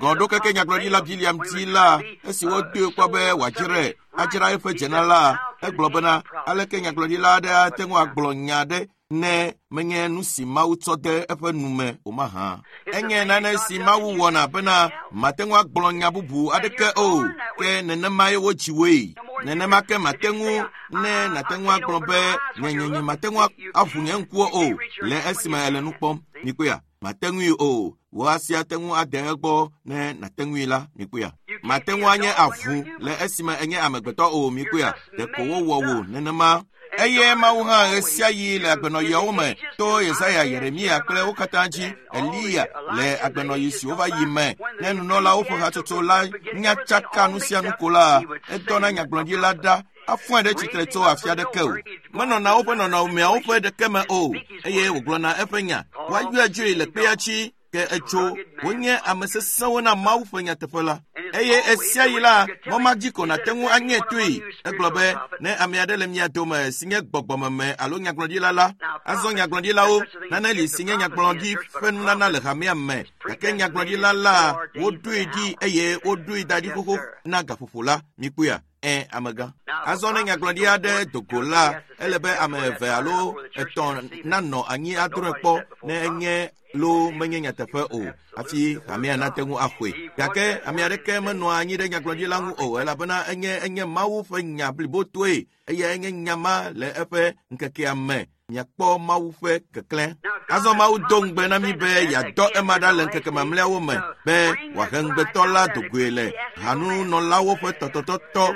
Gɔɖo keke nyagblɔɖila Biliam dzi la, esi wodoe kpɔ be wòadzrae, adzra eƒe dzena la, egblɔ bena aleke nyagblɔɖila aɖe ate ŋu agblɔ nya aɖe ne menye nu si Mawu tsɔ de eƒe nu me o mahã. Enye nane si Mawu wɔna bena mate ŋu agblɔ nya bubu aɖeke o, ke nenemae wodzi woe. Nenema ke mate ŋu ne nate ŋu agblɔ be nyenyenye mate ŋu aʋu nye ŋkuwo o le esime ele nu kpɔm. Mikpɔea? Mate ŋui o. Wò asi ate ŋu ade egbɔ ne nate ŋui la. Mikpɔea? Mate ŋu anye avu le esime enye amegbetɔ o. Mikpɔea? Ɖeko wowɔ wò nenema. Eye Mawu hã ɣesiaɣi le agbenɔɣiawo me to Yesaya, Yeremia kple wo katã dzi, Eliya le agbenɔɣi siwo va yi me. Ne nunɔlawo ƒe hatsotso la nya tsaka nu sia nu ko la, edɔna nyagblɔɖila ɖa afɔe ɖe tsitre tso afi aɖeke o. Menɔna woƒe nɔnɔmeawo ƒe ɖeke me o, eye wògblɔna eƒe nya. Woayɔe dzoe le kpea dzi, ke etso wonye ame sesẽwo na Mawu ƒe nyateƒe la. Eye esiaɣi la, mɔ ma dzi ko nàte ŋu anye toe. Egblɔ be ne ame aɖe le mia dome si nye gbɔgbɔmeme alo nyagblɔɖila la, azɔ nyagblɔɖilawo, nane li si nye nyagblɔɖi ƒe nunana le hamea me, gake nyagblɔɖila la, woɖoe ɖi eye woɖoe da ɖi xoxo na gaƒoƒo la. Mikpɔea? Ẽ, amegã. Azɔ ne nyagblɔɖi aɖe do go la, ele be ame eve alo etɔ̃ nanɔ anyi adrɔ̃e kpɔ ne enye lo menye nyateƒe o hafi hamea nate ŋu axɔe. Gake ame aɖeke menɔa anyi ɖe nyagblɔɖila ŋu o, elabena enye enye Mawu ƒe nya blibotoe eye enye nya ma le eƒe ŋkekea me. Miakpɔ Mawu ƒe keklẽ. Azɔ Mawu do ŋugbe na mí be yeadɔ ema ɖa le ŋkeke mamlɛawo me be wòahe ŋugbetɔ la dogoe le hanunɔlawo ƒe tɔtɔtɔtɔ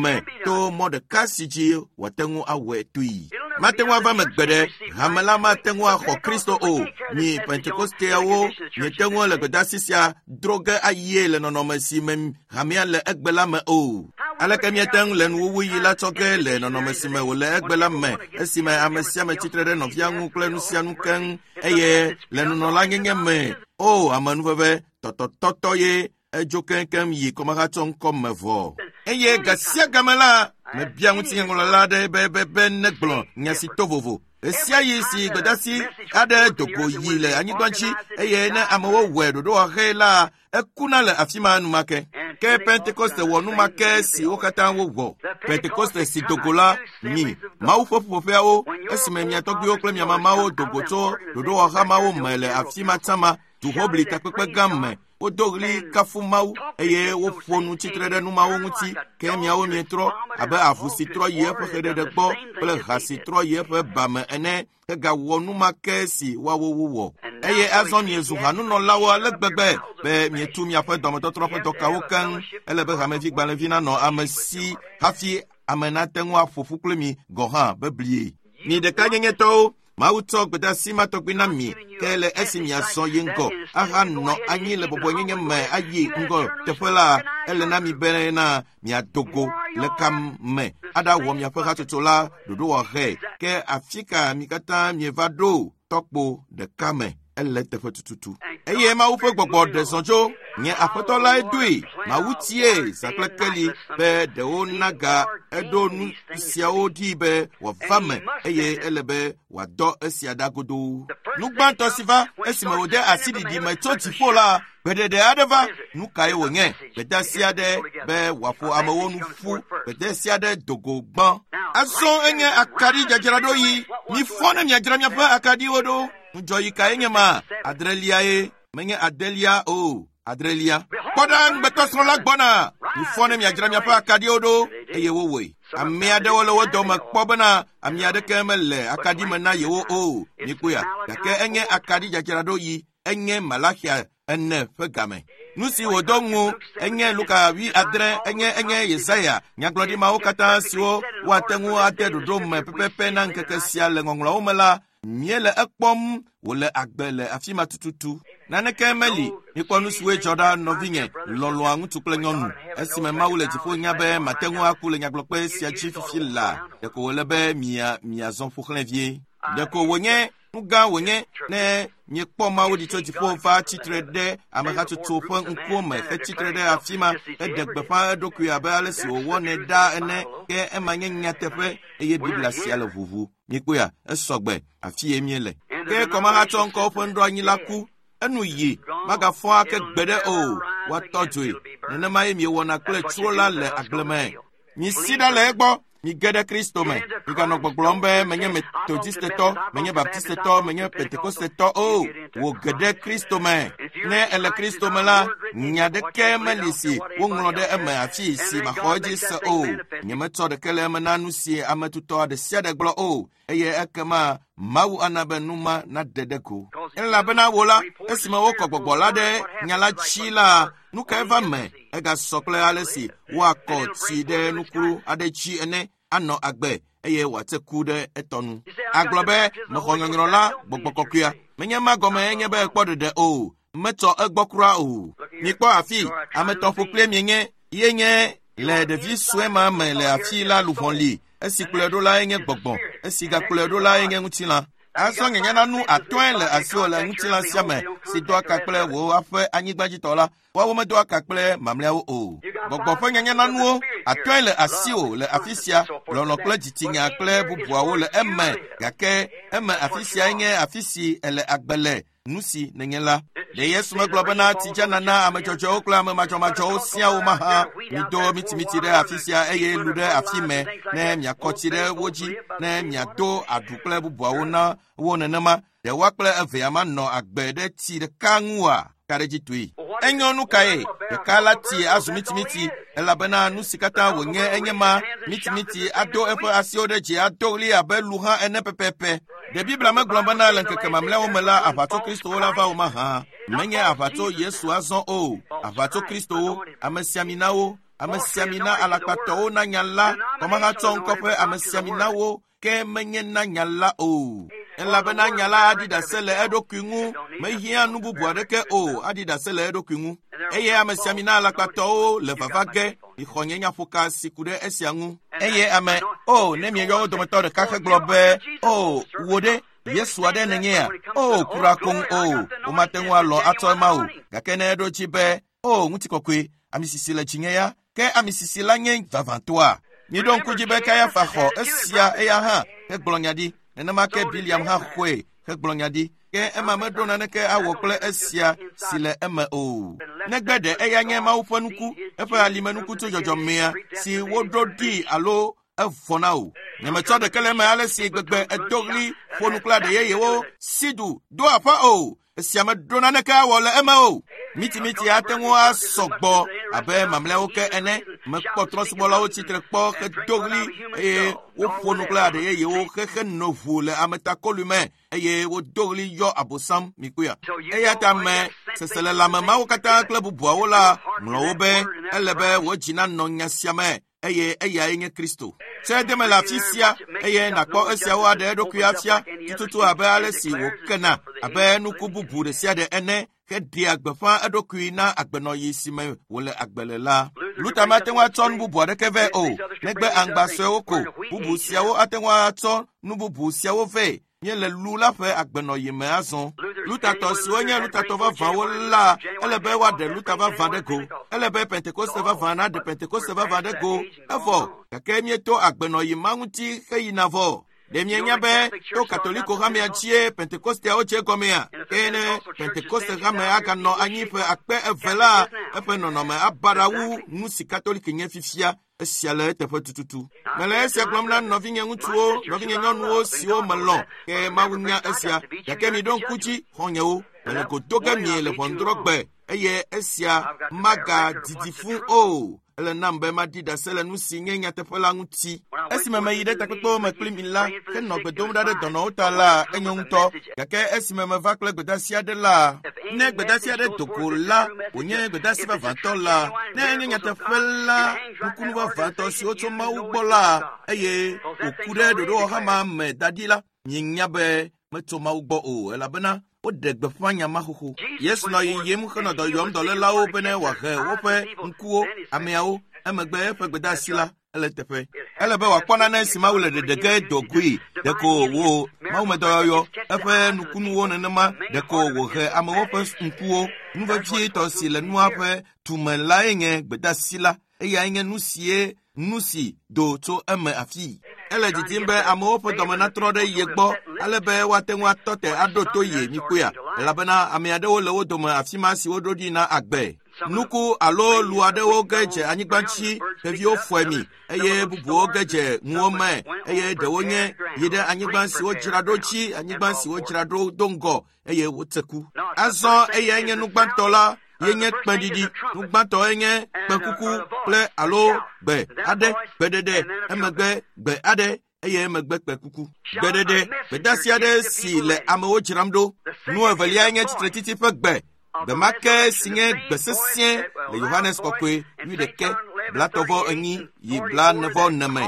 me to mɔ ɖeka si dzi wòate ŋu awɔe toe. Mate ŋu ava me gbe ɖe, hame la mate ŋu axɔ Kristo o. Mi Pentekosteawo miete ŋu le gbedeasi sia dro ge ayie le nɔnɔme si me hamea le egbe la me o. Aleke miate ŋu le nuwuwuyi la tsɔ ge le nɔnɔme si me wòle egbe la me, esime ame sia ame tsitre ɖe nɔvia ŋu kple nu sia nu keŋ, eye le nunɔlanyenye me, o amenuveve tɔtɔtɔtɔ ye edzo keŋkeŋ yi kɔmehatsɔ ŋkɔ me vɔ. Eye ga sia game la, mebia ŋutinyaŋlɔla aɖe be be be negblɔ nya si to vovo. Esiaɣi si gbedeasi aɖe do go yi le anyigba dzi eye ne amewo wɔe ɖoɖowɔɣi la, ekuna le afi ma enumake. Ke Pentekoste wɔ numake si wo katã wowɔ. Pentekoste si do go la, mi Mawu ƒe ƒuƒoƒeawo, esime mia tɔgbuiwo kple mia mamawo do go tso ɖoɖowɔha mawo me le afi ma tsã duhobli takpekpe gã me. Wodo ɣli kafu Mawu eye woƒo nu tsitre ɖe numawo ŋuti, ke miawo mietrɔ abe avu si trɔ yi eƒe xeɖeɖe gbɔ kple ha si trɔ yi eƒe ba me ene, hegawɔ numake si woawo wowɔ. Eye azɔ miezu hanunɔlawo ale gbegbe be mietu miaƒe dɔmetɔtrɔ ƒe dɔkawo keŋ. Ele be hamevi gbalẽvi nanɔ ame si hafi ame nate ŋu aƒo ƒu kple mi gɔ̃ hã beblie. Mi ɖekanyenyetɔwo, Mawu tsɔ gbedeasi ma tɔgbi na mi, ke le esi miazɔ yi ŋgɔ ahanɔ anyi le bɔbɔenyenye me ayi ŋgɔ teƒe la, ele na mi bena miado go le ka me aɖawɔ miaƒe hatsotso la ɖoɖowɔɣe. Ke afi ka mi katã mieva ɖo tɔkpo ɖeka me? Ele teƒe tututu. Eye Mawu ƒe gbɔgbɔ ɖe zɔ tso nye aƒetɔ lae doe. Mawu tie zã kple keli be ɖewo naga eɖo nu siawo ɖi be wòava me eye ele be wòadɔ esia ɖa godoo. Nu gbãtɔ si va esime wòde asi ɖiɖi me tso dziƒo la, gbeɖeɖe aɖe va. Nu kae wònye? Gbedeasi aɖe be wòaƒo amewo nu ƒu. Gbedeasi aɖe do go gbã. Azɔ enye akaɖi dzadzraɖoɣi. Mifɔ ne miadzra miaƒe akaɖiwo ɖo. Ŋudzɔɣi kae nye ma? Adreliae, menye adelia o, adrelia. Kpɔ ɖa, ŋugbetɔsrɔ̃ la gbɔna. Mifɔ ne miadzra miaƒe akaɖiwo ɖo, eye wowɔe. Ame aɖewo le wo dome kpɔ bena ame aɖeke mele akaɖi me na yewo o. Mikpɔea? Gake enye akaɖi dzadzraɖoɣi, enye Malaxia ene ƒe game. Nu si wòdo ŋu enye Luka wi adre, enye enye Yesaya nyagblɔɖi mawo katã siwo woate ŋu ade ɖoɖo me pɛpɛpɛ na ŋkeke sia le ŋɔŋlɔawo me la, míele ekpɔm wòle agbe le afi ma tututu. Naneke meli. Mikpɔ nu siwoe dzɔ ɖa nɔvinye lɔlɔ̃a ŋutsu kple nyɔnu. Esime Mawu le dziƒo nya be mate ŋu aku le nyagblɔkpe sia dzi fifi la, ɖeko wòle be mia miazɔ ƒo xlẽ vie. Ɖeko wònye nu gã wònye ne miekpɔ Mawu ɖi tso dziƒo va tsitre ɖe amehatsotso ƒe ŋkuwo me hetsitre ɖe afi ma heɖe gbeƒã eɖokui abe ale si wòwɔnɛ ɖaa ene, ke ema nye nyateƒe eye Biblia sia le ʋuʋu. Mikpɔea? Esɔgbe, afi ye míele. Ke kɔmahatsɔ ŋkɔwo ƒe nuɖoanyi la ku. Enu yi magafɔ ake gbe ɖe o, woatɔ dzoe. Nenema ye miewɔna kple tsro la le agble me. Misi ɖa le egbɔ. Mige ɖe Kristo me. Miganɔ gbɔgblɔm be menye Metodistetɔ, menye Baptistetɔ, menye Pentekostetɔ o. Wò ge ɖe Kristo me. Ne ele Kristo me la, nya ɖeke meli si woŋlɔ ɖe eme afi si maxɔ edzi se o. Nyemetsɔ ɖeke le eme na nu si ame tutɔ ɖe sia ɖe gblɔ o. Eye ekema Mawu ana be nu ma naɖe ɖe go. Elabena wò la, esime wokɔ gbɔgbɔ la ɖe nya la dzi la, nu kae va me? Egasɔ kple ale si woakɔ tsi ɖe nukulu aɖe dzi ene, anɔ agbe eye wòate ku ɖe etɔ nu. Agblɔ be mexɔ nyɔnyrɔ la gbɔgbɔ kɔkɔea. Menye ma gɔme enye be ekpɔ ɖeɖe o. Metsɔ egbɔ kura o. Mikpɔ afi, ame etɔ̃ ƒokplie mienye, ye nye le ɖevi sue ma me le afi la luʋɔ li. Esi kplɔe ɖo lae nye gbɔgbɔ, esi gakplɔe ɖo lae nye ŋutilã. Azɔ nye nanu atɔ̃e le asiwò le ŋutilã sia me si doa ka kple wò aƒe anyigbadzitɔ la. Woawo medoa ka kple mamlɛawo o. Gbɔgbɔ ƒe nyanyananuwo atɔ̃e le asiwò le afi sia, lɔlɔ̃ kple dzitsinya kple bubuawo le eme, gake eme afi siae nye afi si ele agbe le, nu si nenye la. Ɖe Yesu megblɔ bena tsidzana na ame dzɔdzɔewo kple ame madzɔmadzɔwo siaa wo mahã? Mido mitimiti ɖe afi sia eye lu ɖe afi me ne miakɔ tsi ɖe wo dzi, ne miado aɖu kple bubuawo na wo nenema. Ɖe woa kple evea manɔ agbe ɖe tsi ɖeka ŋua? Ka ɖe dzi toe. Enyo nu kae? Ɖeka la tsi azu mitimiti, elabena nu si katã wònye enye ma. Mitimiti ado eƒe asiwo ɖe dzi ado ɣli abe lu hã ene pɛpɛpɛ. Ɖe Biblia megblɔ bena le ŋkeke mamlɛawo me la, aʋatso Kristowo la va wo mahã? Menye aʋatso Yesu azɔ o. Aʋatso Kristowo, amesiaminawo, amesiamina alakpatɔwo na nya la, kɔmahatsɔ ŋkɔ ƒe amesiaminawo, ke menye na nya la o. Elabena nya la aɖi ɖase le eɖokui ŋu, mehiã nu bubu aɖeke o, aɖi ɖase le eɖokui ŋu. Eye amesiamina alakpatɔwo le vava ge, mixɔ nye nyaƒoka si ku ɖe esia ŋu. Eye ame, o, ne mieyɔ wo dometɔ ɖeka hegblɔ be, o, wò ɖe, Yesu aɖe nenyea? O, kura koŋ o, womate ŋu alɔ atsɔ ema o. Gake ne eɖo dzi be, o, ŋutikɔkɔe, amisisi le dzinye ya, ke amisisi la nye vavãtɔa? Miɖo ŋku dzi be Kayafa xɔ esia eya hã hegblɔ nya ɖi. Nenema ke Biliam hã xɔe hegblɔ nya ɖi. Ke ema meɖo naneke awɔ kple esia si le eme o. Negbe ɖe eya nye Mawu ƒe nuku, eƒe alimenuku tso dzɔdzɔmea si woɖo ɖi alo evɔ na o. Nyemetsɔ ɖeke le eme ale si gbegbe edo ɣli ƒo nu kple aɖe yeyewo si du do aƒe o. Esia meɖo naneke awɔ le eme o. Mitimiti ate ŋu asɔ gbɔ abe mamlɛawo ke ene. Mekpɔ trɔ̃subɔlawo tsitre kpɔ hedo ɣli eye woƒo nu kple aɖe yeyewo xexe no ʋu le ametakoli me eye wodo ɣli yɔ abosam mikpɔea. Eya ta me seselelãme mawo katã kple bubuawo la ŋlɔ wo be ele be wò dzi nanɔ nya sia me eye eyae nye Kristo. Tse deme le afi sia eye nàkpɔ esiawo aɖe eɖokui afia tututu abe ale si wòkena abe nuku bubu ɖe sia ɖe ene heɖea gbeƒã eɖokui na agbenɔɣi si me wòle agbe le la. Luther mate ŋu atsɔ nu bubu aɖeke vɛ o, negbe aŋgba suewo ko. Bubu siawo ate ŋu atsɔ nu bubu siawo vɛ. Míele lu la ƒe agbenɔɣi me azɔ. Luthertɔ siwo nye Luthertɔ vavãwo la, ele be woaɖe Luther vavã ɖe go. Ele be Pentekoste vavã naɖe Pentekoste vavã ɖe go. Evɔ, gake míeto agbenɔɣi ma ŋuti heyina vɔ. Ɖe mienya be to Katoliko hamea dzie Pentekosteawo dze gɔmea? Ke ne Pentekoste hame aganɔ anyi ƒe akpe eve la, eƒe nɔnɔme abaɖa wu nu si Katoliki nye fifia. Esia le eteƒe tututu. Mele esia gblɔm na nɔvinye ŋutsuwo, nɔvinye nyɔnuwo siwo melɔ̃, ke Mawu nya esia. Gake miɖo ŋku dzi, xɔ̃nyewo, mele go do ge mie le ʋɔnudrɔ̃gbe eye esia magadidi fũu o. Ele nam be maɖi ɖase le nu si nye nyateƒe la ŋuti. Esime meyi ɖe takpekpewo me kpli mi la, henɔ gbe dom ɖa ɖe dɔnɔwo ta la, enyo ŋutɔ. Gake esime meva kple gbedasi aɖe la, ne gbedasi aɖe do go la, wònye gbedasi vavãtɔ la, ne enye nyateƒe la, nukunu vavãtɔ siwo tso Mawu gbɔ la, eye wòku ɖe ɖoɖowɔha me da ɖi la, mienya be metso Mawu gbɔ o, elabena woɖe gbeƒã nya ma xoxo. Yesu nɔ yiyim henɔ dɔ yɔm dɔlélawo bene wòahe woƒe ŋkuwo, ameawo. Emegbe eƒe gbedeasi la ele teƒe. Ele be wòakpɔ nane si Mawu le ɖeɖe ge do goe. Ɖeko wò mawumedɔyɔyɔ, eƒe nukunuwo nenema, ɖeko wòhe amewo ƒe ŋkuwo. Nu vevietɔ si le nua ƒe tume lae nye gbedeasi la. Eyae nye nu sie nu si do tso eme afii. Ele didim be amewo ƒe dɔme natrɔ ɖe ye gbɔ ale be woate ŋu atɔ te aɖo to ye mikpɔea. Elabena ame aɖewo le wo dome afi ma si woɖo ɖi na agbe. Nuku alo lu aɖewo ge dze anyigba dzi, xeviwo fɔe mi, eye bubuwo ge dze ŋuwo me, eye ɖewo nye yi ɖe anyigba si wodzra ɖo dzi, anyigba si wodzra ɖo do ŋgɔ, eye wotse ku. Azɔ eyae nye nu gbãtɔ la, ye nye kpẽɖiɖi. Nu gbãtɔ nye kpẽkuku kple alo gbe aɖe, gbeɖeɖe, emegbe gbe aɖe, eye emegbe kpẽkuku. Gbeɖeɖe, gbedeasi aɖe si le amewo dzram ɖo. Nu evelia nye tsitretsitsi ƒe gbe. Gbe ma ke si nye gbe sesẽ le Yohanes Kɔkɔe wuiɖekɛ blatɔ̃ enyi yi blaene me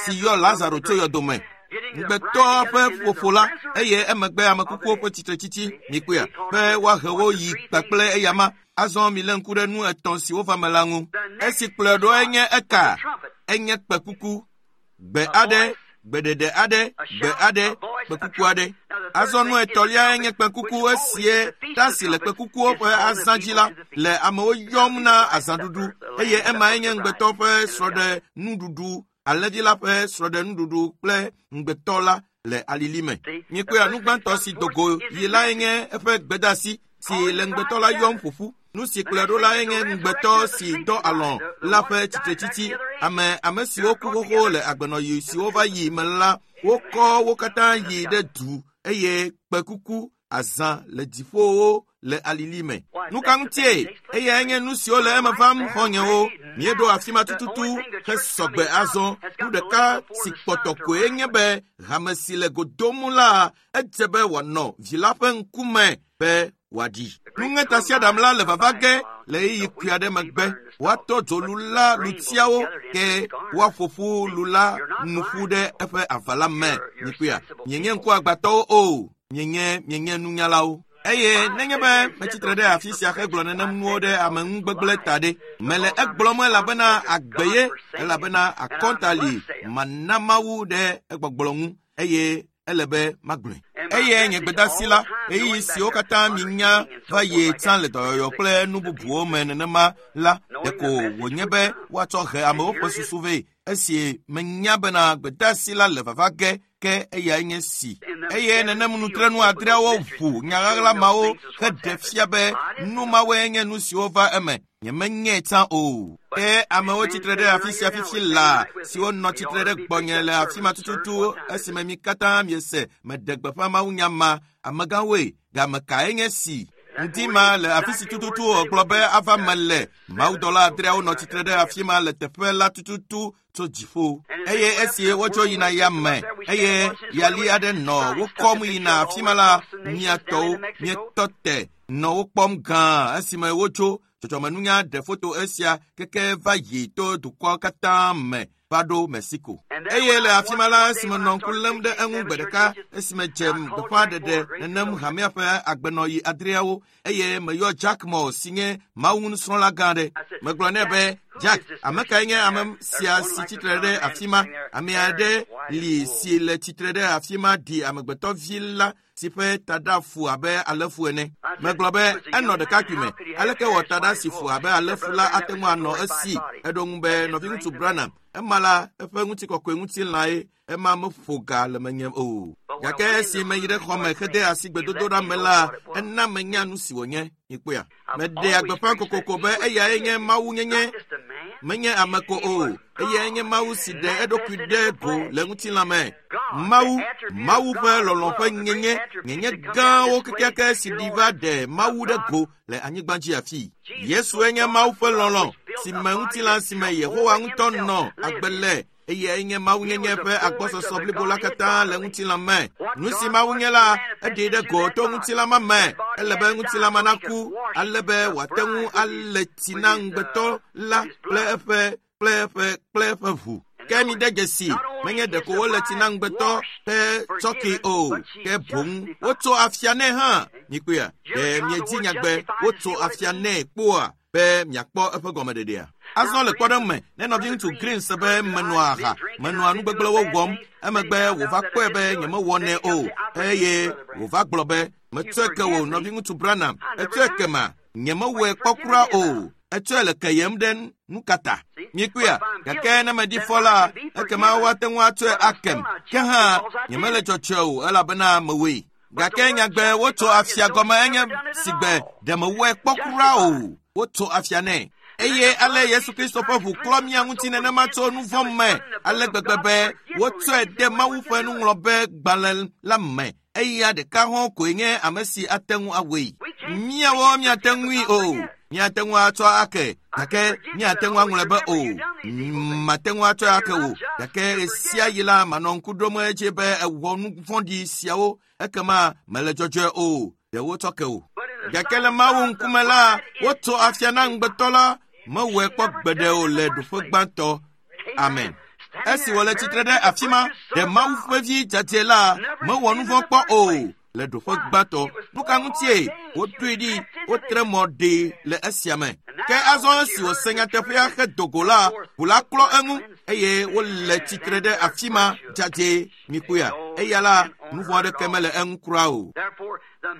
si yɔ Lazaro tso yɔdome. Ŋugbetɔ ƒe ƒoƒo la, eye emegbe ame kukuwo ƒe tsitretsitsi mikpɔea be woahe wo yi kpakple eyama. Azɔ milé ŋku ɖe nu etɔ̃ siwo va me la ŋu. Esi kplɔe ɖo enye eka, enye kpẽkuku, gbe aɖe, gbeɖeɖe aɖe, gbe aɖe, kpẽkuku aɖe. Azɔ nu etɔ̃lia nye kpẽkuku esie ta si le kpẽkukuwo ƒe azã dzi la le amewo yɔm na azãɖuɖu eye emae nye ŋugbetɔ ƒe srɔ̃ɖenuɖuɖu, alẽvi la ƒe srɔ̃ɖenuɖuɖu kple ŋugbetɔ la le alili me. Mikpɔe nu gbãtɔ si do go yi lae nye eƒe gbedeasi si le ŋugbetɔ la yɔm ƒoƒu. Nu si kplɔe ɖo lae nye ŋugbetɔ si dɔ alɔ̃ la ƒe tsitretsitsi. Ame ame siwo ku xoxo le agbenɔɣi siwo va yi me la, wokɔ wo katã yi ɖe du eye kpẽkuku azã le dziƒowo le alili me. Nu ka ŋutie? Eyae nye nu siwo le eme vam xɔ̃nyewo. Míeɖo afi ma tututu hesɔgbe azɔ. Nu ɖeka si kpɔtɔ koe nye be hame si le go dom la edze be wòanɔ vi la ƒe ŋkume be wòaɖi. Nuŋetasiaɖam la le vava ge le ɣeyiɣi kpui aɖe megbe. Woatɔ dzo lu la lutiawo ke woaƒo ƒu lu la nu ƒu ɖe eƒe ava la me. Mikpɔea, mienye ŋkuagbãtɔwo o, mienye mienye nunyalawo. Eye nenye be metsitre ɖe afi sia hegblɔ nenem nuwo ɖe ame ŋu gbegblẽ ta ɖe, mele egblɔm elabena agbe ye, elabena akɔnta li mana Mawu ɖe egbɔgblɔ ŋu eye ele be magblɔe. Eye nye gbedeasi la, ɣeyiɣi siwo katã minya va yi tsã le dɔyɔyɔ kple nu bubuwo me nenema la, ɖeko wònye be woatsɔ he amewo ƒe susu vɛ. Esi menya bena gbedeasi la le vava ge, ke eyae nye si. Eye nenem nutrenu adreawo ʋu nya ɣaɣla mawo heɖe fia be nu mawoe nye nu siwo va eme. Nyemenyae tsã o. Ke amewo tsitre ɖe afi sia fifi laa siwo nɔ tsitre ɖe gbɔnye le afi ma tututu esime mi katã miese meɖe gbeƒã mawunya ma. Amegãwoe, game kae nye si? Ŋdi ma le afi si tututu wògblɔ be ava me le. Mawudɔla adreawo nɔ tsitre ɖe afi ma le teƒe la tututu tso dziƒo. Eye esi wotso yina yame eye yali aɖe nɔ wokɔm yina afi ma la, mia tɔwo mietɔ te nɔ wo kpɔm gãa esime wotso. Dzɔdzɔmenunya ɖe foto esia keke va yi to dukɔ katã me va ɖo Mexico. Eye le afi ma la, esime nɔ ŋku lém ɖe eŋu gbe ɖeka esime dze gbeƒãɖeɖe nenem hamea ƒe agbenɔɣi adreawo eye meyɔ Jack Moore si nye Mawu nusrɔ̃la gã aɖe. Megblɔ nɛ be, Jack, ame kae nye ame sia si tsitre ɖe afi ma? Ame aɖe li si le tsitre ɖe afi ma ɖi amegbetɔvi la si ƒe taɖa fu abe alẽfu ene. Megblɔ be enɔ ɖekakpui me. Aleke wɔ taɖa si fu abe alẽfu la ate ŋu anɔ esi? Eɖo ŋu be nɔviŋutsu Branham, ema la eƒe ŋutikɔkɔe ŋutilãe, ema meƒo ga le menye o. Gake esi meyi ɖe xɔme hede asi gbedodoɖa me la, ena menya nu si wònye. Mikpɔea? Meɖea gbeƒã kokoko be eyae nye Mawu nyenye, menye ame ko o. Eyae nye Mawu si ɖe eɖokui ɖe go le ŋutilã me. Mawu, Mawu ƒe lɔlɔ̃ ƒe nyenye, nyenye gãwo kekeake si ɖi va ɖe Mawu ɖe go le anyigba dzi afii. Yesue nye Mawu ƒe lɔlɔ̃ si me ŋutilã si me Yehowa ŋutɔ nɔ agbe le. Eyae nye Mawu nyenye ƒe agbɔsɔsɔ blibo la katã le ŋutilã me. Nu si Mawu nye la, eɖee ɖe go to ŋutilã ma me. Ele be ŋutilã ma naku ale be wòate ŋu alé tsi na ŋugbetɔ la kple eƒe kple eƒe kple eƒe ʋu. Ke mi de dzesi, menye ɖeko wole tsi na ŋugbetɔ ƒe tsɔki o, ke boŋ wotso afia nɛ hã. Mikpɔea? Ɖe miedzi nyagbe wotso afia nɛ kpoa be miakpɔ eƒe gɔmeɖeɖea? Azɔ le kpɔɖeŋu me, ne nɔviŋutsu Green se be menɔa aha, menɔa nu gbegblẽwo wɔm, emegbe wòva kpɔe be nyemewɔnɛ o, eye wòva gblɔ be metsɔe ke wò nɔviŋutsu Branham, etsɔe ke ma, nyemewɔe kpɔ kura o, etsɔe le keyem ɖe nu kata. Mikpɔea? Gake ne meɖi fɔ la, ekema woate ŋu atsɔe akem. Ke hã nyemele tsɔtsɔe o elabena mewɔe. Gake nyagbe wotso afia gɔme enye si gbe ɖe mewɔe kpɔ kura o. Wotso afia nɛ. Eye ale Yesu Kristo ƒe ʋu klɔ mía ŋuti nenema tso nu vɔ̃ me ale gbegbe be wotsɔe de Mawu ƒe nuŋlɔbe gbalẽ la me. Eya ɖeka hã koe nye ame si ate ŋu awɔe. Míawo míate ŋui o. Míate ŋu atsɔ ake gake míate ŋu aŋlɔe be o. Mate ŋu atsɔe ake o gake ɣe sia ɣi la manɔ ŋku ɖom edzi be ewɔ nu vɔ̃ɖi siawo ekema mele dzɔdzɔe o. Ɖe wotsɔ ke o. Gake le Mawu ŋkume la, wotso afia na ŋugbetɔ la mewɔe kpɔ gbeɖe o le ɖoƒe gbãtɔ. Amen. Esi wòle tsitre ɖe afi ma, ɖe Mawu ƒe vi dzadzɛ la mewɔ nu vɔ̃ kpɔ o le ɖoƒe gbãtɔ. Nu ka ŋutie woɖoe ɖi, wotre mɔ ɖee le esia me. Ke azɔ esi wòse nyateƒea hedo go la, ʋu la klɔ eŋu eye wole tsitre ɖe afi ma dzadzɛ mikpɔea. Eya la, nu vɔ̃ aɖeke mele eŋu kura o.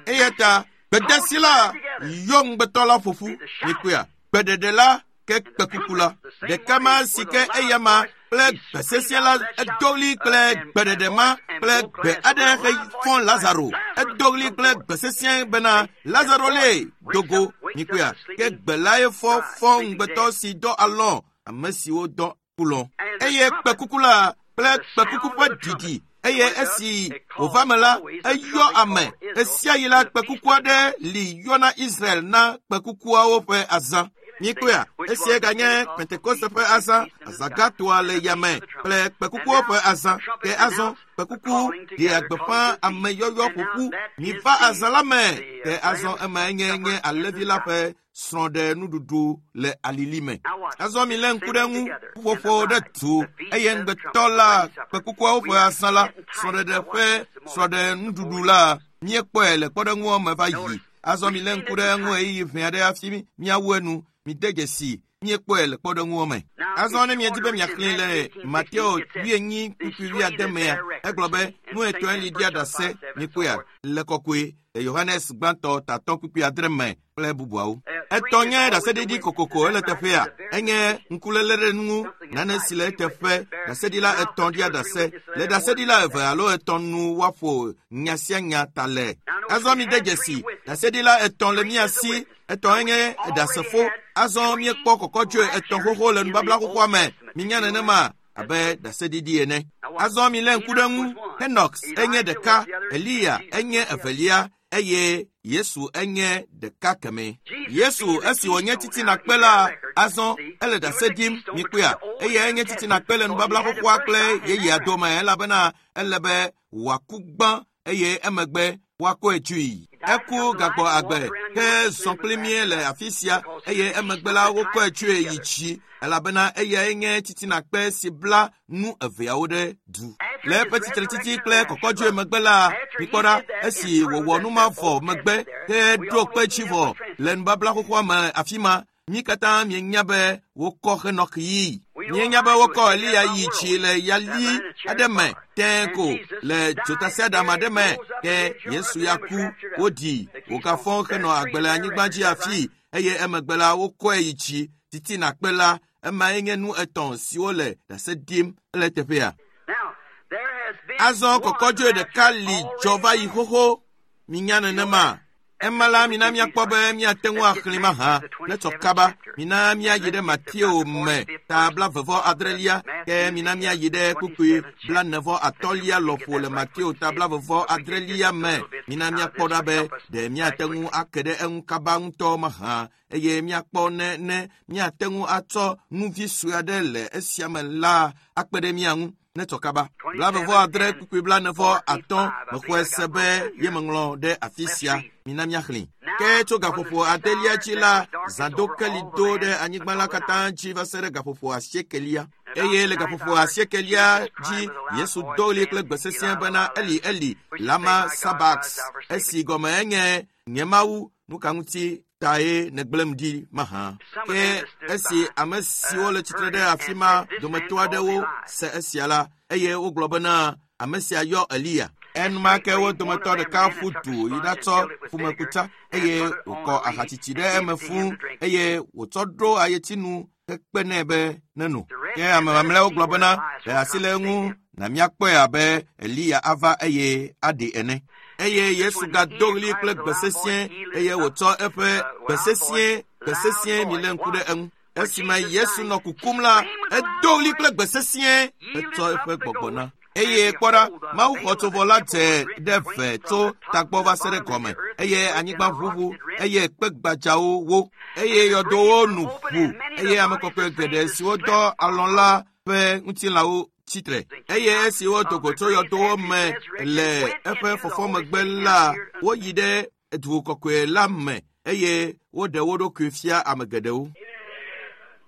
Eya ta gbedasi la yɔ ŋugbetɔ la ƒo ƒu mikpɔea. Gbeɖeɖe la ke kpekuku la. Ɖeka ma si ke eya ma kple gbe sesẽ la edo ɣli kple gbeɖeɖe ma kple gbe aɖe hefɔ Lazaro. Edo ɣli kple gbe sesẽ bena Lazaro le dogo mikpɔea. Ke gbe lae fɔ fɔ ŋugbetɔ si dɔ alɔ̃ ame siwo dɔ kulɔ. Eye kpekuku la kple kpekuku ƒe ɖiɖi eye esi wòva me la, eyɔ ame. Ɣe sia ɣi la, kpekuku aɖe li yɔna Israel na kpekukuawo ƒe azã. Mikpɔea, esia ganye Pentekoste ƒe azã, azãgãtɔa le yame kple kpekukuwo ƒe azã. Ke azɔ kpekuku ɖea gbeƒã ameyɔyɔ ƒoƒu. Miva azã la me. Ke azɔ emae nye nye alẽvi la ƒe srɔ̃ɖenuɖuɖu le alili me. Azɔ milé ŋku ɖe eŋu, ƒuƒoƒo ɖe du eye ŋugbetɔ la kpekukuawo ƒe azã la, srɔ̃ɖeɖe ƒe srɔ̃ɖenuɖuɖu la, míekpɔe le kpɔɖeŋua me va yi. Azɔ milé ŋku ɖe eŋu ɣeyiɣi ʋɛ aɖe hafi míawu enu. Mide dzesi míekpɔe le kpɔɖeŋua me. Azɔ ne miedi be miaxlẽe le Mateo wuienyi kpukpui wuiade mea, egblɔ be nu etɔ̃e li ɖia ɖase mikpɔea le kɔkɔe le Yohanes gbãtɔ tatɔ kpukpui adre me kple bubuawo. Etɔ̃ nye ɖaseɖiɖi kokoko ele teƒea. Enye ŋkuléle ɖe nu ŋu nane si le eteƒe. Ɖaseɖila etɔ̃ ɖia ɖase. Le ɖaseɖila eve alo etɔ̃ nu woaƒo nya sia nya ta le. Azɔ mide dzesi ɖaseɖila etɔ̃ le mía si. Etɔ̃e nye ɖasefo. Azɔ míekpɔ kɔkɔdzoe etɔ̃ xoxo le nubabla xoxoa me. Minya nenema abe ɖaseɖiɖi ene. Azɔ milé ŋku ɖe ŋu. Henox enye ɖeka, Eliya enye evelia eye Yesu enye ɖeka kemɛ. Yesu esi wònye titinakpe la, azɔ ele ɖase ɖim mikpɔea. Eya enye titinakpe le nubabla xoxoa kple yeyea dome elabena ele be wòaku gbã eye emegbe woakɔe tsoe. Eku gagbɔ agbe ke zɔ kpli mí le afi sia eye emegbe la wokɔe tsoe yi dzi elabena eyae nye titinakpe si bla nu eveawo ɖe du. Le eƒe tsitretsitsi kple kɔkɔdzoe megbe la, mikpɔ ɖa esi wòwɔ nu ma vɔ megbe ke ɖo kpe dzi vɔ le nubabla xoxoa me afi ma. Mí katã mienya be wokɔ Henok yii. Míenya be wokɔ Eliya yi dzi le yali aɖe me tẽe ko le dzotasiaɖam aɖe me ke Yesu ya ku woɖi wògafɔ henɔ agbe le anyigba dzi afii eye emegbe la wokɔe yi dzi titinakpe la. Emae nye nu etɔ̃ siwo le ɖase ɖim le teƒea. Azɔ kɔkɔdzoe ɖeka li dzɔ va yi xoxo. Minya nenema. Ema la mina míakpɔ be míate ŋu axlẽ mahã ne tsɔ kaba. Mina míayi ɖe Mateo me ta blavevɔ adrelia ke mina míayi ɖe kpukpui blanevɔ atɔ̃lia lɔƒo le Mateo ta blavevɔ adrelia me. Mina míakpɔ ɖa be ɖe míate ŋu ake ɖe eŋu kaba ŋutɔ mahã eye míakpɔ ne ne míate ŋu atsɔ nu vi sue aɖe le esia me la akpe ɖe mía ŋu. Ne tsɔ kaba. Blavevɔ adre kpukpui blanevɔ atɔ̃ mexɔe se be yemeŋlɔ ɖe afi sia. Mina míaxlẽ. Ke tso gaƒoƒo adelia dzi la, zãdokeli do ɖe anyigba la katã dzi va se ɖe gaƒoƒo asiekelia. Eye le gaƒoƒo asiekelia dzi, Yesu do ɣli kple gbe sesẽ bena Eli, Eli, lama sabachthani, esi gɔme enye nye Mawu, nu ka ŋuti tae nègblẽm ɖi mahã? Ke esi ame siwo le tsitre ɖe afi ma dometɔ aɖewo se esia la, eye wogblɔ bena ame sia yɔ Eliya. Enumake wo dometɔ ɖeka ƒu du yi ɖatsɔ ƒumekutsa eye wòkɔ ahatsitsi ɖe eme fũu eye wòtsɔ ɖo ayetinu hekpe nɛ be neno. Ke ame mamlɛawo gblɔ bena ɖe asi le eŋu Na míakpɔe abe Eliya ava eye aɖe ene. Eye Yesu gado ɣli kple gbe sesĩe eye wòtsɔ eƒe gbe sesĩe gbe sesĩe mi lé ŋku ɖe eŋu. Esime Yesu nɔ kukum la, edo ɣli kple gbe sesĩe hetsɔ eƒe gbɔgbɔ na. Eye kpɔ ɖa, Mawu xɔtsovɔ la dze ɖe ve tso tagbɔ va se ɖe gɔme eye anyigba ʋuʋu eye kpe gbadzawo wo eye yɔdowo nu ʋu eye ame kɔkɔe geɖe siwo dɔ alɔ̃ la ƒe ŋutilãwo tsitre. Eye esi wodo go tso yɔdowo me le eƒe fɔfɔ megbe la, woyi ɖe du kɔkɔe la me eye woɖe wo ɖokui fia ame geɖewo.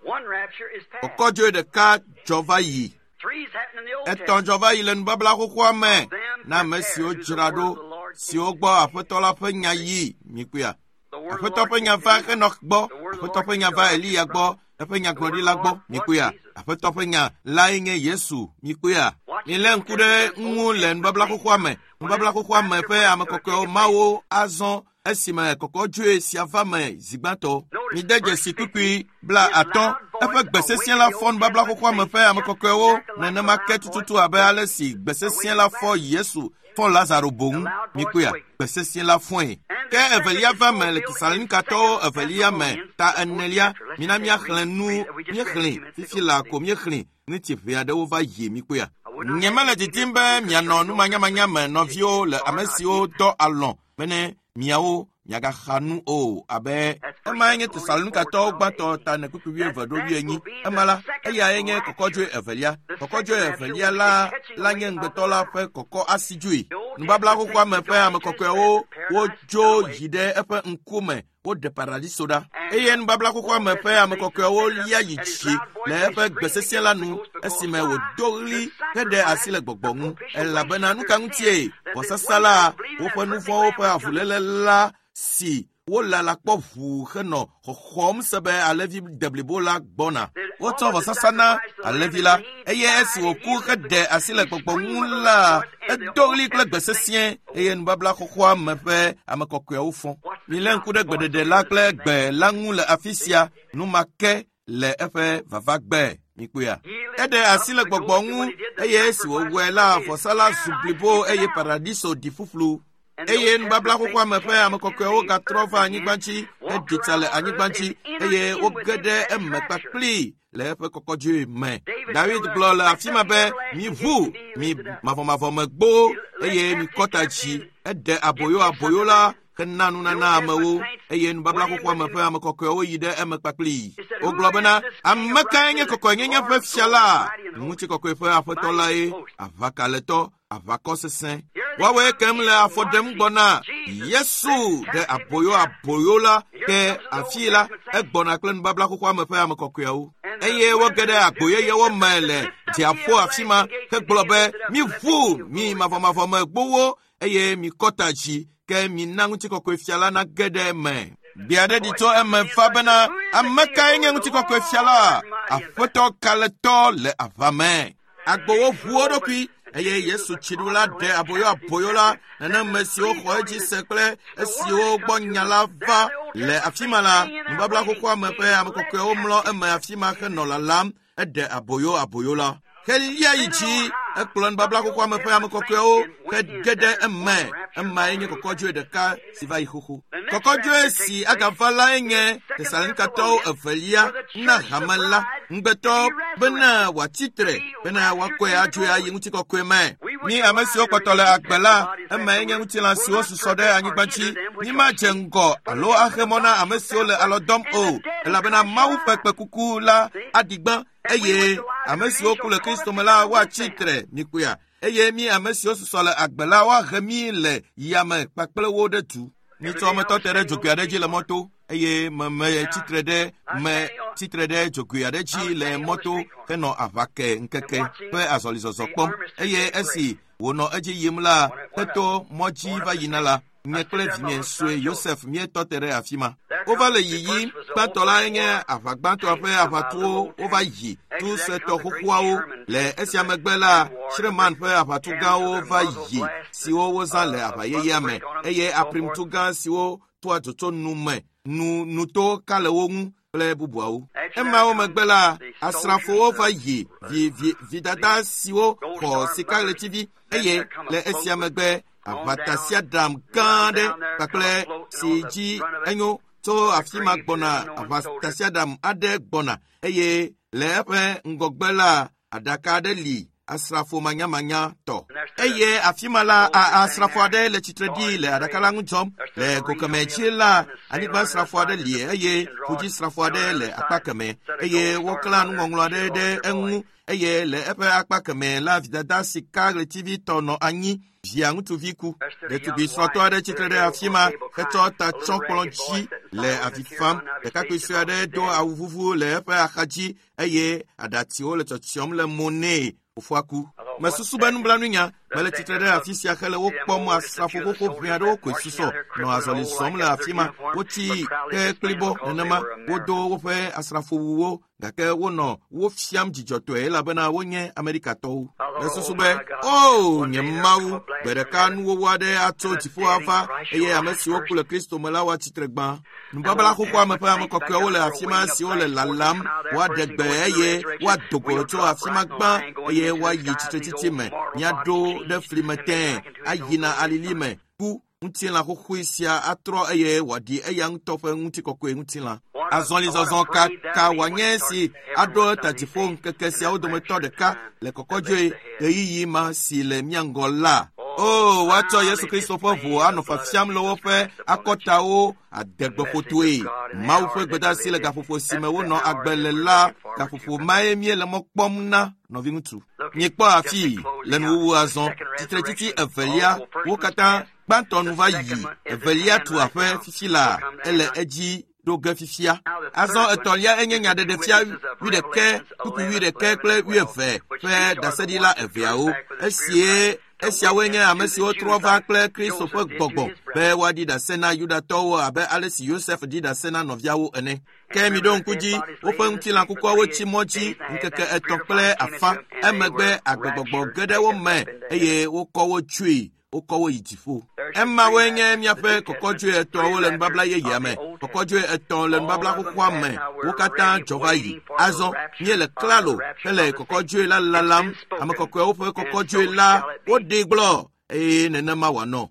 One rapture is past. Kɔkɔdzoe ɖeka dzɔ va yi. Three's happened in the Old Etɔ̃ Testament. dzɔ va yi le nubabla xoxoa me na ame siwo dzra ɖo siwo gbɔ aƒetɔ la ƒe nya yi mikpɔea. The word of the Aƒetɔ Lord ƒe nya came va to Henok gbɔ, aƒetɔ ƒe nya va Eliya gbɔ, eƒe nyagblɔɖila gbɔ mikpɔea. Aƒetɔ ƒe nya lae nye Yesu mikpɔea. Milé ŋku ɖe ŋu le nubabla xoxoa me. Nubabla xoxoa me ƒe ame kɔkɔewo mawo azɔ esime kɔkɔdzoe sia va me zi gbãtɔ. Mide dzesi kpukpui bla atɔ̃. Eƒe gbe sesĩe la fɔ nubabla xoxoa me ƒe ame kɔkɔewo nenema ke tututu abe ale si gbe sesĩe la fɔ Yesu fɔ Lazaro boŋ. Mikpɔea, gbe sesĩe la fɔe. Ke evelia va me le Tesalonikatɔwo evelia me ta enelia. Mina míaxlẽ nu míexlẽ fifi la ko míexlẽ ŋuti ʋɛ aɖewo va yi mikpɔea. Nyemele didim be mianɔ numanyamanya me nɔviwo le ame siwo dɔ alɔ̃ bene miawo miagaxa nu o abe emae nye Tesalonikatɔwo gbãtɔ ta ene kpukpui wuieve ɖo wuienyi. Ema la, eyae nye kɔkɔdzoe evelia. Kɔkɔdzoe evelia la la nye ŋugbetɔ la ƒe kɔkɔ asidzoe. Nubabla xoxoa me ƒe ame kɔkɔewo wodzo yi ɖe eƒe ŋkume woɖe paradiso ɖa. Eye nubabla xoxoa me ƒe ame kɔkɔewo lia yi dzi le eƒe gbe sesĩe la nu esime wòdo ɣli heɖe asi le gbɔgbɔ ŋu. Elabena nu ka ŋutie vɔsasa la woƒe nu vɔ̃wo ƒe avuléle la si wolala kpɔ ʋuu henɔ xɔxɔm se be alẽvi deblibo la gbɔna. Wotsɔ vɔsasa na alẽvi la eye esi wòku heɖe asi le gbɔgbɔ ŋu la, edo ɣli kple gbe sesĩe eye nubabla xoxoa me ƒe ame kɔkɔeawo fɔ. Milé ŋku ɖe gbeɖeɖe la kple gbe la ŋu le afi sia nu ma ke le eƒe vavagbe mikpɔea. Eɖe asi le gbɔgbɔ ŋu eye esi wòwɔe la, vɔsa la zu blibo eye paradiso ɖi ƒuƒlu. Eye nubabla xoxoa me ƒe ame kɔkɔewo gatrɔ va anyigba dzi heɖi tsa le anyigba dzi eye woge ɖe eme kpakpli le eƒe kɔkɔdzoe me. David gblɔ le afi ma be, miʋu mi mavɔmavɔmegbowo eye mikɔ ta dzi. Eɖe aboyo aboyo la hena nunana amewo eye nubabla xoxoa me ƒe ame kɔkɔewo yi ɖe eme kpakpli. Wogblɔ bena, ame kae nye kɔkɔenyenye ƒe fia la? Ŋutikɔkɔe ƒe aƒetɔ lae, aʋakalẽtɔ, aʋakɔ sesẽ. Woawoe kem le afɔ ɖem gbɔna. Yesu ɖe aboyo aboyo la ke afii la egbɔna kple nubabla xoxoa me ƒe ame kɔkɔeawo. Eye woge ɖe agbo yeyewo me le dziaƒo afi ma hegblɔ be, miʋu mi mavɔmavɔmegbowo eye mikɔ ta dzi ke mina ŋutikɔkɔe fia la nage ɖe eme. Gbe aɖe ɖi tso eme va bena, ame kae nye ŋutikɔkɔe fia la? Aƒetɔ kalẽtɔ le aʋa me. Agbowo ʋu wo ɖokui eye Yesu tsiɖula ɖe aboyo aboyo la neneme siwo xɔ edzi se kple esiwo gbɔ nya la va le afi ma la, nubabla xoxoa me ƒe ame kɔkɔewo mlɔ eme afi ma henɔ lalam eɖe aboyo aboyo la. Helia yi dzi ekplɔ nubabla xoxoa me ƒe ame kɔkɔewo hege ɖe eme. Emae nye kɔkɔdzoe ɖeka si va yi xoxo. Kɔkɔdzoe si agava lae nye Tesalonikatɔwo evelia na hame la ŋugbetɔ bena wòatsi tre bena woakɔe adzoe ayi ŋutikɔkɔe me. Mi ame siwo kpɔtɔ le agbe la, emae nye ŋutilã siwo susɔ ɖe anyigba dzi. Mímadze ŋgɔ alo axe mɔ na ame siwo le alɔ dɔm o, elabena Mawu ƒe kpẽkuku la aɖi gbã eye ame siwo ku le Kristo me la woatsi tre mikpɔea. Eye mi ame siwo susɔ le agbe la woahe mi le yame kpakple wo ɖe du. Mitsɔ metɔ te ɖe dzogoe aɖe dzi le mɔto eye me me tsitre ɖe me tsitre ɖe dzogoe aɖe dzi le mɔto henɔ aʋake ŋkeke ƒe azɔlizɔzɔ kpɔm eye esi wònɔ edzi yim la heto mɔ dzi va yina la, nye kple vinye sue Yosef míetɔ te ɖe afi ma. Wova le yiyim, gbãtɔ lae nye aʋagbãtɔa ƒe aʋatuwo wova yi tu suetɔ xoxoawo. Le esia megbe la, Sherman ƒe aʋatu gãwo va yi siwo wozã le aʋa yeyea me eye aprimtu gã siwo toa dzotso nu me nu nuto ka le wo ŋu kple bubuawo. Emawo megbe la, asrafowo va yi vi vi vidada siwo xɔ sikaɣletivi eye le esia megbe aʋatasiaɖam gã aɖe kpakple si dzi enyo tso afi ma gbɔna aʋatasiaɖam aɖe gbɔna eye le eƒe ŋgɔgbe la aɖaka aɖe li asrafo manyamanya tɔ. Eye afi ma la asrafo aɖe le tsitre ɖi le aɖaka la ŋu dzɔm. Le go kemɛ dzi la anyigbasrafo aɖe li eye ƒudzisrafo aɖe le akpa kemɛ eye woklã nuŋɔŋlɔ aɖe ɖe eŋu eye le eƒe akpa kemɛ la vidada sikaɣletivi tɔ nɔ anyi via ŋutsuvi ku. Ɖetugbi srɔ̃tɔ aɖe tsitre ɖe afi ma hetsɔ ta tsɔ kplɔ dzi le avi fam. Ɖekakpui sue aɖe do awu vuvu le eƒe axadzi eye aɖatsiwo le tsɔtsiɔm le mo nɛ. Fofoa ku. Mesusu be nublanuinya mele tsitre ɖe afi sia hele wo kpɔm asrafo xoxo ʋɛ aɖewo koe susɔ nɔ azɔli zɔm le afi ma. Wotsi ke kplibɔ nenema wodo woƒe asrafowuwo gake wonɔ wo fiam dzidzɔtɔe elabena wonye Amerikatɔwo. Mesusu be o nye Mawu, gbe ɖeka nuwɔwɔ aɖe atso dziƒo ava eye ame siwo ku le Kristo me la woatsi tre gbã. Nubabla xoxoa me ƒe ame kɔkɔewo le afi ma siwo le lalam woaɖe gbe eye woado go tso afi ma gbã eye woayi tsitretsitsi me. Míaɖo ɖe fli me tẽe ayina alili me ku ŋutilã xoxoe sia atrɔ eye wòaɖi eya ŋutɔ ƒe ŋutikɔkɔe ŋutilã. Azɔlizɔzɔ ka ka wòanye si aɖo ta dziƒo ŋkeke siawo dometɔ ɖeka le kɔkɔdzoe ɣeyiɣi ma si le mía ŋgɔ la. O, woatsɔ Yesu Kristo ƒe ʋu anɔ fiafiam le woƒe akɔtawo adegbeƒotoe. Mawu ƒe gbedeasi le gaƒoƒo si me wonɔ agbe le la, gaƒoƒo mae míele mɔ kpɔm na nɔviŋutsu. Míekpɔ afii le nuwuwu azɔ tsitretsitsi evelia wo katã gbãtɔ nu va yi evelia tu aƒe fifi la ele edzi ɖo ge fifia. Azɔ etɔ̃lia enye nyaɖeɖefia wuiɖekɛ kpukpui wuiɖekɛ kple wuieve ƒe ɖaseɖila eveawo. Esie esiawoe nye ame siwo trɔ va kple Kristo ƒe gbɔgbɔ be woaɖi ɖase na Yudatɔwo abe ale si Yosef ɖi ɖase na nɔviawo ene. Ke miɖo ŋku dzi, woƒe ŋutilã kukuawo tsi mɔ dzi ŋkeke etɔ̃ kple afã. Emegbe agbegbɔgbɔ ge ɖe wo me eye wokɔ wo tsoe. Wokɔ wo yi dziƒo. Emawoe nye míaƒe kɔkɔdzoe etɔ̃awo le nubabla yeyea me. Kɔkɔdzoe etɔ̃ le nubabla xoxoa me. Wo katã dzɔ va yi. Azɔ míele klalo hele kɔkɔdzoe la lalam. Ame kɔkɔewo ƒe kɔkɔdzoe la woɖee gblɔ eye nenema wòanɔ.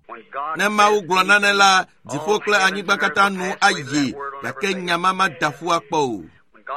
Ne Mawu gblɔ nane la, dziƒo kple anyigba katã nu ayi gake nya ma mada ƒu akpɔ o.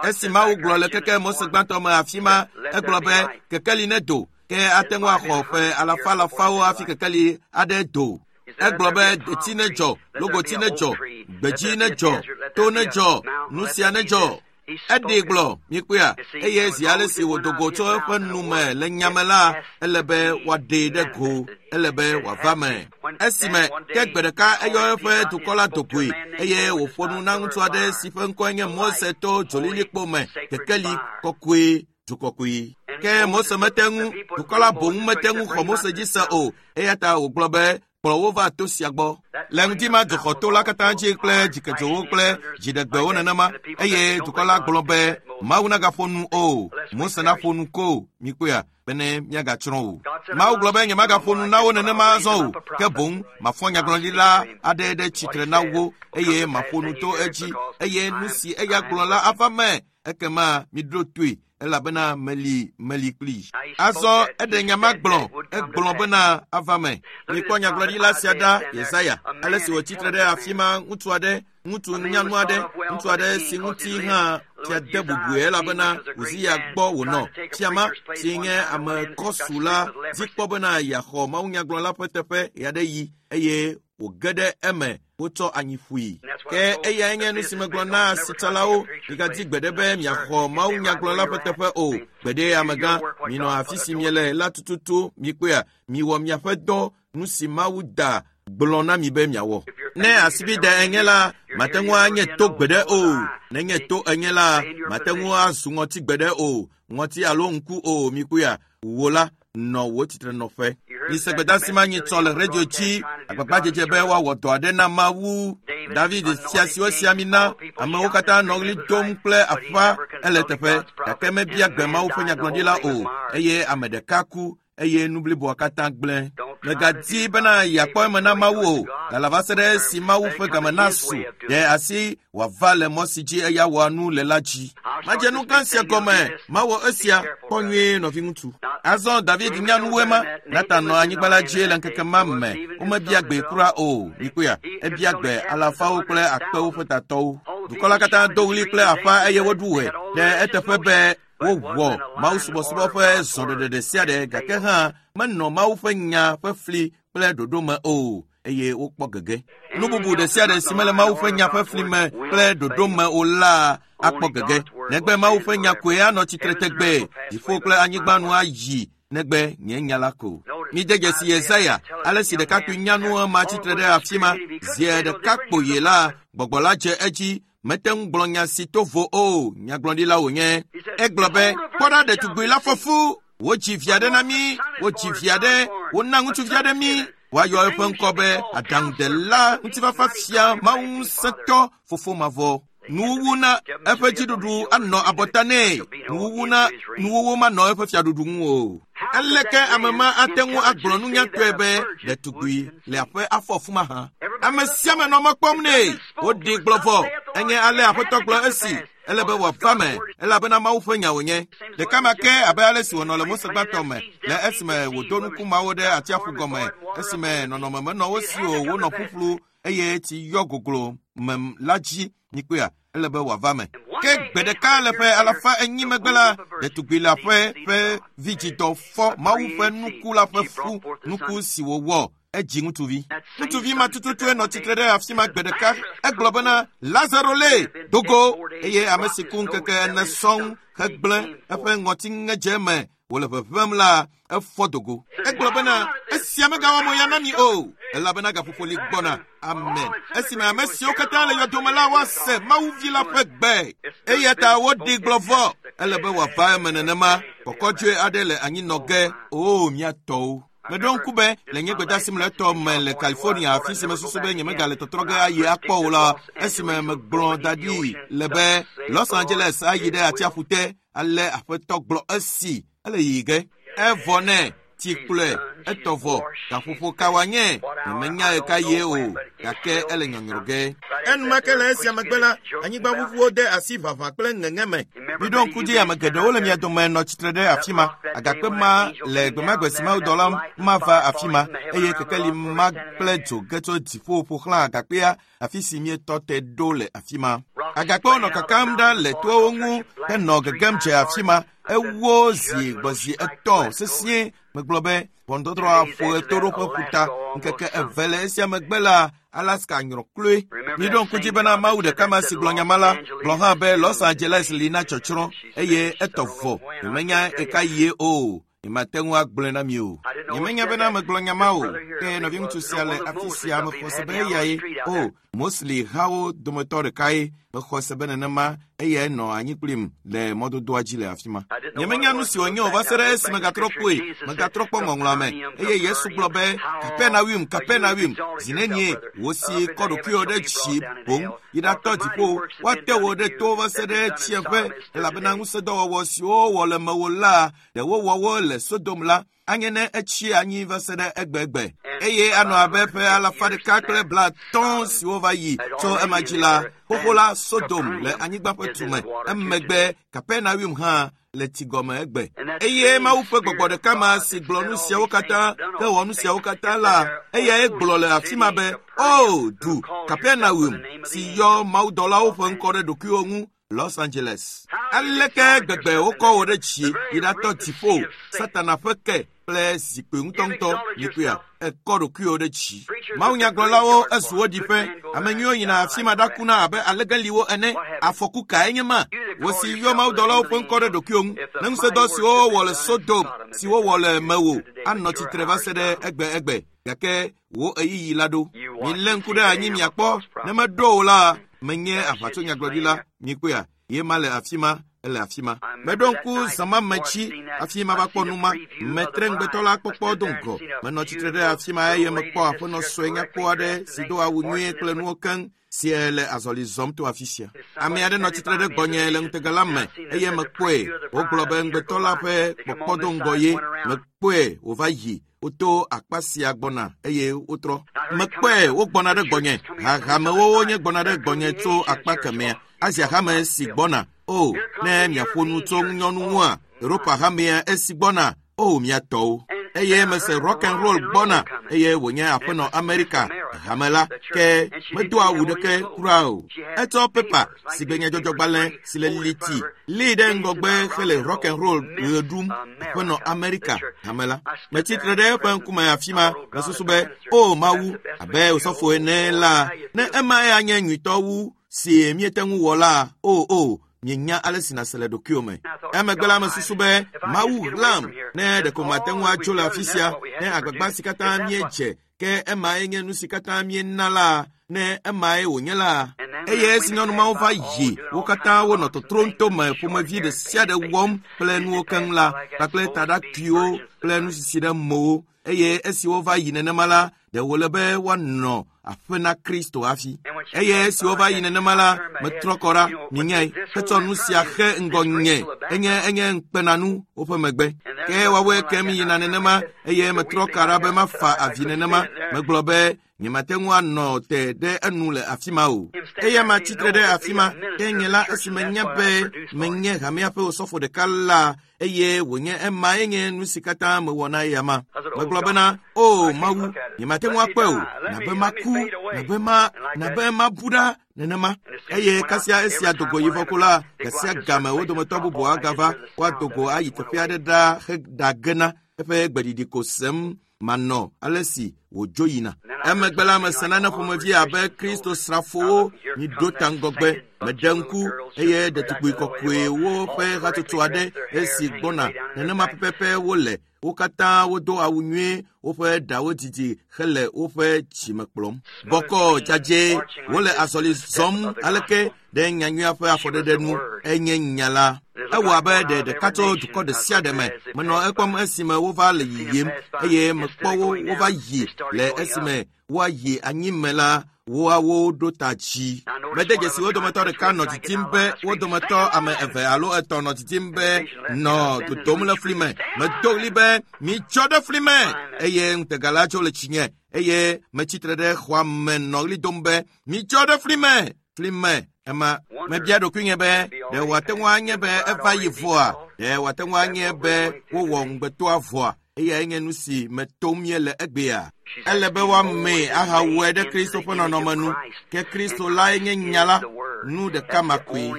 Esi Mawu gblɔ le keke Mose gbãtɔ me afi ma, egblɔ be kekeli nedo. Ke ate ŋu axɔ ƒe alafa alafawo hafi kekeli aɖe do. Egblɔ be deti nedzɔ, logoti nedzɔ, gbedzi nedzɔ, to nedzɔ, nu sia nedzɔ. Eɖee gblɔ, mikpɔea, eye zi ale si wòdo go tso eƒe nu me le nyame la, ele be wòaɖee ɖe go, ele be wòava me. Esime ke gbe ɖeka eyɔ eƒe dukɔ la do goe eye wòƒo nu na ŋutsu aɖe si ƒe ŋkɔe nye Mose to dzolilikpo me, kekeli kɔkɔe. Dukɔkɔe. Ke Mose mete ŋu, dukɔ la boŋ mete ŋu xɔ Mose dzi se o, eya ta wògblɔ be kplɔ wo va to sia gbɔ. Le ŋdi ma dzoxɔ to la katã dzi kple dzikedzowo kple dziɖegbewo nenema eye dukɔ la gblɔ be Mawu nagaƒo nu o, Mose naƒo nu ko, mikpɔea, bene míagatsrɔ̃ o. Mawu gblɔ be nyemagaƒo nu na wo nenema azɔ o, ke boŋ mafɔ nyagblɔɖila aɖe ɖe tsitre na wo eye maƒo nu to edzi eye nu si eya gblɔ la ava me ekema miɖo toe elabena meli meli kpli. Azɔ eɖe nya ma gblɔ, egblɔ bena ava me. Mikpɔ nyagblɔɖila sia ɖa, Yesaya, ale si wòtsi tre ɖe afi ma ŋutsu aɖe, ŋutsu nyanu aɖe, ŋutsu aɖe si ŋuti hã fia de bubue elabena Uziya gbɔ wònɔ. Fia ma si nye ame kɔsu la dzi kpɔ bena yeaxɔ mawunyagblɔla ƒe teƒe ɣeaɖeɣi eye wòge ɖe eme wotsɔ anyi ƒui. Ke eyae nye nu si megblɔ na asitsalawo, migadi gbeɖe be miaxɔ mawunyagblɔla ƒe teƒe o. Gbeɖe amegã, minɔ afi si miele la tututu, mikpɔea, miwɔ miaƒe dɔ, nu si Mawu da gblɔ na mi be miawɔ. Ne asibide enye la, mate ŋu anye to gbeɖe o. Nenye to enye la, mate ŋu azu ŋɔti gbeɖe o. Ŋɔti alo ŋku o, mikpɔea, wò la, nɔ wò tsitrenɔƒe. Mise gbedeasi ma nyitsɔ le radio dzi, agbagbadzedze be woawɔ dɔ aɖe na Mawu. David fia si wosi ami na, amewo katã nɔ ɣli dom kple aƒa ele teƒe, gake mebia gbe Mawu ƒe nyagblɔɖila o, eye ame ɖeka ku eye nu bliboa katã gblẽ. Megadi bena yeakpɔ eme na Mawu o, lala va se ɖe esi Mawu ƒe game nasu ɖe asi wòava le mɔ si dzi eya wɔa nu le la dzi. Madze nu gã sia gɔme, mawɔ esia, kpɔ nyuie nɔviŋutsu. Azɔ David nya nuwoe ma. Natan nɔ anyigba la dzi le ŋkeke ma me. Womebia gbe kura o. Mikpɔea, ebia gbe alafawo kple akpewo ƒe tatɔwo. Dukɔ la katã do ɣli kple aƒa eye woɖu ɣe ɖe eteƒe be wowɔ mawusubɔsubɔ ƒe zɔɖeɖe ɖe sia ɖe gake hã menɔ Mawu ƒe nya ƒe fli kple ɖoɖo me o eye wokpɔ gege. Nu bubu ɖe sia ɖe si mele Mawu ƒe nya ƒe fli me kple ɖoɖo me o la akpɔ gege. Negbe Mawu ƒe nya koe anɔ tsitre tegbee. Dziƒo kple anyigba nu ayi negbe nye nya la ko. Mide dzesi Yesaya, ale si ɖekakpui nyanu ema tsitre ɖe afi ma, zi ɖeka kpoyi la, gbɔgbɔ la dze edzi. Mete ŋu gblɔ nya si to vo o, nyagblɔɖila wònye. Egblɔ be, kpɔ ɖa ɖetugbui la fɔ fu, wodzi vi aɖe na mí, wodzi vi aɖe, wona ŋutsuvi aɖe mí. Woayɔ eƒe ŋkɔ be aɖaŋudela, ŋutifafa fia, Mawu ŋusẽtɔ, fofo mavɔ. Nuwuwu na eƒe dziɖuɖu anɔ abɔta nɛ. Nuwuwu na nuwuwu manɔ eƒe fiaɖuɖu ŋu o. Aleke ame ma ate ŋu agblɔ nunyatɔe be ɖetugbui le aƒe afɔ fu mahã? Ame sia ame nɔ mɔ kpɔm nɛ. Woɖi gblɔ vɔ. Enye ale Aƒetɔ gblɔ esi. Ele be wòava me, elabena Mawu ƒe nya wònye. Ɖeka ma ke abe ale si wònɔ le Mose gbãtɔ me, le esime wòdo nuku mawo ɖe atsiaƒu gɔme, esime nɔnɔme menɔ wo si o, wonɔ ƒuƒlu eye tsi yɔ goglo me la dzi. Mikpɔea, ele be wòava me. Ke gbe ɖeka le ƒe alafa enyi megbe la, ɖetugbui le aƒe ƒe vidzidɔ fɔ Mawu ƒe nuku la ƒe fu, nuku si wòwɔ. Edzi ŋutsuvi. Ŋutsuvi ma tututue nɔ tsitre ɖe afi ma gbe ɖeka. Egblɔ bena, Lazaro le dogo, eye ame si ku ŋkeke ene sɔŋ hegblẽ eƒe ŋɔtiŋedze me wòle ʋeʋẽm la, efɔ dogo. Egblɔ bena, esia megawɔ mo ya na mi o, elabena gaƒoƒo li gbɔna. Amen. Esime ame siwo katã le yɔdome la woase Mawu vi la ƒe gbe. Eya ta woɖi gblɔ vɔ. Ele be wòava eme nenema. Kɔkɔdzoe aɖe le anyinɔ ge. Oo, mía tɔwo. Meɖo ŋku be le nye gbedeasi mlɔetɔ me le California, afi si mesusu be nyemegale tɔtrɔ ge ayi akpɔ o la, esime megblɔ da ɖi le be Los Angeles ayi ɖe atsiaƒu te, ale Aƒetɔ gblɔ esi ele yiyi ge. Evɔ nɛ, tsi kplɔe, etɔ vɔ, gaƒoƒo ka wòanye, nyemenya ɣeka yie o, gake ele nyɔnyrɔ ge. Enumake le esia megbe la, anyigbaʋuʋuwo de asi ʋaʋã kple ŋeŋe me. Miɖo ŋku dzi ame geɖewo le mia dome nɔ tsitre ɖe afi ma. Agakpe ma le gbemagbe si mawudɔla mava afi ma, eye kekeli ma kple dzo ge tso dziƒo ƒo xlã agakpea, afi si mietɔ te ɖo le afi ma. Agakpewo nɔ kakam ɖa le toawo ŋu henɔ gegem dze afi ma. Ewo zi gbɔ zi etɔ̃ sesĩe. Megblɔ be ʋɔnudɔdrɔ̃ aƒo ɣetoɖoƒe ƒuta. Ŋkeke eve le esia megbe la, Alaska nyrɔ kloe. Miɖo ŋku dzi bena Mawu ɖeka ma si gblɔ nya ma la, gblɔ hã be Los Angeles li na tsɔtsrɔ̃ eye etɔ vɔ. Nyemenya ɣeka yie o. Nyemate ŋu agblɔe na mi o. Nyemenya bena megblɔ nya ma o. Ke nɔviŋutsu sia le afi sia mexɔ se be eyae. O, Mosli hawo dometɔ ɖekae. Mexɔ se be nenema eyae nɔ anyi kplim le mɔdodoa dzi le afi ma. Nyemenya nu si wònye o va se ɖe esi megatrɔ kpɔe. Megatrɔ kpɔ ŋɔŋlɔa me. Eye Yesu gblɔ be, Kapernaum, Kapernaum, zi nenie wò si kɔ ɖokuiwò ɖe dzi boŋ yi ɖatɔ dziƒo, woate wò ɖe to va se ɖe tsiẽƒe, elabena ŋusẽdɔwɔwɔ siwo wowɔ le mewò la, ɖe wowɔ wo le Sodom la, anye ne etsi anyi va se ɖe egbegbe. Eye anɔ abe ƒe alafa ɖeka kple blaatɔ̃ siwo va yi tso ema dzi la, xoxo la Sodom le anyigba ƒe tume. Emegbe Kapernaum hã le tsi gɔme egbe. Eye Mawu ƒe gbɔgbɔ ɖeka ma si gblɔ nu siawo katã hewɔ nu siawo katã la, eyae gblɔ le afi ma be, O, du Kapernaum si yɔ mawudɔlawo ƒe ŋkɔ ɖe ɖokuiwo ŋu, Los Angeles. Aleke gbegbe wokɔ wò ɖe dzi yi ɖatɔ dziƒo, Satana ƒe ke kple zikpui ŋutɔŋutɔ, mikpɔea, ekɔ ɖokuiwò ɖe dzi. Mawunyagblɔlawo ezu wo ɖiƒe. Ame nyuiwo yina afi ma ɖakuna abe alegeliwo ene. Afɔku kae nye ma? Wò si yɔ mawudɔlawo ƒe ŋkɔ ɖe ɖokuiwò ŋu. Ne ŋusẽdɔ siwo wowɔ le Sodom, si wowɔ le mewò, anɔ tsitre va se ɖe egbe egbe. Gake wò ɣeyiɣi la ɖo. Milé ŋku ɖe anyi miakpɔ. Ne meɖo o la, menye aʋatsonyagblɔɖila. Mikpɔea, ye ma le afi ma. Ele afi ma. Meɖo ŋku zãma me tsi hafi mava kpɔ nu ma. Metre ŋugbetɔ la kpɔkpɔ do ŋgɔ. Menɔ tsitre ɖe afi ma eye mekpɔ aƒenɔ sue nyakpɔ aɖe si do awu nyuie kple nuwo keŋ si le azɔli zɔm to afi sia. Ame aɖe nɔ tsitre ɖe gbɔnye le ŋutega la me eye mekpɔe. Wogblɔ be ŋugbetɔ la ƒe kpɔkpɔ do ŋgɔ ye. Mekpɔe wòva yi. Woto akpa sia gbɔna eye wotrɔ. Mekpɔe wogbɔna ɖe gbɔnye. Hahamewo wonye gbɔna ɖe gbɔnye tso akpa kemea. Asia hame si gbɔna. O, ne miaƒo nu tso ŋunyɔnu ŋua, Europa hamea esi gbɔna. O, miatɔwo. Eye mese rock and roll gbɔna eye wònye aƒenɔ Amerika hame la ke medo awu ɖeke kura o. Etsɔ pepa si gbe nyadzɔdzɔgbalẽ si le liti lii ɖe ŋgɔgbe hele rock and roll ɣe ɖum aƒenɔ Amerika hame la. Metsitre ɖe eƒe ŋkume afi ma mesusu be o Mawu abe osɔfo ene la ne emae anye nyuitɔ wu si míete ŋu wɔ la o o. Mienya ale si nàse le ɖokuiwò me. Emegbe la mesusu be Mawu ɣlam ne ɖeko mate ŋu atso le afi sia ne agbagba si katã míedze ke emae nye nu si katã míena la ne emae wònye la. Eye esi nyɔnu mawo va yi wo katã wonɔ totrom tome ƒomevi ɖe sia ɖe wɔm kple nuwo keŋ la kpakple taɖakuiwo kple nusisi ɖe mowo eye esi wova yi nenema la ɖe wòle be woanɔ aƒe na Kristo hafi. Eye esi wova yi nenema la metrɔ kɔ ɖa minyae hetsɔ nu sia xe ŋgɔnye enye enye ŋukpenanu woƒe megbe. Ke woawoe kem yina nenema eye metrɔ ka ɖa be mafa avi nenema. Megblɔ be nyemate ŋu anɔ te ɖe enu le afi ma o. Eya ma tsitre ɖe afi ma ke nye la esi menya be menye hamea ƒe osɔfo ɖeka la eye wònye emae nye nu si katã mewɔ na eya ma. Megblɔ bena o Mawu nyemate ŋu akpɔe o nabe maku nabe ma nabe mabu ɖa nenema. Eye kasia esia dogo yi vɔ ko la gasia game wo dometɔ bubu agava woado go ayi teƒe aɖe ɖa heɖagena eƒe gbeɖiɖi ko sem manɔ ale si wòdzo yina. Emegbe la mese nane ƒomevi abe Kristo srafowo miɖo ta ŋgɔgbe. Meɖe ŋku eye ɖetugbui kɔkɔewo ƒe hatsotso aɖe esi gbɔna nenema pɛpɛpɛ wole. Wo katã wodo awu nyuie, woƒe ɖawo didi hele woƒe dzime kplɔm. Bɔkɔ dzadzɛ wole azɔli zɔm aleke ɖe nyanyuia ƒe afɔɖeɖe nu enye nya la. Ewɔ abe ɖe ɖeka tso dukɔ ɖe sia ɖe me. Menɔ ekpɔm esime wova le yiyim eye mekpɔ wo wova yi le esime woayi anyime la woawo ɖo ta dzi. Mede dzesi wo dometɔ ɖeka nɔ didim be wo dometɔ ame eve alo etɔ̃ nɔ didim be nɔ dodom le fli me. Medo ɣli be mitsɔ ɖe fli me eye ŋutega la tso le tsinye eye metsitre ɖe xɔa me nɔ ɣli dom be mitsɔ ɖe fli me fli me. Ema mebia ɖokuinye be ɖe wòate ŋu anye be eva yi vɔa ɖe wòate ŋu anye be wowɔ ŋugbetɔa vɔa eyae nye nu si metom míele egbea. Ele be woamee ahawɔe ɖe Kristo ƒe nɔnɔme nu ke Kristo lae nye nya la nu ɖeka ma koe.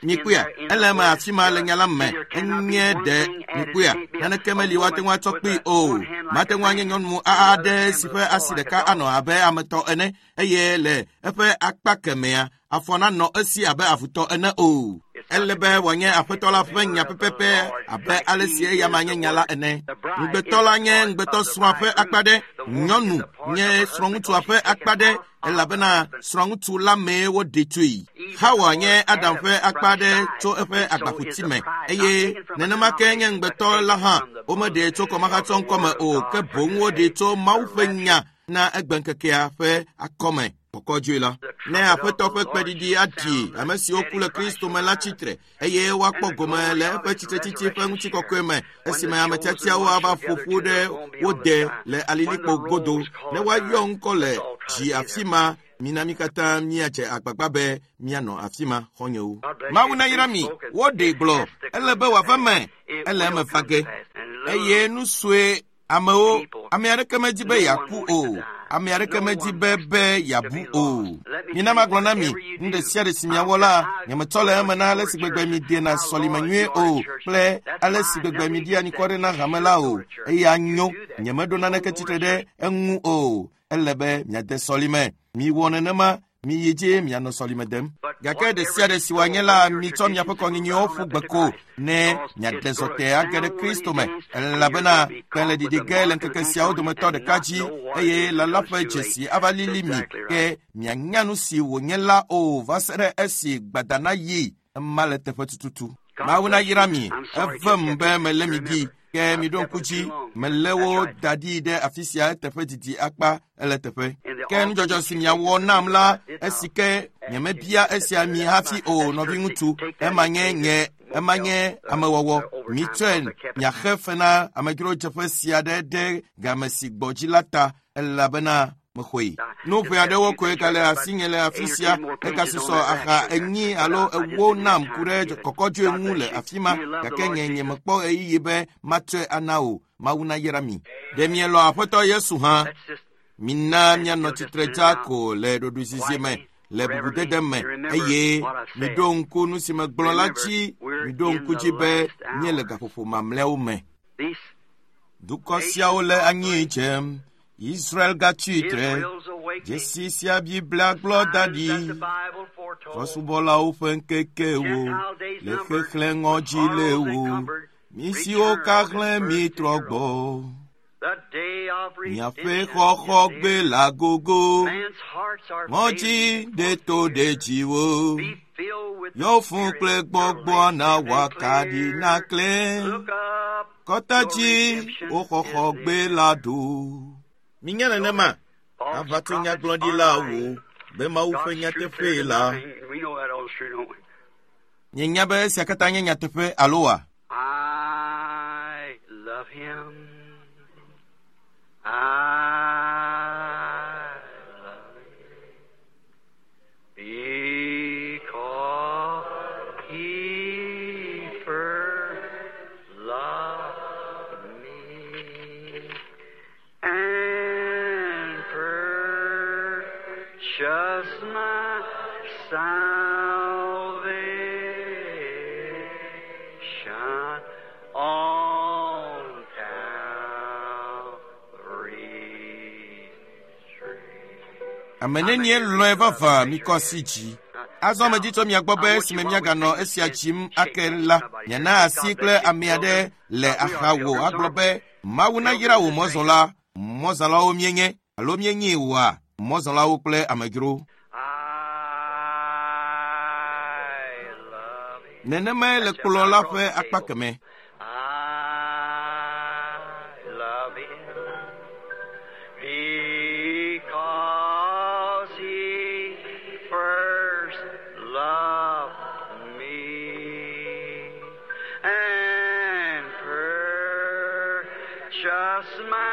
Mikpɔea ele eme afi ma le nya la me enye ɖe mikpɔea naneke meli woate ŋu atsɔ kpee o. Mate ŋu anye nyɔnu aɖe si ƒe asi ɖeka anɔ abe ametɔ ene eye le eƒe akpa kemea afɔ nanɔ esi abe avutɔ ene o. Ele be wòanye aƒetɔ la ƒe nya pɛpɛpɛ abe ale si eya ma nye nya la ene. Ŋugbetɔ la nye ŋugbetɔ srɔ̃a ƒe akpa ɖe, nyɔnu nye srɔ̃ŋutsua ƒe akpa ɖe elabena srɔ̃ŋutsu la mee woɖe tsoe. Hawa nye Adam ƒe akpa ɖe tso eƒe agbaƒuti me eye nenema ke nye ŋugbetɔ la hã womeɖee tso kɔmahatsɔ ŋkɔme o ke boŋ woɖee tso Mawu ƒe nya na egbeŋkekea ƒe akɔme kɔkɔdzoe la. Ne aƒetɔ ƒe kpeɖiɖi aɖi ame siwo ku le Kristo me la tsitre eye woakpɔ gome le eƒe tsitretsitsi ƒe ŋutikɔkɔe me esime ame tiatiawo ava ƒo ƒu ɖe wo de le alilikpo godo ne woayɔ ŋkɔ le dzi afi ma. Mina mí katã míadze agbagba be míanɔ afi ma xɔnyewo. Mawu nayra mi. Woɖee gblɔ ele be wòava me ele eme va ge eye nu sue amewo ame aɖeke medi be yeaku o. Ame aɖeke medi be be yeabu o. Mina magblɔ na mi nu ɖe sia ɖe si miawɔ la nyemetsɔ le eme na ale si gbegbe miedena sɔlime nyuie o kple ale si gbegbe miɖia anyikɔ ɖe na hame la o. Eya nyo nyemeɖo naneke tsitre ɖe eŋu o. Ele be miade sɔlime. Miwɔ nenema miyi dzi mianɔ sɔlime dem. Gake ɖe sia ɖe si wòanye la mitsɔ miaƒe kɔnyinyiwo ƒu gbe ko ne miaɖe zɔte age ɖe Kristo me elabena kpẽ le ɖiɖi ge le ŋkeke siawo dometɔ ɖeka dzi eye lala ƒe dzesi ava lili mi ke mianya nu si wònye la o va se ɖe esi gbadana yi ema le teƒe tututu. Mawu nayra mi. Evem be melé mi ɖi. Ke miɖo ŋku dzi, melé wo da ɖi ɖe afi sia eteƒe didi akpa ele teƒe. Ke nudzɔdzɔ si miawɔ nam la, esi ke nyemebia esia mi hafi o, nɔviŋutsu, ema nye nye ema nye amewɔwɔ. Mitsɔe miaxe fe na amedzrodzeƒe sia ɖe ɖe game si gbɔ dzi la ta, elabena mexɔe. Nu ʋɛ aɖewo koe gale asinye le afi sia. Egasusɔ aha enyi alo ewo nam ku ɖe kɔkɔdzoe ŋu le afi ma, gake nye nyemekpɔ ɣeyiɣi be matsɔe ana o. Mawu nayra mi. Ɖe mielɔ̃ Aƒetɔ Yesu hã? Mina mianɔ tsitre dza ko le ɖoɖoezizi me, le bubudede me, eye miɖo ŋku nu si megblɔ la dzi. Miɖo ŋku dzi be míele gaƒoƒo mamlɛawo me. Dukɔ siawo le anyi dzem. Israel gatsi tre. Dzesi sia Biblia gblɔ da ɖi. Trɔ̃subɔlawo ƒe ŋkekewo le xexlẽ ŋɔdzi le wo. Mi siwo kaxlẽ mi trɔ gbɔ. Miaƒe xɔxɔgbe la gogo. Ŋɔdzi ɖe to ɖe dziwo. Yɔ fũ kple gbɔgbɔ na wòakaɖi naklẽ. Kɔta dzi wo xɔxɔgbe la ɖo. Minya nenema, aʋatso-nyagblɔɖilawo be Mawu ƒe nyateƒee la. Mienya be esia katã nye nyateƒe alo wa? I love him. I love him. Because he first loved me and purchased my salvation on Calvary's tree. Ame nenie lɔ̃e vavã mikɔ asi dzi. Azɔ medzi tso mia gbɔ be esime miaganɔ esia dzim ake la, miana asi kple ame aɖe le axawò agblɔ be Mawu nayra wò mɔzɔla. Mɔzɔlawo míenye alo míenyi wòa mɔzɔlawo kple amedzro. I love him. Nenemae le kplɔ̃ la ƒe akpa kemɛ. I love him because he first loved me and purchased my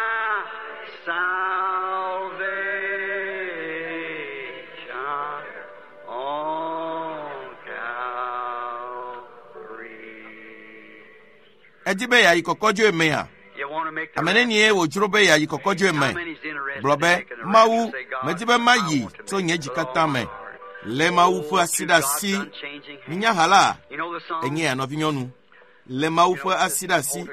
salvation on Calvary. Edi be yeayi kɔkɔdzoe mea? You want to make the Ame nenie wòdzro be yeayi kɔkɔdzoe How me? many's interested Gblɔ in be, making the Mawu, rapture? Say, God, medi be mayi I want to tso make nye it dzi with all katã my me. heart. Le Mawu ƒe Oh, asi to ɖe asi. God's unchanging hand. Minya ha la, You know the song? enye ya nɔvinyɔnu. Le Mawu ƒe asi ɖe asi.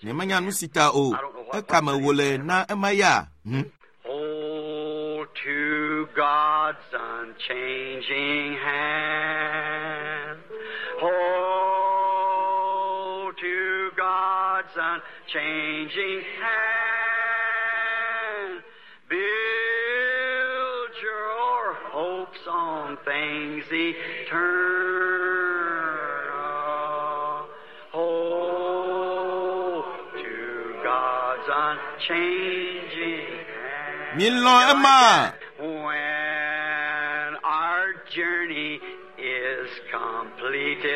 Nyemenya nu si ta o. Ekame wòle na ema ya. Hm? Hold to God's unchanging hand. Hold to God's unchanging hand. Build your hopes on things eternal. Hold to God's unchanging hand. Milɔ̃ ema. When our journey is completed,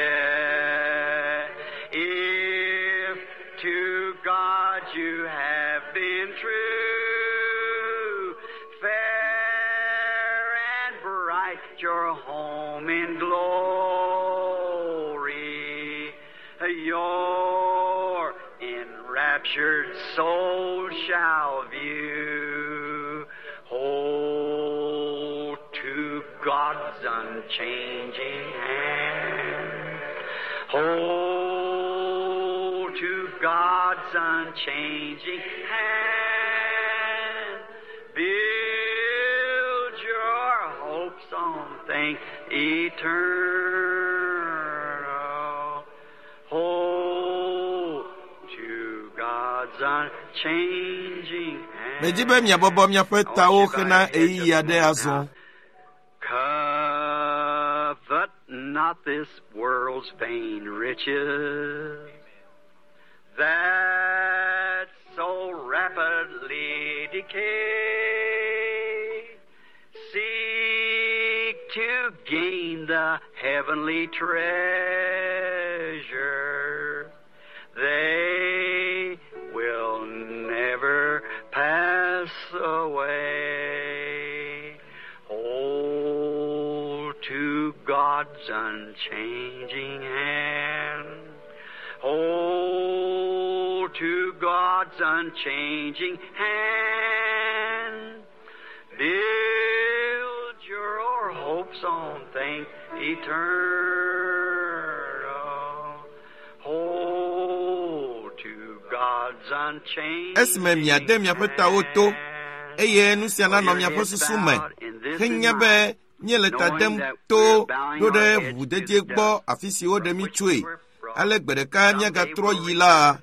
if to God you have been true, fair and bright your home in glory, your enraptured soul shall view. Hold to God's unchanging hand. Hold to God's unchanging hand. Build your hopes on things eternal. Hold to God's unchanging hand. Medi be miabɔbɔ miaƒe tawo hena ɣeyiɣi aɖe azɔ. Covet Not this world's vain riches that so rapidly decay. Seek to gain the heavenly treasure. They will never pass away. Hold to God's unchanging hand. Hold to God's unchanging hand. Build your hopes on things eternal. Hold to God's unchanging Esime miade miaƒe tawo to, hand. eye nu sia nanɔ miaƒe susu me henya be míele ta dem to ɖo ɖe ʋuʋudedie gbɔ afi si woɖe mí tsoe. Ale gbe ɖeka míagatrɔ yi la,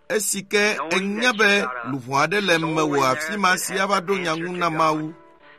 esi ke enya be luʋɔ aɖe le mewò afi ma si ava ɖo nya ŋu na Mawu.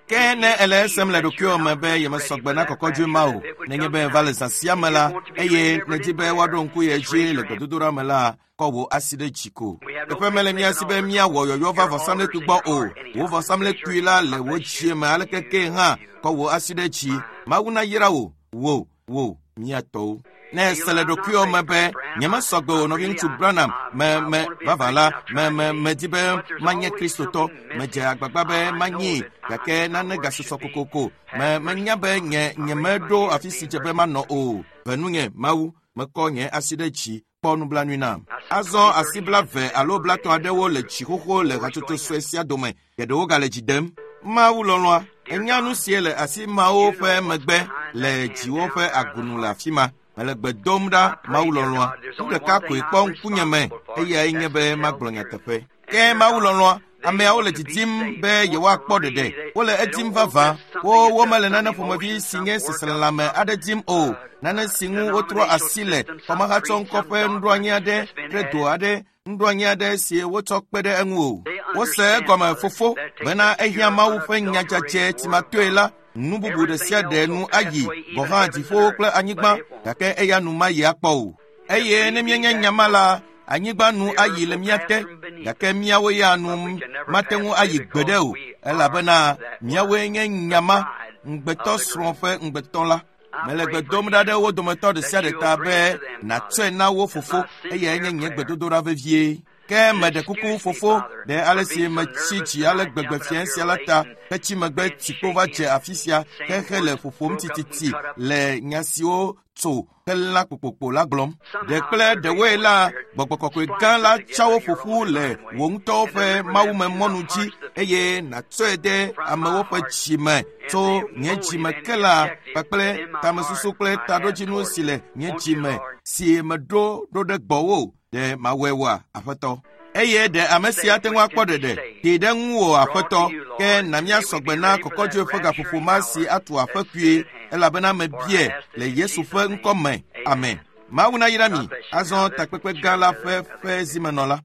Ke ne ele esem le ɖokuiwò me be yemesɔ gbe na kɔkɔdzoe ma o, nenye be va le zã sia me la, eye nèdi be woaɖo ŋku ye dzi le gbedodoɖa me la, kɔ wò asi ɖe dzi ko. Teƒe mele mía si be míawɔ yɔyɔ va vɔsamlekpui gbɔ o. Wò vɔsamlekpui la le wò dzie me aleke ke hã, kɔ wò asi ɖe dzi. Mawu nayra wò, wò, wò, mía tɔwo. Ne ese le ɖokuiwò me be nyemesɔ gbe o nɔviŋutsu Branham, me me vavã la, me me medi be manye Kristotɔ, medze agbagba be manyee, gake nane gasusɔ kokoko. Me menya be nye nyemeɖo afi si dze be manɔ o. Ve nunye Mawu, mekɔ nye asi ɖe dzi, kpɔ nublanui nam. Azɔ asi blaeve alo blatɔ̃ aɖewo le dzi xoxo le hatsotso sue sia dome, geɖewo gale dzi dem. Mawu lɔlɔ̃a, enya nu sie le asi mawo ƒe megbe le dziwo ƒe agunu le afi ma. Mele gbe dom ɖa Mawu lɔlɔ̃a. Nu ɖeka koe kpɔ ŋkunye me, eyae nye be magblɔ nyateƒe. Ke Mawu lɔlɔ̃a, ameawo le didim be yewoakpɔ ɖeɖe. Wole edim vavã. Wo womele nane ƒomevi si nye seselelãme aɖe dim o. Nane si ŋu wotrɔ asi le xɔmehatsɔŋkɔ ƒe nuɖoanyi aɖe kple do aɖe nuɖoanyi aɖe si wotsɔ kpe ɖe eŋu o. Wose egɔme fofo bena ehiã Mawu ƒe nyadzadze tsimatoe la, nu bubu ɖe sia ɖe nu ayi gɔ̃ hã dziƒowo kple anyigba, gake eya nu mayi akpɔ o. Eye ne míenye nya ma la, anyigba nu ayi le mía te, gake míawo ya nu mate ŋu ayi gbeɖe o, elabena míawoe nye nya ma, ŋugbetɔ srɔ̃ ƒe ŋugbetɔ la. Mele gbe dom ɖa ɖe wo dometɔ ɖe sia ɖe ta be nàtsɔe na wo fofo, eyae nye nye gbedodoɖa vevie. Ke meɖe kuku fofo ɖe ale si metsi dzi ale gbegbe fiẽ sia la ta hetsi megbe tsikpo va dze afi sia xexe le ƒoƒom tititi le nya siwo tso helã kpokpokpo la gblɔm. Ɖe kple ɖewoe la, gbɔgbɔ kɔkɔe gã la tsa wo ƒoƒu le wò ŋutɔwo ƒe mawumemɔnu dzi eye nàtsɔe de amewo ƒe dzi me tso nye dzi me ke la kpakple tamesusu kple taɖodzinu si le nye dzi me si meɖo ɖo ɖe gbɔwò. Ɖe mawɔe woa, Aƒetɔ? Eye ɖe ame sia ate ŋu akpɔ ɖeɖe, tee ɖe ŋuwò, Aƒetɔ, ke na míasɔ gbe na kɔkɔdzoe ƒe gaƒoƒo ma si atu aƒe kpuie, elabena mebia le Yesu ƒe ŋkɔ me. Amen. Mawu nayra mi. Azɔ takpekpe gã la ƒe ƒe zimenɔla.